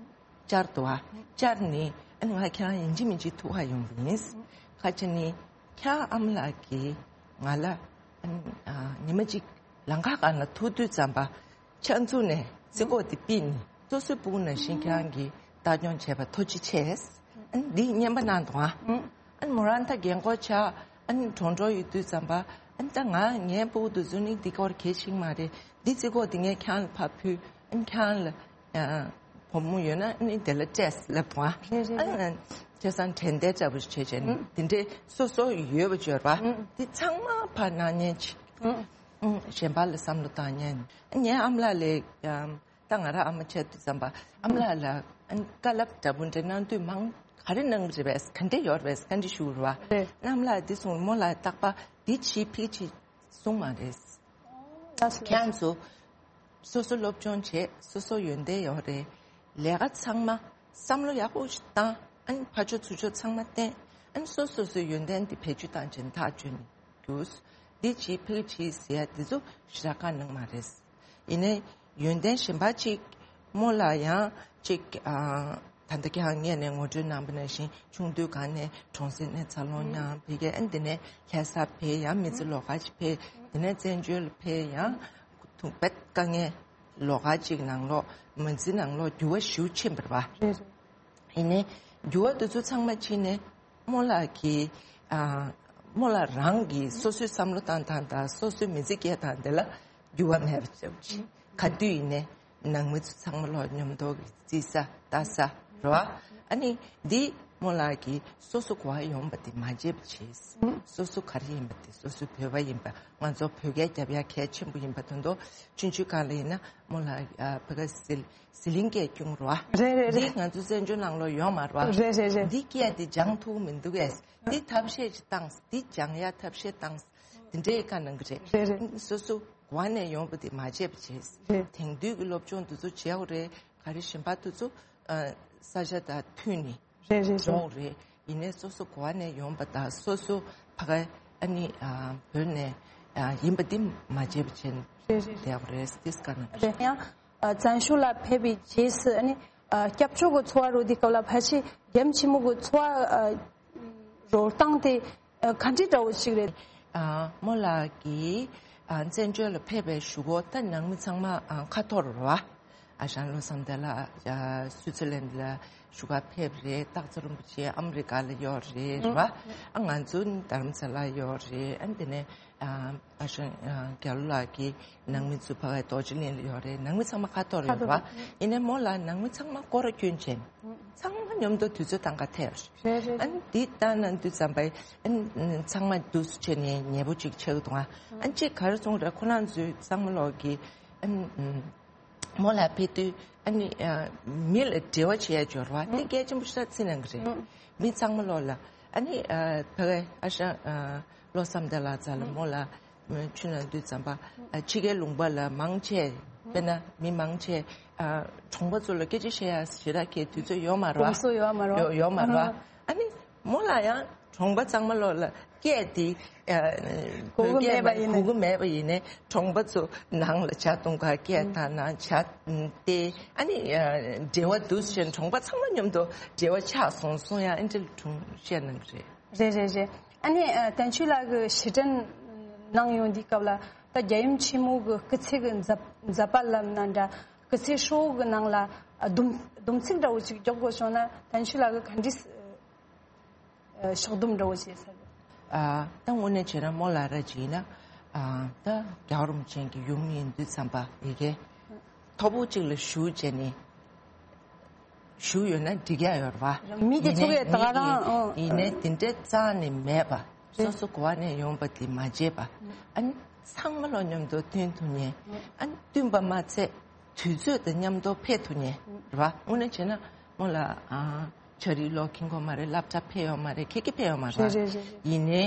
བཅར་འདུག་ཨ། བཅར་ནས་ཨ་ནི་ང་ཁྱེད་རང་ཡིན་གཅིག་མིན་གཅིག་ཐུག་ག་ཡོང་གི་ཡིན། ཁ་ཅིག་ནི་ཁྱེད་ཨ་མ་ལགས་ཀྱིས་ང་ལ་ཨ་ནི་ཨ་ཉི་མ་གཅིག་ལམ་ཁ་སྒང་ལ་ཐུག་དུས་ཙམ་པ། ཕྱག་མཛུབ་ནས་ཚིག་གོ་དེ་ཕུད་ནས་སོ་སོའི་སྤུ་གུ་ནང་བཞིན་ཁྱེད་རང་གིས་ལྟ་སྐྱོང་བྱས་པ་ཐུགས་རྗེ་ཆེ། ཨ་ནི་འདི་རྔན་པ་གནང་འདུག་ཨ། ཨ་ནི་མོ་རང་ད་རྒན་གོག་ཆགས་ཨ་ནི་གྲོངས་འགྲོ་ཡོད་དུས་ཙམ་པ་ཨ་ནི་ད་ང་ངའི་སྤུ་གུ་དེ་ཚོ་ནི་འདི་སྐོར་གལ་ཆེ་གི་མ་རེད། འདི་ཚིག་གོ་དེ་ངས་ཁྱེད་རང་ལ་ཕར་ཕུལ། ཨ་ནི་ཁྱེད་རང་ལ་བུ་མོ་ཡོད་ན་ཨ་ནི་དེ་ལ་སྤྲད་ལབ་འདུག་ཨ། རེད་རེད་ཨ་རེད། ནི་བྱས་ཙང་དྲན་རྟེན་འདྲ་པོ་ཞིག་བྱས་བྱས་ནས་འདི་འདྲའི་སོ་སོ་ཡོད་པ་འབྱོར་པ་འདི་ཚང་མ་ཕར་གནང་མཁན་ཅིག་གཞན་པ་ལ་བསམ་བློ་བཏང་མཁན། ངའི་ཨ་མ་ལགས་ལས་ཀྱང་ད་ང་རང་ཨ་མ་བྱས་དུས་ཙམ་པ་ཨ་མ་ལགས་ལ་བཀའ་སློབ་འདྲ་པོ་འདྲ་གནང་དུས་མང་ག་རེ་གནང་གི་རེད་པས། ག་འདྲ་ཡོད་རེད་པས། ག་འདྲ་ཞུ་རེད་པ། རེད། ཨ་མ་ལགས་འདི་གསུངས། མོ་ལ་རྟག་པར་འདི་བྱེད་ཕིག་བྱེད་གསུངས་མ་རེད། ལགས་སོ། ཁྱེད་ཚོ་སོ་སོ་སློབ་སྦྱོང་བྱེད། སོ་སོ་ཡོན་ཏན་ཡོད་རེད། ལས་ཀ་ཚང་མ་བསམ་བློ་ཡག་པོ་ཞིག་བཏང་། ཨ་ནི་ཕར་ཕྱོགས་ཚུར་ཕྱོགས་ཚང་མ་བསྟེན། ཨ་ནི་སོ་སོ་སོའི་ཡོན་ཏན་འདི་བེད་སྤྱོད་བཏང་བྱས་ནས་ཐག་གཅོད་ནས་རྒྱུགས། འདི་བྱེད་ཕིག་བྱེད་ཟེར་ཡ་འདི་ཚོ་ཞེ་དྲག་བཀའ་གནང་མ་རེད། ཡིན་ནའི་ཡོན་ཏན་གཞན་པ་གཅིག་མོ་ལ་ཡང་གཅིག་ཨ་ད་ལྟ་ཁྱེད་རང་ངོས་ནས་ངོ་སྤྲོད་གནང་པ་ནང་བཞིན་ཆུང་དུས་སྒང་ནས་གྲོང་གསེབ་ནས་འཚར་ལོངས་མྱངས། ཕ་གིར་ཨ་ནི་འདི་ནས་ལྷ་ས་ཕེབས། ཡང་མི་ཚེ་ལོགས་ཀ་ཞིག་ཕེབས། ཡིན་ནའི་བཙན་བྱོལ་ལ་ཕེབས་ཡང་ཐུག་པའི་དཀའ་ངལ་ལོགས་ཀ་ཅིག་ནང་ལོགས་མ་འཛི་ནང་ལོགས་འགྱུར་བ་ཞེ་པོ་ཕྱིན་པ་རེད་བ། རེད་རེད། ཡིན་ནའི་འགྱུར་བ་དེ་ཚོ་ཚང་མ་ཕྱིན་ནས་རྨོ་ལགས་ཀྱིས་ཨ་རྨོ་ལགས་རང་གིས་སོ་སོའི་བསམ་བློ་བཏང་སྟངས་དང་སོ་སོའི་མི་ཚེ་སྐྱེལ་སྟངས་དེ་ལ་འགྱུར་བ་མེད་པ་ཙམ་ཅིག་ག་དུས་ཡིན་ནའི་ནང་མི་ཚོ་ཚང་མ་ལོག་མཉམ་དུ་རྩིས་ས་ལྟ་ས་རེད་བ། ཨ་ནི་འདི་རྨོ་ལགས་ཀྱིས་སོ་སོ་གོ་བ་ཡོང་བ་དེ་མ་བརྗེད་པ་བྱས། སོ་སོ་ག་རེ་ཡིན་པ་དེ་སོ་སོ་བོད་པ་ཡིན་པ་ང་ཚོ་བོད་སྐད་རྒྱབ་ཡ་གལ་ཆེན་པོ་ཡིན་པ་དོན་དུ་ཆུང་ཆུང་སྒང་ལ་ཡིན་ན་རྨོ་ལགས་ཨ་བོད་སྐད་ཟི་ཟི་ལིང་སྐད་སྐྱོང་རོགས། རེད་རེད་རེད། འདི་ང་ཚོ་བཙན་བྱོལ་ནང་ལོགས་ཡོད་མ་རེད་བ། རེད་རེད་རེད། འདི་སྐད་དེ་སྦྱང་ཐུབ་མི་འདུག་གས། འདི་ཐབས་ཤེས་ཅིག་བཏང་། འདི་སྦྱང་ཡ་ཐབས་ཤེས་བཏང་། འདི་འདྲའི་བཀའ་གནང་གི་རེད། རེད་རེད། སོ་སོ་གོ་བ་ནས་ཡོང་བ་དེ་མ་བརྗེད་པ་བྱས། རེད། དེང་དུས་ཀྱི་སློབ་སྦྱོང་འདི་ཚོ་བྱས་འོ་རེད། ག་རེ་གཞན་པ་དེ་ཚོ་ཨ་ས་ཆ་དང་མཐུན་ནས་རེད་རེད་རེད། འགྲོ་རེད། ཡིན་ནའི་སོ་སོ་གོ་བ་ནས་ཡོང་བ་དང་སོ་སོ་ཕ་ག་ཨ་ནི་ཨ་བོད་ནས་ཨ་ཡིན་པ་འདི་མ་བརྗེད་པ་བྱས་རེད་རེད། བསྡད་པ་རེད། དེ་སྐད་ནང་རེད། ཡང་ཨ་བཙན་བྱོལ་ལ་ཕེབས་པའི་རྗེས་སུ་ཨ་ནི་ཨ་སྐྱབས་བཅོལ་གྱི་འཚོ་བ་རོལ་དུས་སྐབས་ལ་ཕལ་ཆེར་རྒྱལ་ཡུམ་ཆེན་མོ་གི་འཚོ་བ་ཨ་རོལ་སྟངས་དེ་ཨ་ག་འདྲ་འདྲ་བོ་ཞིག་རེད། ཨ་རྨོ་ལགས་ཀྱིས་ཨ་བཙན་བྱོལ་ལ་ཕེབས་པའི་གཞུག་གུ་ད་ནང་མི་ཚང་མ་ཨ་ཁ་ཐོར་རེད་བ། ཨ་ཞང་བློ་བཟང་བདེ་ལགས་ཨ་སུའི་ཙི་ལན་ལ་བཞུགས་སྒར་ཕེབས་རེད། སྟག་འཚེར་རིན་པོ་ཆེ་ཨ་མི་རི་ཀ་ལ་ཡོད་རེད་རེད་བ། ཨ་ང་ཚོ་རྡ་རམ་ས་ལ་ཡོད་རེད། ཨ་དེ་ནས་ཨ་ཨ་ཞང་ཨ་རྒྱ་ལོ་ལགས་ཀྱི་ནང་མི་ཚོ་ཕ་གའི་རྡོ་རྗེ་གླིང་ལ་ཡོད་རེད། ནང་མི་ཚང་མ་ཁ་ཐོར་ཡོད་རེད་བ། ཡིན་ནའི་རྨོ་ལགས་ནང་མི་ཚང་མ་སྐོར་ར་སྐྱོན་བྱས་ནས་ཚང་མ་མཉམ་དུ་དུས་ཚོད་བཏང་ག་ཐད་ཡོད་རེད། རེད་རེད། ཨ་ནི་འདི་ལྟ་ན་འདི་ཙམ་པའི་ཨ་ནི་ཚང་མ་འདུག་སེ་བྱས་ནས་ཉེ་པོ་ཅིག་ཆགས་འདུག་ཨ་ནི་ཅིག་ག་རེ་གསུངས་རེད། ཁོ་རང་ཚོའི་ཚང་མ་ལོག་གི་ཨ་ནི་རྨོ་ལགས་ཕེབས་དུས་ཨ་ནི་ཨ་མི་ལ་འབྲེལ་བ་བྱེད་ཡ་འབྱོར་བ་དེ་གལ་ཆེན་པོ་ཞིག་ལ་བརྩི་གནང་གི་རེད། མི་ཚང་མ་ལོག་ལ་ཨ་ནི་ཨ་ཕ་གའི་ཨ་ཞང་ཨ་བློ་བཟང་བདེ་ལགས་རྩ་ལ་རྨོ་ལགས་ཆུ་ནང་དུས་ཙམ་པ་ཨ་ཕྱི་རྒྱལ་ལུང་པ་ལ་མང་ཆེ་དཔེར་ན་མི་མང་ཆེ་ཨ་གྲོང་པ་ཚོ་ལ་སྐད་ཆ་བཤད་ཡ་ཞེ་དྲག་གི་དུས་ཚོད་ཡོད་མ་རེད་བ། གོམས་སྲོལ་ཡོད་མ་རེད་བ། ཡོད་ཡོད་མ་རེད་བ། ཨ་ནི་རྨོ་ལགས་ཡང་གྲོང་པ་ཚང་མ་ལོག་ལ་སྐད་དེ་ཨ་གོ་གི་མེད་པ་ཡིན་ན། གོ་གི་མེད་པ་ཡིན་ནའི་གྲོང་པ་ཚོ་ནང་ལ་ཇ་འཐུང་ག་སྐད་བཏང་ན་ཇ་བལྟས། ཨ་ནི་ཨ་འབྲེལ་བ་འདུག་ཟེར་གྲོང་པ་ཚང་མ་མཉམ་དུ་འབྲེལ་བ་ཆགས་སོང་གསུང་ཡ་ཨ་འདྲ་ལ་གྲོང་བཤད་གནང་གི་རེད། རེད་རེད་རེད། ཨ་ནི་ཨ་བསྟན་ཆོས་ལགས་ཀྱིས་ཕྱིར་དྲན་གནང་ཡོང་དུས་སྐབས་ལ་ད་རྒྱལ་ཡུམ་ཆེན་མོ་གི་སྐུ་ཚེ་གི་མཛད་མཛད་པ་ལབ་ན་འདྲ། སྐུ་ཚེ་ཧྲིལ་བོ་གི་ནང་ལ་ཨ་སྡོམ་སྡོམ་ཚིག་འདྲ་བོ་ཅིག་འཇོག་དགོས་བྱུང་ན་བསྟན་ཆོས་ལགས་ཀྱིས་ག་འདྲས་ཨ་ཕྱག་སྡོམ་འདྲ་བོ་བྱས་ཚར། ཨ་ད་དངོས་གནས་བྱས་ན་རྨོ་ལགས་ར་ཅིག་ཡིན་ན་ཨ་ད་རྒྱལ་བ་རིན་པོ་ཆེ་གི་ཡུམ་ཡིན་དུས་ཙམ་པ་ཡི་གེ་མཐོ་པོ་ཅིག་ལ་བཞུགས་བྱས་ནས་བཞུགས་ཡོད་ན་འགྲིག་ཡ་ཡོད་རེད་བ། མི་དེ་ཚོ་གས་ད་ག་རང་ཡིན་ནའི་དེ་འདྲའི་རྩ་ནས་མེད་པ། རེད། སོ་སོ་གོ་བ་ནས་ཡོང་པ་དེ་མ་བརྗེད་པ། ཨ་ནི་ཚང་མ་ལོ་མཉམ་དུ་བསྟུན་ཐུབ་མཁན། ཨ་ནི་བསྟུན་པ་མ་ཚད་དུས་ཚོད་དང་མཉམ་དུ་ཕེབས་ཐུབ་མཁན་རེད་བ། དངོས་གནས་བྱས་ན་རྨོ་ལགས་ཨ་ཆ་རིག་ལོ་ཁེངས་གོ་མ་རེད། སློབ་གྲྭ་ཕེབས་ཡོད་མ་རེད། ཁྱེད་ཀྱིས་ཕེབས་ཡོད་མ་རེད། རེད་རེད་རེད་རེད། ཡིན་ནའི་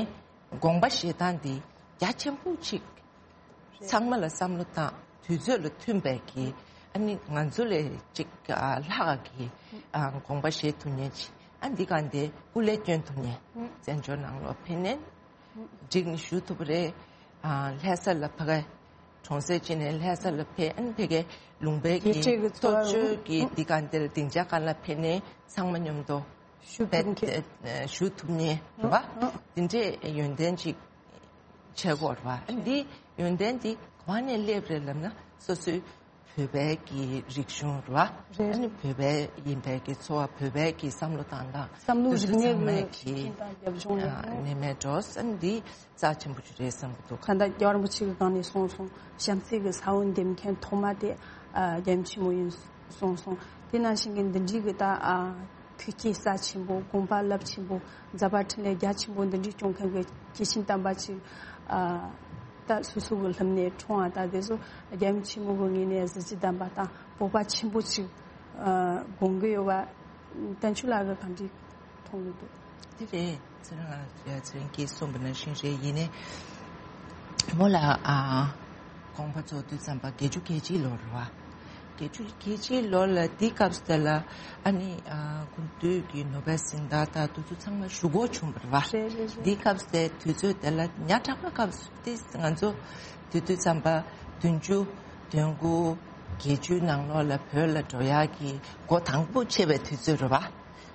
དགོངས་པ་བཞེས་སྟངས་འདི་རྒྱ་ཆེན་པོ་ཅིག་རེད། ཚང་མ་ལ་བསམ་བློ་བཏང་དུས་ཚོད་ལ་མཐུན་པའི་གི་ཨ་ནི་ང་ཚོ་ལས་ཅིག་ཨ་ལྷག་གི་ཨ་དགོངས་པ་བཞེས་ཐུབ་མཁན་ཅིག་ཨ་འདི་ག་འདི་སྐུ་ལས་བསྐྱོན་ཐུབ་མཁན། བཙན་བྱོལ་ནང་ལོགས་ཕེབས་ནས་འགྲིག་ནས་བཞུགས་ཐུབ་པ་རེད། ཨ་ལྷ་ས་ལ་ཕ་གི་གྲོང་གསེབ་ཅིག་ནས་ལྷ་ས་ལ་ཕེབས། ཨ་ནི་ཕ་གི་ལུང་པའི་གི་དགེ་བཤེས་ཀྱི་འཚོ་བ་ཐོབ་ཆོས་ཀྱི་འདི་ག་འདིར་སྡིངས་ཆ་སྒང་ལ་ཕེབས་ནས་ཚང་མ་མཉམ་དུ་བཞུགས་ཕེབས་ཐུབ་མཁན། བཞུགས་ཐུབ་མཁན་རེད་བ། འདི་འདྲའི་ཡོན་ཏན་ཅིག་བྱེད་དགོས་རེད་བ། ཨ་ནི་འདི་ཡོན་ཏན་འདི་ག་ནས་སླེབས་རེད་ལབ་ན་སོ་སོའི་བོད་པའི་གི་རིག་གཞུང་རེད་བ། རེད། ཨ་ནི་བོད་པའི་ཡིན་པའི་གི་འཚོ་བ། བོད་པའི་གི་བསམ་བློ་བཏང་སྟངས། བསམ་བློ་རིག་གནས་ཀྱི་ཤེས་ཡོན་དང་རྒྱབ་ལྗོངས་ནས་ནས་མེད་འགྲོ། ཨ་ནི་འདི་རྩ་ཆེན་པོ་ཞིག་རེད་བསམ་གྱི་འདུག་ད་ལྟ་རྒྱལ་བ་རིན་པོ་ཆེ་གི་སྒང་ནས་གསུངས་སོང་། བྱམས་བརྩེ་གི་ས་བོན་འདེབས་མཁན་ཐོག་མ་དེ་ཨ་རྒྱལ་ཡུམ་ཆེན་མོ་ཡིན་གསུངས་སོང་། དེ་ནང་བཞིན་གྱི་འདི་འདྲའི་གི་ད་ཨ་ཐུགས་བསྐྱེད་རྩ་ཆེན་པོ། དགོངས་པ་རླབས་ཆེན་པོ། མཛད་པ་འཕྲིན་ལས་རྒྱ་ཆེན་པོ་འདི་འདྲའི་སྐྱོང་མཁན་གྱི་སྐྱེས་ཆེན་དམ་པ་ཅིག་ཨ་ད་སོ་སོ་གི་ལྷུམས་ནས་འཁྲུངས་པ་ད་དེ་ཚོ་རྒྱལ་ཡུམ་ཆེན་མོ་གི་ངོས་ནས་གཟི་བརྗིད་ལྡན་པ་དང་སྤོབས་པ་ཆེན་པོ་ཅིག་ཨ་དགོངས་ཀྱི་ཡོད་པ། བསྟན་ཆོས་ལགས་ཀྱིས་ག་འདྲའི་མཐོང་གི་འདུག་དེ་རེད། ཚེ་རིང་ལགས་ཚེ་རིང་གིས་གསུངས་པ་ནང་བཞིན་རེད། ཡིན་ནའི་རྨོ་ལགས་ཨ་དགོངས་པ་རྫོགས་དུས་ཙམ་པ་བརྒྱད་ཅུ་གྱ་གཅིག་ལོ་རེད་བ། བརྒྱད་ཅུ་གྱ་གཅིག་ལོ་ལ་འདི་སྐབས་སུ་དེ་ལ་ཨ་ནི་ཨ་སྐུ་མདུན་གྱི་ནོ་བེལ་གཟེངས་རྟགས་དང་དེ་ཚོ་ཚང་མ་ཞུ་དགོས་བྱུང་བ་རེད་བ། རེད་རེད་རེད། འདི་སྐབས་སུ་དེ་དུས་ཚོད་དེ་ལ་ཉག་ཕྲ་མ་སྐབས་སུ་དེ་ང་ཚོ་དེ་དུས་ཙམ་པ་བདུན་ཅུ་དོན་དགུ་བརྒྱད་ཅུ་ནང་ལོགས་ལ་བོད་ལ་འགྲོ་ཡག་གི་སྒོ་དང་པོ་ཕྱེ་བའི་དུས་ཚོད་རེད་བ།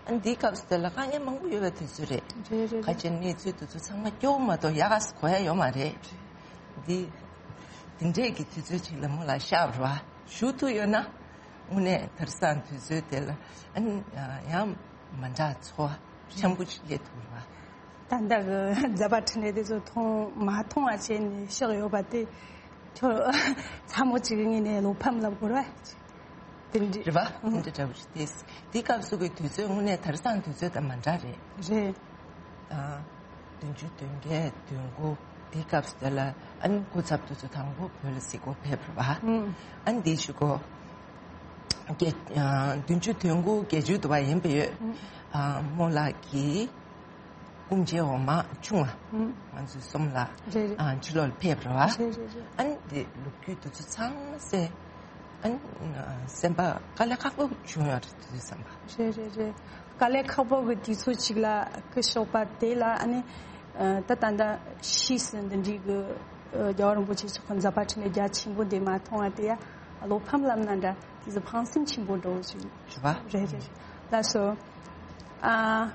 ཨ་འདིའི་སྐབས་སུ་དེ་ལ་དཀའ་ངལ་མང་པོ་ཡོད་པའི་དུས་ཚོད་རེད། རེད་རེད་རེད། ཁ་ཆེ་གནས་ཚུལ་དེ་ཚོ་ཚང་མ་སྐྱོ་བོ་མ་གཏོགས་ཡག་ག་གོ་ཡ་ཡོད་མ་རེད། འདི་འདི་འདྲས་ཀྱི་དུས་ཚོད་ཅིག་ལ་མོ་ལ་ཤར་བ་ཞུ་ཐུབ་ཡོད་ན། དངོས་གནས་དེང་སང་དུས་ཚོད་དེ་ལ་ཨ་ནི་ཡང་མ་འདྲ་ཚོར་བ་ཆེན་པོ་ཞིག་སླེབས་ཐུབ་པ། ད་ལྟ་གི་མཛད་པ་འཕྲིན་ལས་དེ་ཚོ་མཐོང་མ་མཐོང་བ་བྱས་ནས་བཞག་ཡོད་པ་དེ་ཁྱོད་ཚ་མོ་ཅིག་གི་ངོས་ནས་བློ་ཕམ་ལབ་དགོས་རེད་བ། དེ་འདྲ་རེད་བ། དེ་འདྲ་འདྲ་བོ་ཞིག་སྟེ། དེའི་སྐབས་སུ་གི་དུས་ཚོད་དངོས་གནས་དེང་སང་དུས་ཚོད་དང་མ་འདྲ་རེད། རེད། དང་། བདུན་ཅུ་དོན་བརྒྱད་དོན་དགུ་དེའི་སྐབས་སུ་དེ་ལ་ཨ་ནི་སྐུ་ཚབ་དེ་ཚོ་དང་པོ་བོད་ལ་གཟིགས་སྐོར་ཕེབས་རེད་བ། ཨ་ནི་དེའི་གཞུག་གུ་བརྒྱད་ཨ་བདུན་ཅུ་དོན་དགུ་བརྒྱད་ཅུ་དུ་བ་ཡིན་པ་ཡོད། ཨ་རྨོ་ལགས་ཀྱིས་སྐུ་མཆེད་འོག་མ་ཆུང་བ་ང་ཚོའི་གསུམ་ལ་རེད་རེད། ཨ་ཕྱི་ལོགས་ལ་ཕེབས་རེད་བ། རེད་རེད་རེད། ཨ་ནི་དེ་ལོ་རྒྱུས་དེ་ཚོ་ཚང་མ་གསན། ཨ་ནི་སེམས་པ་དཀའ་ལས་ཁག་པོ་བྱུང་ཡོད་རེད་དེ་ཚོ་བསམ་པ། རེད་རེད་རེད། དཀའ་ལས་ཁག་པོ་གི་དུས་ཚོད་ཅིག་ལ་སྐུ་གཤེགས་པ་དེ་ལ་ཨ་ནི་ད་ད་ལྟ་ཕྱིས་སུ་འདི་འདྲའི་གི་རྒྱལ་བ་རིན་པོ་ཆེ་མཆོག་གི་མཛད་པ་འཕྲིན་ལས་རྒྱ་ཆེན་པོ་འདི་མ་མཐོང་བ་དེ་ཡ་བློ་ཕམ་ལབ་ན་འདྲ། དེ་ཚོ་ཕངས་སེམས་ཆེན་པོ་འདྲ་བོ་ཞིག་རེད་བ། རེད་རེད་རེད། ལགས་སོ། ཨ།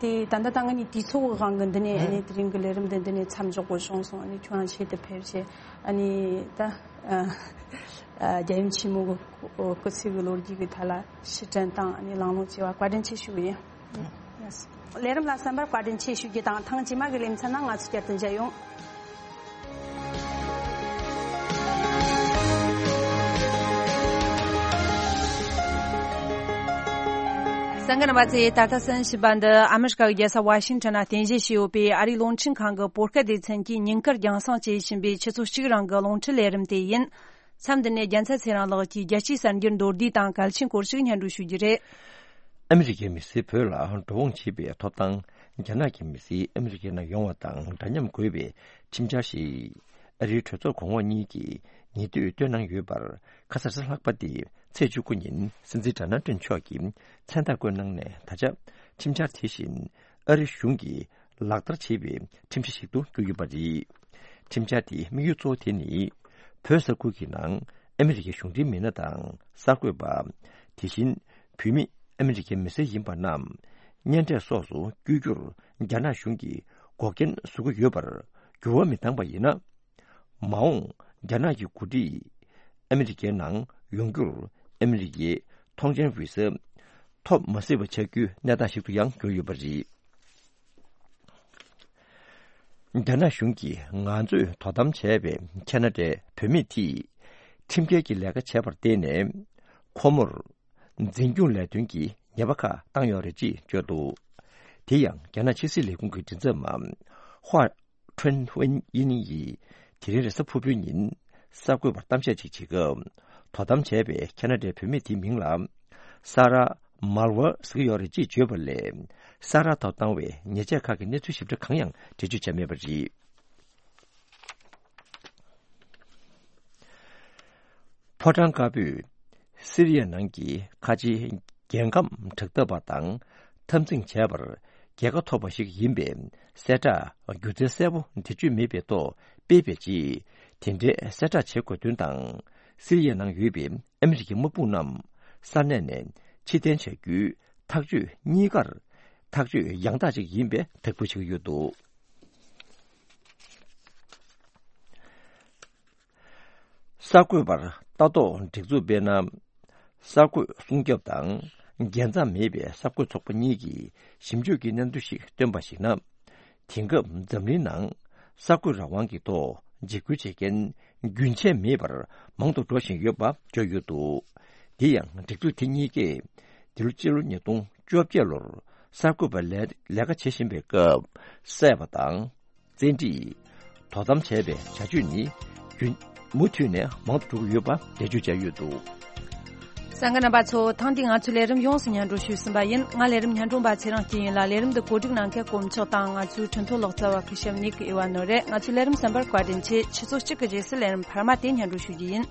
དེ་ད་ལྟ་ད་ང་གཉིས་དུས་ཚོད་ཀྱི་དབང་གིས་འདི་ནས་ཨ་ནི་དེ་རིང་གི་ལས་རིམ་འདི་འདི་ནས་མཚམས་འཇོག་དགོས་བྱུང་སོང་། ཨ་ནི་ཁྱོད་རང་ཆེད་དུ་ཕེབས་བྱས་ཨ་ནི་ད་ཨ་རྒྱལ་ཡུམ་ཆེན་མོ་གི་སྐུ་ཚེ་གི་ལོ་རྒྱུས་ཀྱི་ཐད་ལ་ཕྱིར་དྲན་དང་ཨ་ནི་གླེང་སློང་བྱས་པ་བཀའ་དྲིན་ཆེ་ཞུ་གི་ཡིན། ལས་རིམ་ལ་གསན་པར་བཀའ་དྲིན་ཆེ་ཞུ་རྒྱུ་དང་། ཐེངས་རྗེས་མ་གི་ལེ་ཚན་ནང་ང་ཚོ་བསྐྱར་དུ་མཇལ་ཡོང་། གསན་མཁན་རྣམ་པ་ཚོས་ད་ལྟ་གསན་བཞིན་པ་འདི་ཨ་མི་རི་ཀ་གི་རྒྱལ་ས་ཝ་ཤིང་ཊོན་ན་རྟེན་གཞི་བྱས་ཡོད་པའི་ཨ་རིའི་རླུང་འཕྲིན་ཁང་གི་བོད་སྐད་སྡེ་ཚན་གྱིས་ཉིན་དཀར་རྒྱང་སྲིང་བྱེད་བཞིན་པའི་ཆུ་ཚོད་གཅིག་རིང་གི་རླུང་འཕྲིན་ལས་རིམ་དེ་ཡིན། མཚམས་འདི་ནས་རྒྱལ་མཚན་ཚེ་རིང་ལགས་ཀྱིས་རྒྱལ་སྤྱིའི་གསར་འགྱུར་མདོར་བསྡུས་དང་གལ་ཆེན་སྐོར་ཞིག་སྙན་སྒྲོན་ཞུ་རྒྱུ་རེད། ཨ་མི་རི་ཀའི་མི་སེར་བོད་ལ་འགྲོ་འོང་བྱེད་པའི་ཐོབ་ཐང་རྒྱ་ནག་གི་མི་སེར་ཨ་མི་རི་ཀའི་ནང་ཡོང་བ་དང་འདྲ་མཉམ་དགོས་པའི་ཁྲིམས་འཆར་ཞིག་ཨ་རིའི་གྲོས་ཚོགས་གོང་འོག་གཉིས་ཀྱིས་ཉེ་དུས་བཏོན་གནང་ཡོད་པར། ཁ་སང་གཟའ་ལྷག་པ་སྟེ་ཚེས་བཅུ་དགུ་ཉིན་སྲིད་འཛིན་ཌོ་ནལ་ཊམ་མཆོག་གིས་མཚན་རྟགས་བཀོད་གནང་ནས། ད་ཆ་ཁྲིམས་འཆར་དེ་བཞིན་ཨ་རི་གཞུང་གིས་ལག་བསྟར་བྱེད་པའི་ཁྲིམས་གཞི་ཞིག་ཏུ་གྱུར་ཡོད་པ་རེད། ཁྲིམས་འཆར་དེའི་དམིགས་ཡུལ་གཙོ་བོ་དེ་ནི། བོད་ས་ཁུལ་གྱི་ནང་ཨ་མི་རི་ཀའི་གཞུང་འབྲེལ་མི་སྣ་དང་གསར་འགོད་པ། དེ་བཞིན་བོད་མི་ཨ་མི་རི་ཀའི་མི་སེར་ཡིན་པ་རྣམས་གཉེན་འཕྲད་སོགས་སུ་བསྐྱོད་རྒྱུར་རྒྱ་ནག་གཞུང་གིས་འགོག་རྐྱེན་བཟོ་གི་ཡོད་པར་འགྱུར་བ་མི་བཏང་པ་ཡིན་ན། མ་འོངས་རྒྱ་ནག་གི་འགོ་ཁྲིད་ཨ་མི་རི་ཀའི་ནང་ཡོང་རྒྱུར་ཨ་མི་རི་ཀའི་ཐོངས་མཆན་བི་ཟ་ཐོབ་མ་སྲིད་པ་ཆགས་རྒྱུའི་གནས་སྟངས་ཤིག་ཏུ་ཡང་གྱུར་ཡོད་པ་རེད། རྒྱ་ནག་གཞུང་གིས་ང་ཚོས་དོ་དམ་བྱས་པའི་ཁ་ན་ཌའི་བུད་མེད་དེས་ཁྲིམས་འགལ་གྱི་ལས་ཀ་བྱས་པར་བརྟེན་ནས་ཁོ་མོར་འཛིན་སྐྱོང་ལས་དོན་གྱི་ཉེས་པ་ཁག་བཏང་ཡོད་རེད་ཅེས་བརྗོད་འདུག་དེ་ཡང་རྒྱ་ནག་ཕྱི་སྲིད་ལས་ཁུངས་ཀྱི་མགྲིན་ཚབ་མ་ཧྭ་ཁྲུན་ཝེན་དབྱི་ནིང་ཡིས་དེ་རིང་རེས་གཟའ་ཕུར་བུའི་ཉིན་གསར་འགོད་པར་གཏམ་བཤད་ཅིག་བྱེད་སྐབས། དོ་དམ་བྱས་པའི་ཁ་ན་ཌའི་བུད་མེད་དེའི་མིང་ལ་ས་ར་མལ་ཝར་ཟེར་གྱི་ཡོད་རེད་ཅེས་བརྗོད་པ་ལས། ས་ར་ཐོག་བཏང་བའི་ཉེས་ཆད་ཁག་གི་གནས་ཚུལ་ཞིབ་ཕྲ་གང་ཡང་འགྲེལ་བརྗོད་བྱས་མེད་པ་རེད། ཕོ་བྲང་དཀར་པོས་སི་རི་ཡ་ནང་གི་ཁ་ཆེའི་རྒྱལ་ཁམས་དྲག་འཐབ་པ་དང་འཐབ་འཛིང་བྱས་པར་རྒྱལ་ཁ་ཐོབ་པ་ཞིག་ཡིན་པའི་གསལ་བསྒྲགས་སྒྱུ་རྩལ་གསལ་པོ་འགྲེལ་བརྗོད་མེད་པའི་ཐོག་སྤེལ་བའི་རྗེས། དེ་འདྲའི་གསལ་བསྒྲགས་བྱེད་དགོས་དོན་དང་། སི་རི་ཡ་ནང་ཡོད་པའི་ཨ་མི་རི་ཀའི་དམག་དཔུང་རྣམས་ས་གནས་ནས་ཕྱིར་འཐེན་བྱ་རྒྱུའི་ཐག་གཅོད་གཉིས་ཀར་ཐག་གཅོད་ཡང་དག་ཅིག་ཡིན་པའི་དག་འབུལ་བྱེད་ཀྱི་ཡོད་འདུག་གསར་འགོད་པར་ལྟ་རྟོག་སྒྲིག་འཛུགས་དཔེར་ན། གསར་འགོད་སྲུང་སྐྱོབ་དང་རྒྱལ་མཚམས་མེད་པའི་གསར་འགོད་ཚོགས་པ་གཉིས་ཀྱིས་ཞིབ་འཇུག་གི་སྙན་ཐོ་ཞིག་བཏོན་པར་གཞིགས་ན། དེང་སྐབས་འཛམ་གླིང་ནང་གསར་འགོད་རང་དབང་གི་ཐོག་འཇིགས་སྐུལ་བྱེད་མཁན་རྒྱུན་ཆད་མེད་པར་མང་དུ་འགྲོ་བཞིན་ཡོད་པ་བརྗོད་ཡོད་འདུག་དེ་ཡང་སྒྲིག་འཛུགས་དེ་གཉིས་ཀས་འདི་ལོ་སྤྱི་ལོ་ཉིས་སྟོང་བཅོ་བརྒྱད་ལོར་གསར་འགོད་པ་ལས་ལས་ཀ་བྱེད་བཞིན་པའི་སྐབས་བསད་པ་དང་། བཙན་ཁྲིད། དོ་དམ་བྱས་པའི་བྱ་སྤྱོད་ནི་རྒྱུན་མུ་མཐུད་ནས་མང་དུ་འགྲོ་གི་ཡོད་པ་འགྲེལ་བརྗོད་བྱས་ཡོད་འདུག་གསན་མཁན་རྣམ་པ་ཚོ། ཐེངས་འདིའི་ང་ཚོའི་ལས་རིམ་ཡོངས་སུ་སྙན་སྒྲོན་ཞུས་ཟིན་པ་ཡིན། ང་ལས་རིམ་སྙན་སྒྲོན་པ་ཚེ་རིང་སྐྱིད་ཡིན་ལ། ལས་རིམ་འདི་གོ་སྒྲིག་གནང་མཁན་དཀོན་མཆོག་དང་། ང་ཚོའི་ཁྲིན་ཐོ་ལག་རྩལ་བ་ཁུ་ཤམ་ནིག་ཨེ་ཝ་ནོ་རེད། ང་ཚོའི་ལས་རིམ་གསན་པར་བཀའ་དྲིན་ཆེ། ཆུ་ཚོད་གཅིག་གི་རྗེས་སུ་ལས་རིམ་འཕར་མ་དེ་སྙན་སྒྲོན་ཞུ་རྒྱུ་ཡིན།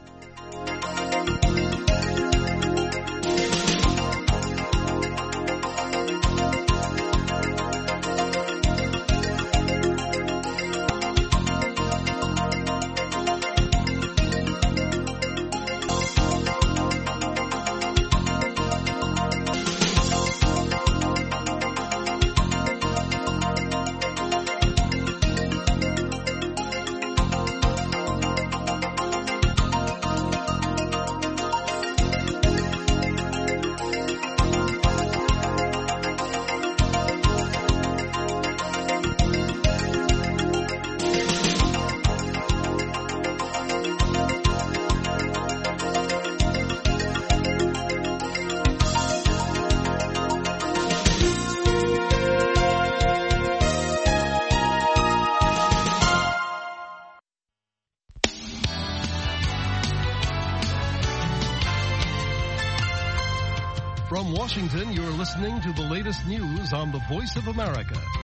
From Washington, you're listening to the latest news on the Voice of America.